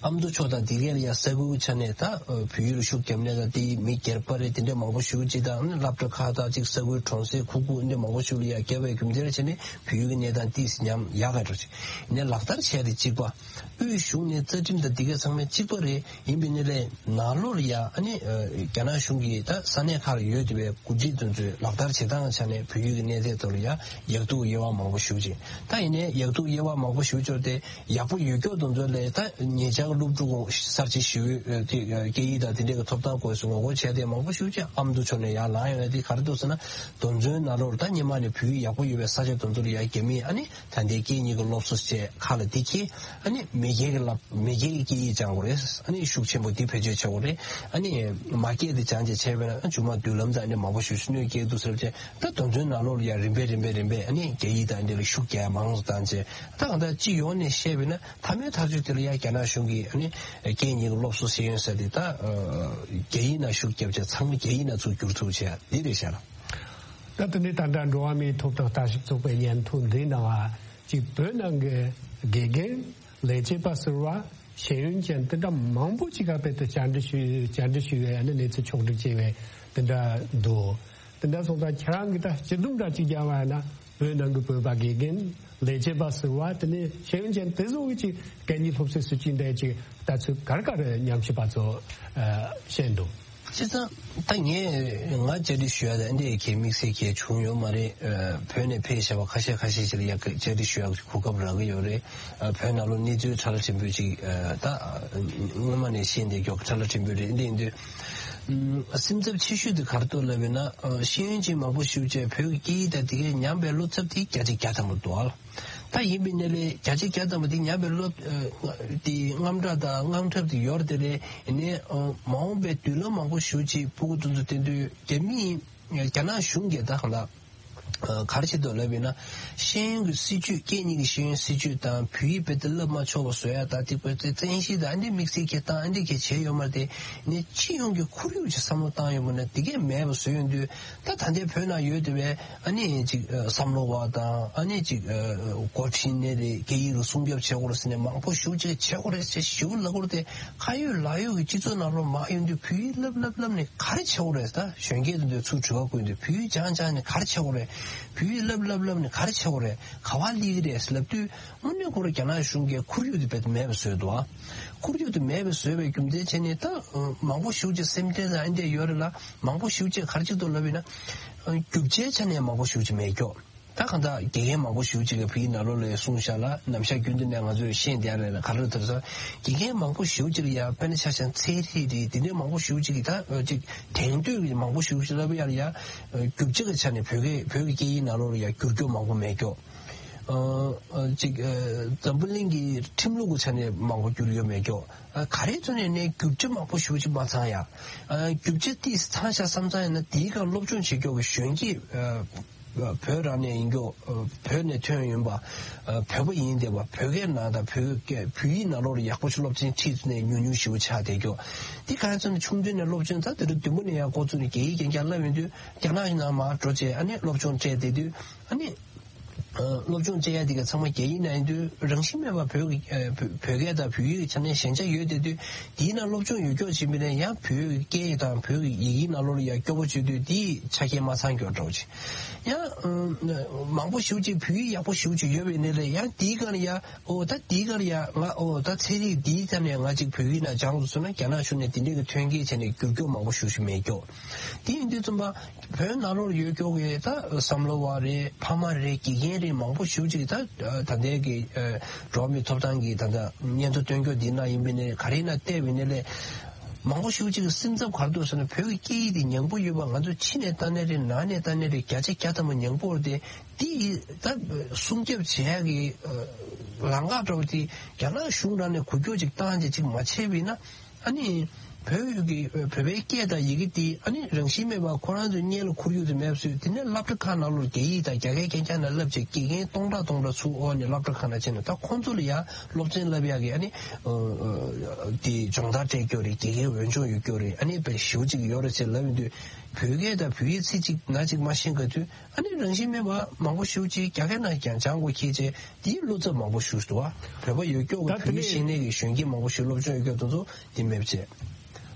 ཨ་མདོ་ཕྱོགས་དང་དེ་གའི་ལ་ཡ་ས་ཁུལ་གྱི་ཆ་ནས་ད་བོད་ཡིག་ལ་ཤུགས་རྒྱབ་ནས་དང་། དེ་མི་སྒེར་པ་རེད། དེ་འདྲས་མང་པོ་ཞེ་པོ་ཅིག་དང་། ཨ་ནི་སློབ་གྲྭ་ཁག་དང་ཅིག་ས་ཁུལ་གྲོང་གསེབ་ཁུག་ཁུག་ཨེ་འདྲས་མང་པོ་ཞིག་ལ་ཡ་བརྒྱབ་པའི་རྒྱུ་མཚན་བྱས་ནས་བོད་ཡིག་གི་གནས་སྟངས་ཏོག་ཙམ་ཉམས་ཡག་ག་འགྲོ་ཅིག་ནས་ལག་བསྟར་བྱས་ཏེ་གཅིག་པ། དབུས་གཞུང་ནས་རྩ་ཁྲིམས་དང་དེ་གའི་ཚང་མ་གཅིག་པ་རེད། ཡིན་པའི་ནི་ལས་ནང་ལོགས་ལ་ཡ་ཨ་ནི་རྒྱ་ནག་གཞུང་གིས་ད་ས་གནས་ཁག་ལ་ཡོད་བསྡད་པའི་འགོ་ཁྲིད་དེ་ཚོས་ལག་བསྟར་བྱེད་སྟངས་ཆ་ནས་བོད་ཡིག་གི་གནས་སྟངས་ཐོག་ལ་ཡ་ཡག་སྡུག་དབྱེ་བ་མང་པོ་ཞེ་པོ་ཅིག་ད་ཡིན་ནའི་ཡག་སྡུག་དབྱེ་བ་མང་པོ་ཞེ་པོ་ཅིག་དེ་ཡག་པོ་ཡོད་སྐྱོ་དེ་ཚོ་ལས་ད་ཉེ་ཆར་ སློབ་ཕྲུག་གསར་བརྗེ་ཞུ་ཡུལ་དེ་སྐད་ཡིག་དང་དེ་འདྲའི་ཐོབ་ཐང་སྐོར་སུ་ངོ་རྒོལ་བྱས་ཏེ་མང་པོ་ཞེ་པོ་ཅིག་ཨ་མདོ་ཕྱོགས་ནས་ཡར་ལངས་ཡོང་ཡ་དེ་ག་རེ་འདུག་ཟེར་ན། དོན་ཚན་ནང་ལོགས་ལ་ད་སྔོན་མ་ནས་བོད་ཡིག་ཡག་པོ་ཡོད་པའི་ས་ཆ་དེ་ཚོ་ལ་ཡ་རྒྱ་མིས་ཨ་ནི་ད་ལྟའི་སྐད་གཉིས་ཀྱི་སློབ་གསོ་བྱས་ཁ་ལ་འདི་འཁྱེར། ཨ་ནི་མི་སྒེར་གྱི་ལབ་མི་སྒེར་གྱི་སྐད་ཡིག་སྦྱང་དགོས་རེད། ཨ་ནི་ཤུགས་ཆེན་པོ་འདི་བེད་སྤྱོད་བྱེད་དགོས་རེད། ཨ་ནི་མ་སྐད་དེ་སྦྱང་བྱས་བྱས་པས་ན་མཇུག་མ་མདུན་ལམ་དང་ཨ་ནི་མང་པོ་ཞེ་པོ་ཅིག་གནོད་སྐྱེལ་འདུག་ཟེར་བྱས། ད་དོན་ཚན་ནང་ལོགས་ལ་ཡ་རིམ་པས་རིམ་པས་རིམ་པས་ཨ་ནི་རྒྱ་ཡིག་དང་འདི་ལ་ཤུགས་རྒྱག་མང་དུ་བཏང་བྱས། ད་གང་ལྟར་སྤྱི་ཡོངས་ནས་བཤད་པས་ན་མཐའ་མའི་ཐག་གཅོད་དེ་ལ་ཡ་རྒྱ་ནག་གཞུང་གིས་ཨ་ནི་སྐད་གཉིས་ཀྱི་སློབ་གསོ་ཤེས་ཡོན་ཟེར་དེ་ད་རྒྱ་ཡིག་ནང་ཤུགས་བརྒྱབ་བྱས་ཚང་མ་རྒྱ་ཡིག་ནང་ཚུར་བསྒྱུར་ཐུབ་བྱས་འདི་རེད་ཤག་ད་དེ་ནས་ད་ལྟ་འགྲོ་བ་མིའི་ཐོབ་ཐང་ལྟ་ཞིབ་ཚོགས་པའི་སྙན་ཐོ་འདིའི་ནང་ཅིག་བོད་ནང་གི་དགེ་རྒན་ལས་བྱེད་པ་ཟུར་པ་ཤེས་ཡོན་ཅན་དེ་འདྲ་མང་པོ་ཅིག་ག་དཔེ་དེ་བཅར་འདྲི་ཞུས་བཅར་འདྲི་ཞུས་པའི་ཨ་ནི་གནས་ཚུལ་ཕྱོགས་སྒྲིག་བྱས་པའི་དེ་འདྲ་འདུག་དེ་འདྲ་སོང་ཙང་ཁྱེད་རང་གིས་ད་སྤྱི་སྡོམ་འདྲ་ཅིག་རྒྱག་པ་ཡིན་ན་བོད་ནང་གི་བོད་པ་དགེ་རྒན་ལས་བྱེད་པ་ཟུར་པ་དེ་ནས་ཤེས་ཡོན་ཅན་དེ་ཚོ་གི་ཅིག་སྐད་གཉིས་སློབ་གསོའི་སྲིད་ཇུས་འདྲ་ཅིག་ལྟ་ཚུལ་ག་རེ་ག་རེ་ཉམས་ཞིབ་པ་ཚོ་ཨ་བཤད་འདུག་བྱས་ཙང་ད་ངས་ང་བཅར་འདྲི་ཞུ་ཡ་ད་འདི་གའི་དམིགས་བསལ་གྱི་བྱུང་ཡོད་མ་རེད། ཨ་བོད་ནས་ཕེབས་བཞག་པ་ཁ་ཤས་ཁ་ཤས་ཤིག་ལ་ཡ་གི་བཅར་འདྲི་ཞུ་ཡ་གོ་སྐབས་རག་གི་ཡོད་རེད། ཨ་བོད་ནང་ལོགས་གནས་ཚུལ་ཕྲ་ལ་ཕྲན་བུ་ཅིག་ཨ་ད་སྔོན་མ་ནས་ཤེས་བསྡད་མཁན་ཕྲ་ལ་ཕྲན་བུ་རེད། འདི་ཡིན་དུས་ཨ་སེམས་འཚབ་ཆེ་ཤོས་དེ་ག་རེ་འདུག་ལབ་པ་ཡིན་ན། ཨ་ཤེས་ཡོན་ཅན་མང་པོ་ཞེ་པོ་ཅིག་བོད་ཀྱི་སྐད་ཡིག་དང་དེ་གའི་ཉམས་པའི་བློ་འཚབ་དེ་བརྒྱ་ཆ་བརྒྱ་ཐམ་པ་འདུག་ཨ། ད་ཡིན་པའི་ནི་ལས་བརྒྱ་ཆ་བརྒྱ་ཐམ་པ་དེ་ཉམས་པའི་བློ་ཨ་དེ་དངངས་སྐྲག་དང་དངངས་འཁྲབ་དེ་ཡོད་རེད་དེ་ལས་ཡིན་ནའི་ཨ་མ་འོངས་པའི་མདུན་ལམ་མང་པོ་ཞེ་པོ་ཅིག་ཕྲུ་གུ་དེ་ཚོ་དེ་དུས་རྒྱ་མི་རྒྱ་ནག་གཞུང་གིས་ད་གང་ལྟར་ཨ་ག་རེ་བྱེད་འདུག་ལབ་པ་ཡིན་ན། ཤེས་ཡོན་གྱི་སྲིད་ཇུས་སྐད་གཉིས་ཀྱི་ཤེས་ཡོན་སྲིད་ཇུས་དང་བོད་ཡིག་རྦད་དེ་བསླབ་མ་ཆོག་པ་བཟོ་ཡ་དང་དེ་བོད་དེ་བཙན་ཤེད་དང་ཨ་འདི་དམིགས་བསལ་གྱི་བཏང་ཨ་འདི་གས་བྱས་ཡོད་མ་རེད་དེ་ནས་སྤྱི་ཡོངས་ཀྱི་ཁོར་ཡུག་ཅིག་བསམ་བློ་བཏང་ཡོང་བ་ན་དེ་གས་མེད་པ་བཟོས་ཡོང་དུས། ད་ད་ལྟའི་བོད་ནང་ཡོད་བསྡད་པའི་ཨ་ནི་ཅིག་ཨ་བསམ་བློ་བ་དང་ཨ་ནི་ཅིག་ཨ་འགོ་ཁྲིད་ནས་རེད། སྐད་ཡིག་ལ་སྲུང་སྐྱོབ་བྱེད་དགོས་རེད་ཟེར་ནས་མང་པོ་ཞེ་པོ་ཅིག་བྱེད་དགོས་རེད་ཟེར་ཞེ་པོ་ལབ་དགོས་རེད་དེ། ཁ་ཡོད་ལག་ཡོད་ཀྱི་སྤྱི་ཚོགས་ནང་ལོགས་མར་ཡོང་དུས་བོད་ཡིག་བསླབ་བསླབ་བསླབ་ནས་ག་རེ་བྱེད་དགོས་རེད། ད་གཞོན་སྐྱེས་དེ་ཚོས་ཚུར་དྲི་བ་བཀོད་དུས་བོད་ཡིག་སྦྱང་སྦྱང་ནས་ག་རེ་བྱེད་དགོས་རེད། བོད་ཡིག་བསླབ་བསླབ་བསླབ་ནས་ག་རེ་བྱེད་དགོས་རེད། ག་པར་སླེབས་ཀྱི་རེད་ཟེར་ལབ་དུས་དངོས་གནས་ཁོ་རང་རྒྱ་ནག་གཞུང་གིས་ཁོར་ཡུག་དེ་རྦད་དེ་མེད་པ་བཟོས་འདུག་ཨ། ཁོར་ཡུག་དེ་མེད་པ་བཟོས་པའི་རྒྱུ་མཚན་བྱས་ནས་ད་མང་པོ་ཞེ་པོ་ཅིག་སེམས་ཁྲལ་དང་ཨ་འདྲས་ཡོད་རེད་ལ། མང་པོ་ཞེ་པོ་ཅིག་ག་རེ་བྱེད་འདུག་ལབ་ཡིན་ན། རྒྱུ་ཆའི་ཆ་ནས་མང་པོ་ཞེ་པོ་ཅིག་མེད་ཀྱོག་ད་གང་ལྟར་དགེ་རྒན་མང་པོ་ཞེ་པོ་ཅིག་གིས་བོད་ཡིག་ནང་ལོགས་ལ་གསུངས་བཞག་ལ། ནམ་ཞག་རྒྱུན་དུ་ནས་ང་ཚོས་ཤེས་བསྡད་ཡ་རེད་ལ། ག་རེ་ལྟར་ས་དགེ་རྒན་མང་པོ་ཞེ་པོ་ཅིག་ལ་ཡ་དཔེར་ན་ཆ་བཞག་ན་ཚན་རིག་རེད། དེ་འདྲའི་མང་པོ་ཞེ་པོ་ཅིག་གིས་ད་ཅིག་དྲན་ཐོས་ཀྱི་མང་པོ་ཞེ་པོ་ཅིག་ལབ་ཡ་ལ་ཡ་རྒྱུ་ཆ་གི་ཆ་ནས་བོད་སྐད་བོད་ཀྱི་སྐད་ཡིག་ནང་ལོགས་ལ་ཡ་བསྒྱུར་རྒྱུ་མང་པོ་མེད་ཀྱོག་ཨ་ཨ་ཅིག་ཨ་འཛམ་བུ་གླིང་གི་ཁྲིམས་ལུགས་ཀྱི་ཆ་ནས་མང་པོ་བསྒྱུར་ཡོད་མེད་ཀྱོག་ཨ་ག་རེ་ཐོག་ནས་ནས་རྒྱུ་ཆ་མང་པོ་ཞེ་པོ་ཅིག་མ་ཚང་ཡ། ཨ་རྒྱུ་ཆ་ཏིས་ཚང་ཤག་བསམ་ཚང་ཡིན་ན་དེའི་སྒང་སློབ་སྦྱོང་བྱེད་ཀྱོག་གི་གཞོན་སྐྱེས་ཨ་བོད་རང་ནས་ཡིན་ཀྱོག་ཨ་བོད་ནས་ཐོན་ཡོང་པ་ཨ་བོད་པ་ཡིན་བསྡད་པ་བོད་སྐད་ནང་དང་བོད་སྐད་བོད་ཡིག་ནང་ལོགས་ལ་ཡག་པོ་ཞིག་སློབ་ཚན་ཁྲིད་ནས་ཉུང་ཉུང་ཞེ་པོ་ཆགས་བསྡད་ཀྱོག་དེ་ག་ཚོད་ནས་ཆུང་དུས་ནས་སློབ་སྦྱོང་ད་དེ་རུ་བདུན་པོ་ནས་ཡང་འགོ་བཙུགས་ནས་རྒྱ་ཡིག་རྐྱང་རྐྱང་བསླབ་ཡོང་དུས་རྒྱ་ནག་གི་ནང་མར་འགྲོ་བྱས་ཨ་ནི་སློབ་སྦྱོང་སྤྲད་བསྡད་དུས་ཨ་ནི། སློབ་སྦྱོང་བྱེད་ཡ་དེ་ག་ཚང་མ་རྒྱ་ཡིག་ནང་ཡིན་དུས་རང་བཞིན་མེད་པར་བོད་ཀྱི་བོད་བོད་སྐད་དང་བོད་ཡིག་གི་ཆ་ནས་ཞན་ཆ་ཡོད་བསྡད་དུས་དེའི་ནང་སློབ་སྦྱོང་ཡོད་ཀྱོག་བྱེད་མི་ནས་ཡང་བོད་ཀྱི་སྐད་ཡིག་དང་བོད་ཀྱི་ཡི་གེའི་ནང་ལོགས་ལ་ཡང་སྐྱོ་པོ་བྱེད་དུས་དེའི་ཆ་རྐྱེན་མ་ཚང་ཀྱོག་འདྲ་བོ་ཅིག་ཡང་མང་པོ་ཞེ་པོ་ཅིག་བོད་ཡིག་ཡག་པོ་ཞེ་པོ་ཅིག་ཡོད་པའི་ནས་ལས་ཡང་དེའི་སྒང་ལ་ཡང་ཨོ་ད་དེའི་སྒང་ལ་ཡང་ང་ཨོ་ད་ཚན་རིག་དེའི་ཐད་ནས་ང་ཅིག་བོད་ཡིག་ནང་སྦྱང་དགོས་སོང་ན་རྒྱ་ནག་གཞུང་ནས་དེ་འདྲའི་གི་ཐོན་སྐྱེད་བྱས་ནས་བསྒྱུར་ཀྱོག་མང་པོ་ཞེ་པོ་ཅིག་མེད་ཀྱོག་དེ་ཡིན་དུས་ཙམ་པ། བོད་ནང་ལོགས་ཡོད་ཀྱོག་གི་ད་བསམ་བློ་བ་རེད། ཕ་མ་རེད། དགེ་རྒན་རེད། མང་པོ་ཞེ་པོ་ཅིག་ད་ད་ལྟའི་གི་འགྲོ་བ་མིའི་ཐོབ་ཐང་གི་ད་ལྟ་སྙན་ཐོ་སྟོན་ཀྱོག་འདི་ན་ཡིན་པའི་ནས་ག་རེ་ན་བལྟས་པའི་ནས་ལས་མང་པོ་ཞེ་པོ་ཅིག་གི་སེམས་འཚབ་ག་རེ་འདུག་ཟེར་ན་བོད་ཀྱི་སྐད་ཡིག་འདི་ཉམས་པོ་ཡོད་པ་ང་ཚོ་ཕྱི་ནས་ལྟ་ནས་རེད། ནང་ནས་ལྟ་ནས་རེད། བརྒྱ་ཆ་བརྒྱ་ཐམ་པ་ཉམས་པོ་རེད་དེ། འདི་ད་སྲུང་སྐྱོབ་བྱེད་ཡག་གི་ལམ་ཁ་འདྲ་བོ་དེ་རྒྱ་ནག་གཞུང་རང་ནས་འགུལ་སྐྱོད་ཅིག་བཏང་བྱས་ཅིག་མ་བྱས་པ་ཡིན་ན། ཨ་ནི། བོད་ཀྱི་བོད་པའི་སྐད་དང་ཡི་གེ་དེ་ཨ་ནི་རང་བཞིན་མེད་པར་ཁོ་རང་ཚོའི་སྔོན་ལ་ཁོར་ཡུག་དེ་མེད་པ་བཟོས། དེ་ནས་སློབ་གྲྭ་ཁག་ནང་ལོགས་རྒྱ་ཡིག་དང་རྒྱ་སྐད་རྐྱང་རྐྱང་ནང་བསླབ་བྱས་དགེ་རྒན་སྟོང་ཕྲག་སྟོང་ཕྲག་ཚུར་འོག་ནས་སློབ་གྲྭ་ཁག་ནང་ཕྱིན་ནས་ད་ཁོང་ཚོ་ལ་ཡང་སློབ་ཚན་བསླབ་ཡག་གི་ཨ་ནི་དེ་སྦྱོང་བརྡར་སྤྲད་ཀྱོག་རེད། དགེ་རྒན་འོས་སྦྱོང་ཡོད་ཀྱོག་རེད། ཨ་ནི་དཔེ་ཞེ་པོ་ཅིག་ཡོད་རེད་ཅེས་ལབ་ཡོང་དུས་བོད་སྐད་དང་བོད་ཡིག་ཚིག་གཅིག་ན་གཅིག་མ་ཤེས་ག་དུས། ཨ་ནི་རང་བཞིན་མེད་པ་མང་པོ་ཞེ་པོ་ཅིག་རྒྱ་སྐད་ནང་ཀྱང་སྦྱང་དགོས་ཁེལ་བྱས་དེའི་བློ་འཚབ་མང་པོ་ཞེ་པོ་ཞིག་འདུག་བ། བོད་པ་ཡོད་ཀྱོག་གི་ད་བོད་ཡིག་ཤེས་ནས་ཀྱི་གཞོན་སྐྱེས་མང་པོ་ཞིག་སློབ་སྦྱོང་ཡོད་ཀྱོག་དེ་ཚོ་དེ་མེད་པ་བྱས་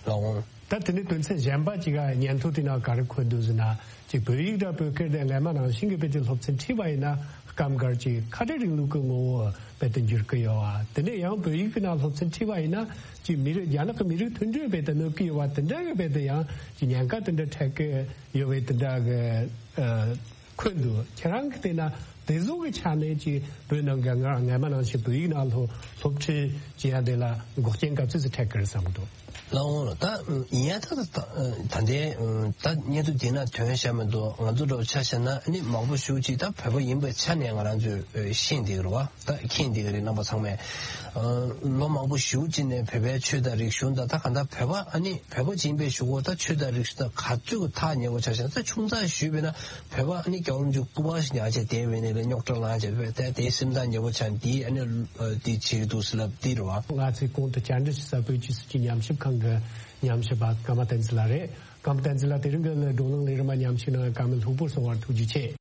ལ་འོང་། ད་དེ་ནི་དོན་ཚན་གཞན་པ་ཅིག་ག་སྙན་ཐོ་དེ་ནང་ག་རེ་འཁོད་འདུག་ཟེར་ན་ཅིག་བོད་ཡིག་དང་བོད་སྐད་དེ་སྔ་མ་ནང་བཞིན་གྱི་དཔེ་དེ་སློབ་ཚན་ཁྲིད་པ་ཡིན་ན་སྐབས་འགར་ཅིག་ཁ་བྲལ་རིང་ལུགས་ཀྱི་ངོ་བོ་དཔེ་དེ་འགྱུར་གྱི་ཡོད་བ། དེ་ནས་ཡང་བོད་ཡིག་གི་ནང་སློབ་ཚན་ཁྲིད་པ་ཡིན་ན་ཅིག་མི་རིགས་རྒྱ་ནག་གི་མི་རིགས་མཐུན་སྒྲིལ་དཔེ་དེ་གནོད་ཀྱི་ཡོད་བ། དེ་འདྲ་གི་དཔེ་དེ་ཡང་ཅིག་ཉེན་ཁ་དེ་འདྲ་འཕྲད་ཀྱི་ཡོད་པའི་དེ་འདྲ་གི་ཨ་འཁོད་འདུག་ཁྱེད་རང་གིས་བལྟས་ན་ དེ་ཚོ་གི་ཆ་ནས་ཀྱི་བོད་ནང་གི་སྔ་སྔ་མ་ནང་བཞིན་བོད་ཡིག་ནང་ལྷོ་སློབ་ཁྲིད་བྱེད་ཡ་དེ་ལ་འགོག་རྐྱེན་ག་ཚོད་ཅིག་འཕྲད་ཀྱི་རེད་བསམ་གི་འདུག་ལགས་འོང་ལགས། ད་ཡིན་ཡ་ད་ད་ད་ད་ལྟའི་ད་བརྙན་ཐུང་དེ་ན་ཐོན་བཞག་མི་འདུག་ང་ཚོ་འདྲ་བོ་ཆ་བཞག་ན་ཨ་ནི་མང་པོ་ཞེ་ཅིག་ད་བོད་པ་ཡིན་པའི་ཆ་ནས་ང་རང་ཚོས་ཤེས་བསྡད་ཀྱི་རེད་བ། ད་མཁྱེན་བསྡད་ཀྱི་རེད། རྣམ་པ་ཚང་མས་ལོ་མང་པོ་ཞེ་ཅིག་ནས་བོད་པའི་ཆོས་དང་རིག་གཞུང་དང་ད་ག་ད་བོད་པ་ཨ་ནི་བོད་པ་ཡིན་པའི་གཞུག་གུ་ད་ཆོས་དང་རིག་གཞུང་དང་ག་ཚོད་ཐག་ཉེ་བོ་ཆ་བཞག་ན་ད་ཆུང་ཙག་ཞུས་པས་ན། བོད་པ་ནི་སྐྱོ་རུ་འཇུག་སྐུ་པར་ཞིག་ཉག་ཆ་དེ་བས་ནས་ལ་རྙོག་དྲ་ལངས་བྱས་བས་དེ་དེ་སེམས་ཐག་ཉེ་པོ་ཆགས་འདི་ཨ་ནི་འདི་བྱེད་ཀྱི་འདུག་ཟེར་ལབ་འདི་རེད་བ། ང་ཚོའི་གོང་དུ་བཅར་འདྲི་ཞུ་ས་བོད་ཀྱི་སྲིད་ཀྱི་ཉམས་ཞིབ་ཁང་གི་ཉམས་ཞིབ་པ་ཀརྨ་བསྟན་འཛིན་ལགས་རེད། ཀརྨ་བསྟན་འཛིན་ལགས་དེ་རིང་གི་བགྲོ་གླེང་ལས་རིམ་མ་ཉམས་ཞིབ་གནང་བཀའ་མོལ་ལྷུག་པོར་གསུང་བར་ཐུགས་རྗེ་ཆེ།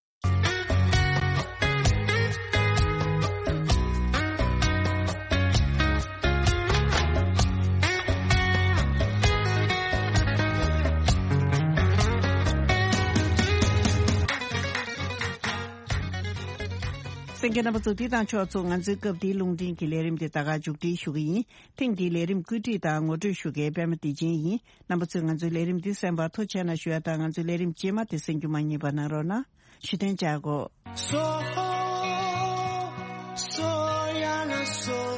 གསན་མཁན་རྣམ་པ་ཚོ་འདི་དང་ཕྱོགས་མཚུངས་ང་ཚོའི་སྐབས་འདིའི་རླུང་འཕྲིན་གྱི་ལས་རིམ་འདི་ད་ག་མཇུག་སྒྲིལ་ཞུ་གི་ཡིན། ཐེངས་འདིའི་ལས་རིམ་བཀོད་སྒྲིག་དང་ངོ་སྤྲོད་ཞུ་མཁན་པད་མ་བདེ་ཆེན་ཡིན། རྣམ་པ་ཚོས་ང་ཚོའི་ལས་རིམ་འདི་གསན་པར་ཐུགས་རྗེ་གནང་ཞུ་ཡ་དང་ང་ཚོའི་ལས་རིམ་རྗེས་མ་དེ་གསན་རྒྱུ་མ་བསྙེལ་བ་གནང་རོགས་གནང་། ཞུ་དོན་བྱ་དགོས། སོ་སོ་ཡ་ན་སོ།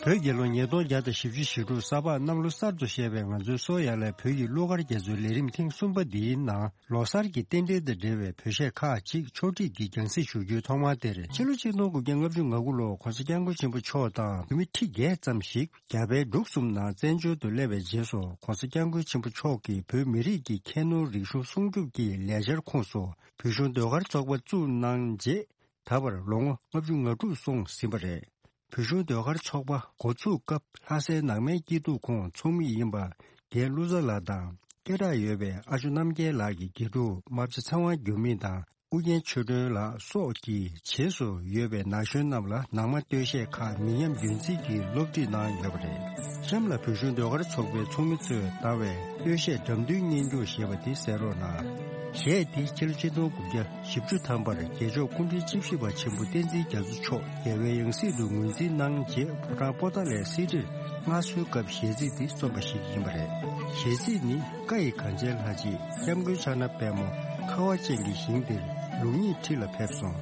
བོད་རྒྱལ་ལོ་ཉིས་སྟོང་བརྒྱ་དང་བཞི་བཅུ་ཞེ་དྲུག་ས་ཕག་གནམ་ལོ་གསར་དུ་བཞད་པའི་ང་ཚོའི་སོ་ཡ་ལའི་བོད་ཀྱི་གླུ་གར་རྒྱ་མཚོའི་ལས་རིམ་ཐེངས་གསུམ་པ་འདིའི་ནང་ལོ་གསར་གྱི་རྟེན་འབྲེལ་དང་འབྲེལ་བའི་བོད་གཞས་ཁག་ཅིག་ཕྱོགས་སྒྲིག་གིས་རྒྱང་སྲིང་ཞུ་རྒྱུའི་ཐོག་མ་དེར་ཕྱི་ལོ་ཆིག་སྟོང་དགུ་བརྒྱ་ལྔ་བཅུ་ང་དགུ་ལོར་གོང་ས་སྐྱབས་མགོན་ཆེན་པོ་མཆོག་དང་བོད་མི་ཁྲི་བརྒྱད་ཙམ་ཞིག་རྒྱ་བལ་འབྲུག་གསུམ་ནང་བཙན་བྱོལ་དུ་སླེབས་པའི་རྗེས་སུ་གོང་ས་སྐྱབས་མགོན་ཆེན་པོ་མཆོག་གིས་བོད་མི་རིགས་ཀྱི་ཁྱད་ནོར་རིག་གཞུང་སྲུང་སྐྱོབ་ཀྱི་ལས་འཆར་ཁོངས་སུ་བོད་གཞུང་ཟློས་གར་ཚོགས་པ་བཙུགས་གནང་རྗེས། ད་བར་ལོ་ངོ་ལྔ་བཅུ་ང་དྲུག་སོང་ཟིན་པ་རེད། བོད་གཞུང་ཟློས་གར་ཚོགས་པ་འགོ་ཚུགས་སྐབས་ལྷ་སའི་ནང་མའི་སྐྱིད་སྡུག་ཁོངས་ཚོགས་མི་ཡིན་པ་རྒན་ཀླུ་བཟང་ལགས་དང་སྐད་གྲགས་ཡོད་པའི་ཨ་ཇོ་རྣམ་རྒྱལ་ལགས་ཀྱི་དགེ་ཕྲུག་རྨ་བྱ་ཚེ་དབང་འགྱུར་མེད་དང་ཨུ་རྒྱན་ཆོས་སྒྲོན་ལགས་སོགས་ཀྱི་རྗེས་སུ་ཡོད་པའི་ན་གཞོན་རྣམས་ལ་ནང་མ་སྟོད་གཞས་ཁག་མི་ཉམས་རྒྱུན་འཛིན་གྱིས་སློབ་ཁྲིད་གནང་ཡོད་པ་རེད། གཤམ་ལ་བོད་གཞུང་ཟློས་གར་ཚོགས་པའི་ཚོགས་མི་ཚོས་བཏང་བའི་སྟོད་གཞས་འགྲམ་མདུན་སྙན་བརྒྱུད་ཞེས་པ་དེ་གསན་རོགས་གནང་། གཞས་འདི་ཕྱི་ལོ་ཆིག་སྟོང་དགུ་བརྒྱ་བཞི་བཅུ་ཐམ་པར་རྒྱལ་མཆོག་སྐུ་ཕྲེང་བཅུ་བཞི་པ་ཆེན་པོ་བསྟན་འཛིན་རྒྱ་མཚོ་མཆོག་རྒྱལ་བའི་ཡང་སྲིད་དུ་ངོས་འཛིན་གནང་རྗེས་ཕོ་བྲང་པོ་ཏཱ་ལའི་གསེར་ཁྲིར་མངའ་གསོལ་སྐབས་གཞས་ཚིག་འདི་རྩོམ་པ་ཞིག་ཡིན་པ་རེད། གཞས་ཚིག་ནི། བཀའ་ཡི་གངས་ཅན་ལྷ་རྗེ་སྐྱབས་མགོན་ཕྱག་ན་པདྨོ་ཁ་བ་ཅན་གྱི་ཞིང་འདིར་ལུགས་གཉིས་ཁྲི་ལ་ཕེབས་སོང་།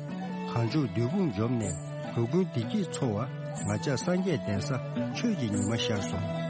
གངས་ལྗོངས་བདུད་དཔུང་འཇོམས་ནས་འགྲོ་ཀུན་བདེ་སྐྱིད་འཚོ་བ། ང་ཅག་སངས་རྒྱས་གདན་ས་ཆོས་ཀྱི་ཉི་མ་ཤར་སོང་།